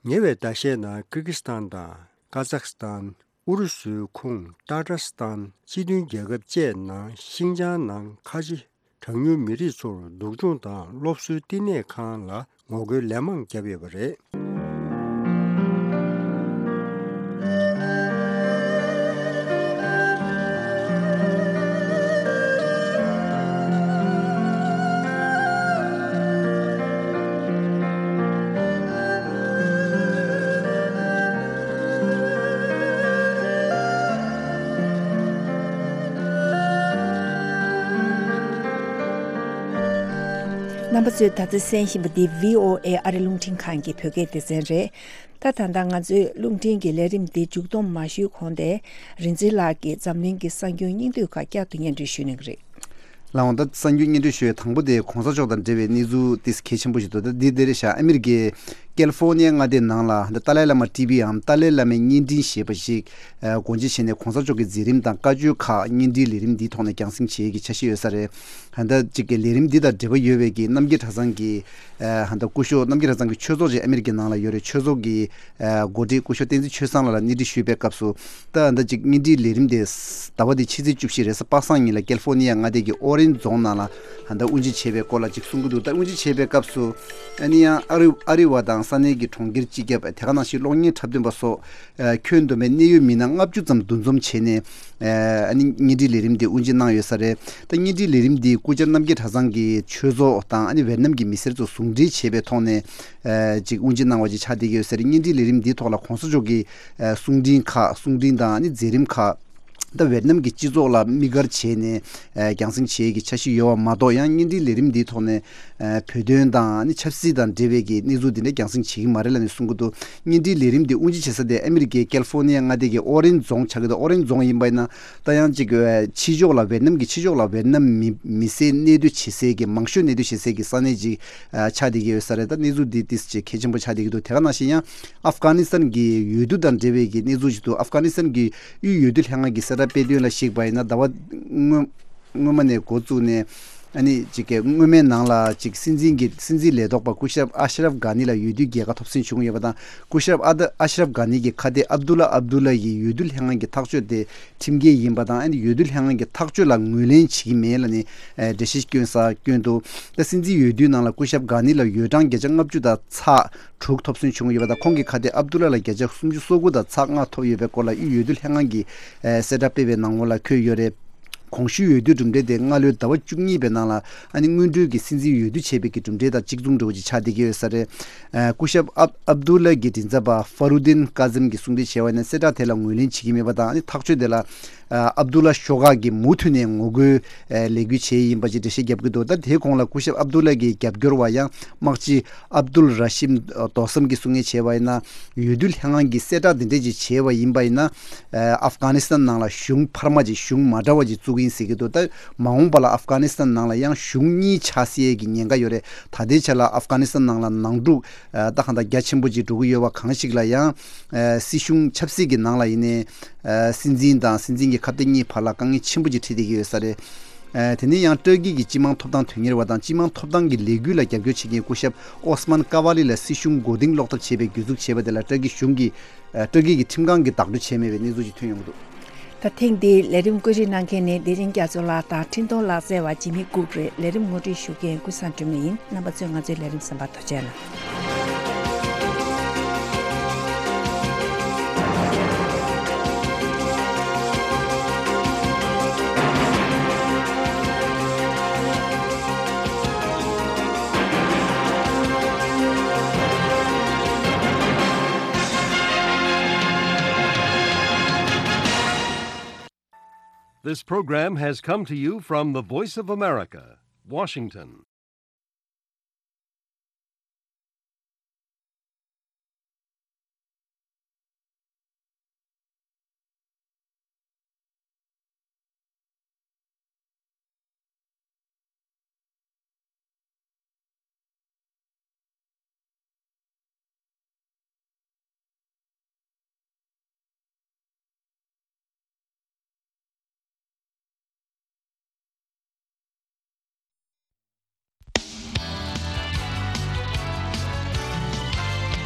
ཉེ་བའི་ཟླ་ཤས་ནང་ཀིར་ཀིས་ཐན་དང་ཀ་ཛག་སི་ཐན། ཨུ་རུ་སུའི་ཁོངས་ཏ་ཏྲ་སི་ཐན། སྤྱི་མཐུན་རྒྱལ་ཁབ་བཅས་ནང་ཤིང་ཅང་ནང་ཁ་ཆེ་གྲངས་ཉུང་མི་རིགས་ཚོར་སྡུག་སྦྱོང་དང་སློབ་གསོའི་བསྟི་གནས་ཁང་ལ་ངོ་རྒོལ་ལན་མང་བརྒྱབ་ཡོད་པ་རེད། རྣམ་པ་ཚོས་ད་ལྟ་གསན་བཞིན་པ་འདི་བྷི་ཨོ་ཨེ་ཨ་རི་རླུང་འཕྲིན་ཁང་གི་བོད་སྐད་སྡེ་ཚན་རེད། ད་ད་ལྟ་ང་ཚོའི་རླུང་འཕྲིན་གྱི་ལས་རིམ་འདི་མཇུག་སྡོམ་མ་ཞུས་གོང་དེ། རིག་འཛིན་ལགས་ཀྱིས་འཛམ་གླིང་གི་གསར་འགྱུར་སྙིང་བསྡུས་ཁག་བསྐྱར་དུ་སྙན་སྒྲོན་ཞུ་གནང་གི་རེད། ལགས་འོང་། ད་གསར་འགྱུར་སྙན་སྒྲོན་ཞུ་བའི་དང་པོ་དེ་གོང་ས་མཆོག་དང་འབྲེལ་བའི་གནས་ཚུལ་ཏིས་གལ་ཆེན་པོ་ཞིག་འདུག། ད་འདི་འདིར་བཞག་ཨ་མི་རི་ཀའི་ཀེ་ལི་ཧྥོ་ནི་ཡ་མངའ་སྡེའི་ནང་ལ་ད་ཏཱ་ལའི་བླ་མ་ཊི་བི་འམ་ཏཱ་ལའི་བླ་མའི་བརྙན་འཕྲིན་ཞེས་པ་ཞིག་ཨ་སྒོ་འབྱེད་བྱས་ནས་གོང་ས་མཆོག་གི་མཛད་རིམ་དང་བཀའ་ཆོས་ཁག་བརྙན་འཕྲིན་ལས་རིམ་འདིའི་ཐོག་ནས་རྒྱང་སྲིང་བྱེད་ཡས་ཀྱི་འཆར་གཞི་ཡོད་ས་རེད། ད་ལྟ་གཅིག་གི་ལས་རིམ་འདི་དང་འབྲེལ་བ་ཡོད་པའི་གི་རྣམ་རྒྱལ་གྲྭ་ཚང་གི་ཨ་ད་ལྟ་སྐུ་ཞབས་རྣམ་རྒྱལ་གྲྭ་ཚང་གི་ཆོས་ཚོགས་ཅིག་ཨ་མི་རི་ཀའི་ནང་ལ་ཡོད་རེད། ཆོས་ཚོགས་ཀྱི་ཨ་འགོ་ཁྲིད་སྐུ་ཞབས་བསྟན་འཛིན་ཆོས་བཟང་ལགས་ལ་སྣེ་ཁྲིད་ཞུས་པའི་སྐབས་སུ། ད་ད་ཅིག་བརྙན་འཕྲིན་ལས་རིམ་དེ་ཟླ་བ་འདི་ཕྱི་ཚེས་བཅུ་བཞི་རེས་གཟའ་པ་སངས་ཉིན་ལ་ཀེ་ལི་ཧྥོ་ནི་ཡ་མངའ་སྡེ་གི་ཨོ་རེན་རྫོང་ནང་ལ་ད་ལྟ་དབུ་འབྱེད་བྱས་པའི་སྐོར་ལ་ཅིག་གསུང་གི་འདུག། ད་དབུ་འབྱེད་བྱས་པའི་སྐབས་སུ་ཨ་ནི་ཡང་ཨ་རི་ཨ་རི་བ་དང་ས་གནས་ཀྱི་གྲོང་ཁྱེར་སྤྱི་ཁྱབ་དེ་ག་ནང་བཞིན་གློག་བརྙན་འཁྲབ་སྟོན་པ་སོགས་ཨ་ཁྱོན་བསྡོམས་པའི་གནད་ཡོད་མི་སྣ་ལྔ་བཅུ་ཙམ་འདུ་འཛོམས་བྱས་ནས་ཨ་ནི་བརྙན་འཕྲིན་ལས་རིམ་དེ་དབུ་འབྱེད་གནང་ཡོད་ས་རེད། ད་བརྙན་འཕྲིན་ལས་རིམ་འདི་སྐུ་བཅར་རྣམ་རྒྱལ་གྲྭ་ཚང་གི་ཆོས་ཚོགས་དང་ཨ་ནི་ཝེ་ནམ་གྱི་མི་སེར་ཚོ་ཟུང་འབྲེལ་བྱས་པའི་ཐོག་ནས་ཨ་ཅིག་དབུ་འབྱེད་གནང་བ་ཅིག་ཆགས་བསྡད་ཀྱི་ཡོད་ས་རེད། བརྙན་འཕྲིན་ལས་རིམ་འདིའི་ཐོག་ལ་གོང་ས་མཆོག་གི་ཨ་གསུང་འཕྲིན་ཁག་གསུང་འཕྲིན་དང་ཨ་ནི་མཛད་རིམ་ཁག་ད་ཝེ་ནམ་གྱི་སྤྱི་ཚོགས་ལ་དམིགས་བཀར་བྱས་ནས་ཨ་རྒྱང་སྲིང་བྱེད་ཀྱི་འཆར་གཞི་ཡོད་པ་མ་གཏོགས། ཡང་བརྙན་འཕྲིན་ལས་རིམ་འདིའི་ཐོག་ནས་ཨ་བོད་དོན་དང་ཨ་ནི་ཆབ་སྲིད་དང་འབྲེལ་བའི་གི་གནས་ཚུལ་འདི་འདྲ་རྒྱང་སྲིང་བྱེད་ཀྱི་མ་རེད་ལབ་ནས་གསུང་གི་འདུག། བརྙན་འཕྲིན་ལས་རིམ་འདི་དབུ་འབྱེད་བྱེད་ས་དེ་ཨ་མི་རི་ཀའི་ཀེ་ལི་ཧྥོ་ནི་ཡ་མངའ་སྡེ་གི་ཨོ་རེན་རྫོང་ཆགས་ཀྱི་འདུག། ཨོ་རེན་རྫོང་ཡིན་པ་ཡིན་ན་ད་ཡང་ཅིག་ཨ་ཕྱི་ཕྱོགས་ལ་ཝེ་ནམ་གྱི་ཕྱི་ཕྱོགས་ལ་ཝེ་ནམ་མི་མི་སེར་གནས་སྡོད་བྱེད་སའི་གི་མང་ཤོས་གནས་སྡོད་བྱེད་སའི་གི་ས་གནས་ཅིག་ཨ་ཆགས་བསྡད་ཀྱི་ཡོད་ས་རེད། ད་གནས་ཚུལ་འདི་ཏིས་ཅིག་གལ་ཆེན་པོ་ཆགས་བསྡད་ཀྱི་འདུག། དེ་ག་ནང་བཞིན་ཡང་ཨབ་གྷ་ནི་སི་ཐན་གྱི་འོས་བསྡུ་དང་འབྲེལ་བའི་གི་གནས་ཚུལ་ཞིག་འདུག། ཨབ་གྷ་ནི་སི་ཐན་གྱི་དབུས་འོས་བསྡུ་ལྷན་ཁང་གི་གསལ་བསྒྲགས་སྤེལ་དོན་ལ་གཞིགས་པ་ཡིན་ན། ཟླ་བ་སྔོན་སྔོན་མ་ནས་འགོ་བཙུགས་ནས་ཨ་ནི་ཅིག་གི་སྔོན་མའི་ནང་ལ་ཅིག་སྲིད་འཛིན་གྱི་སྲིད་འཛིན་ལས་ཐོག་པ་སྐུ་ཞབས་ཨ་ཤ་རབ་གྷ་ནི་ལ་འོས་བསྡུའི་རྒྱལ་ཁ་ཐོབ་སེམས་བྱུང་ཡོད་པ་དང་། སྐུ་ཞབས་ཨ་ད་ཨ་ཤ་རབ་གྷ་ནི་གི་ཁ་གཏད་ཨབ་དུ་ལ་ཨབ་དུ་ལ་ཡིས་འོས་བསྡུ་ལྷན་ཁང་གི་ཐག་གཅོད་དེ་ཁྲིམས་འགལ་ཡིན་པ་དང་། ཨ་ནི་འོས་བསྡུ་ལྷན་ཁང་གི་ཐག་གཅོད་ལ་ངོས་ལེན་བྱེད་ཀྱི་མེད་ལབ་ནས་ཨ་འགྲེལ་བཤད་བསྐྱོན་ས་བསྐྱོན་འདུག། ད་སྲིད་འཛིན་འོས་བསྡུའི་ནང་ལ་སྐུ་ཞབས་གྷ་ནི་ལ་འོས་གྲངས་བརྒྱ་ཆ་ལྔ་བཅུ་དང་ཚེག་དྲུག་ཐོབ་སོན་བྱུང་ཡོད་པ་དང་། ཁོང་གི་ཁ་གཏད་ཨབ་དུ་ལ་ལ་བརྒྱ་ཆ་སུམ་ཅུ་སོ་དགུ་དང་ཚེག་ལྔ་ཐོབ་ཡོད་པའི་སྐོར་ལ་དབུས་འོས་བསྡུ་ལྷན་ཁང་གིས་ཨ་གསལ་བསྒྲགས་སྤེལ་བའི་ནང་ལོགས་ལ་འཁོད་ཡོད་རེད། གོང་ཞུས་འོས་བསྡུའི་གྲུབ་འབྲས་དེ་སྔ་ལོའི་ཟླ་བ་བཅུ་གཉིས་པའི་ནང་ལ་ཨ་ནི་སྔོན་འགྲོའི་གི་སྲིད་འཛིན་འོས་བསྡུ་བྱས་པའི་གི་གྲུབ་འབྲས་དང་གཅིག་མཚུངས་འདྲ་བོ་ཅིག་ཆགས་བསྡད་ཀྱི་ཡོད་ས་རེད། ཨ་སྐུ་ཞབས་ཨབ་ཨབ་དུ་ལ་གི་མགྲིན་ཚབ་པ་ཧྥ་རུ་ལྡིན་ཀ་ཛིམ་གྱིས་གསུང་གྲོས་བྱས་པ་ཡིན་ན། གསལ་བསྒྲགས་དེ་ལ་ངོས་ལེན་བྱེད་ཀྱི་མེད་པ་དང་། ཨ་ནི་ཐག་གཅོད་དེ་ལ་ཨ་ཨབ་དུ་ལ་ཤོག་ཁག་གིས་མུ་མཐུད་ནས་ངོ་རྒོལ་ཨ་ལས་འགུལ་བྱས་ཡིན་པ་ཅིག་འགྲེལ་བཤད་བརྒྱབ་ཀྱི་འདུག། ད་དེའི་གོང་ལ་སྐུ་ཞབས་ཨབ་དུ་ལ་གི་རྒྱབ་སྐྱོར་བ་ཡང་དམག་སྤྱི་ཨབ་དུལ་ར་ཤིམ་དོ་སམ་གྱིས་གསུང་མཁན་བྱས་པ་ཡིན་ན། འོས་བསྡུ་ལྷན་ཁང་གིས་གསལ་བསྒྲགས་འདི་འདྲས་ཅིག་བྱས་པ་ཡིན་པ་ཡིན་ན། ཨ་ཨབ་གྷ་ནི་སི་ཐན་ནང་ལ་གཞུང་འཕར་མ་ཅིག་གཞུང་མ་འདྲ་བ་ཅིག་བཙུགས་ཡིན་ཟེར་གྱི་འདུག། ད་མ་འོངས་པ་ལ་ཨབ་གྷ་ནི་སི་ཐན་ནང་ལ་ཡང་གཞུང་གཉིས་ཆགས་སྲིད་ཀྱི་ཉེན་ཁ་ཡོད་རེད། ད་ལྟའི་ཆ་ལ་ཨབ་གྷ་ནི་སི་ཐན་ནང་ལ་ནང་འཁྲུག་ཨ་ད་གང་ལྟར་རྒྱ་ཆེན་པོ་ཅིག་འགྲོ་གི་ཡོད་པ་གང་ཞིག་ལ་ཡང་། ཨ་སྲིད་གཞུང་ཆབ་སྲིད་ཀྱི་ནང་ལ་ཡིན་ནའི། ཨ་སྲིད་འཛིན་དང་སྲིད་འཛིན་གྱི་ཁ་གཏད་གཉིས་བར་ལ་དཀའ་ངལ་ཆེན་པོ་ཅིག་འཕྲད་བསྡད་ཀྱི་ཡོད་ས་རེད། ཨ། དེ་ནས་ཡང་ཏུར་ཀི་གི་སྤྱི་དམངས་ཐོབ་ཐང་དོན་གཉེར་བ་དང་སྤྱི་དམངས་ཐོབ་ཐང་གི་ལས་འགུལ་ལ་རྒྱབ་སྐྱོར་བྱེད་མཁན་སྐུ་ཞབས་ཨོ་སི་མན་ཀ་ཝ་ལི་ལ་སྲིད་གཞུང་མགོ་རྟིང་སློག་ཐབས་བྱས་པའི་གྱོད་འཛུགས་བྱས་པ་དེ་ལ་ཏུར་ཀི་གཞུང་གིས། ཨ། ཏུར་ཀི་གི་ཁྲིམས་ཁང་གིས་བདག་སྤྲོད་བྱས་མེད་པའི་གནས་ཚུལ་ཅིག་ཐོན་ཡོང་གི་འདུག། ད་ཐེངས་འདིའི་ལས་རིམ་བཀོད་སྒྲིག་གནང་མཁན་ནི་བདེ་ཆེན་རྒྱ་མཚོ་ལགས་དང་འཕྲིན་གཏོང་ལག་རྩལ་བ་འཇིགས་མེད་སྐུ་རེད། ལས་རིམ་ངོ་སྤྲོད་ཞུ་མཁན་ཀུན་བཟང་སྒྲོལ་མ་ཡིན། རྣམ་པ་ཚོས་ང་ཚོའི་ལས་རིམ་གསན་པར་ཐུགས་རྗེ་གནང་། This program has come to you from the Voice of America, Washington.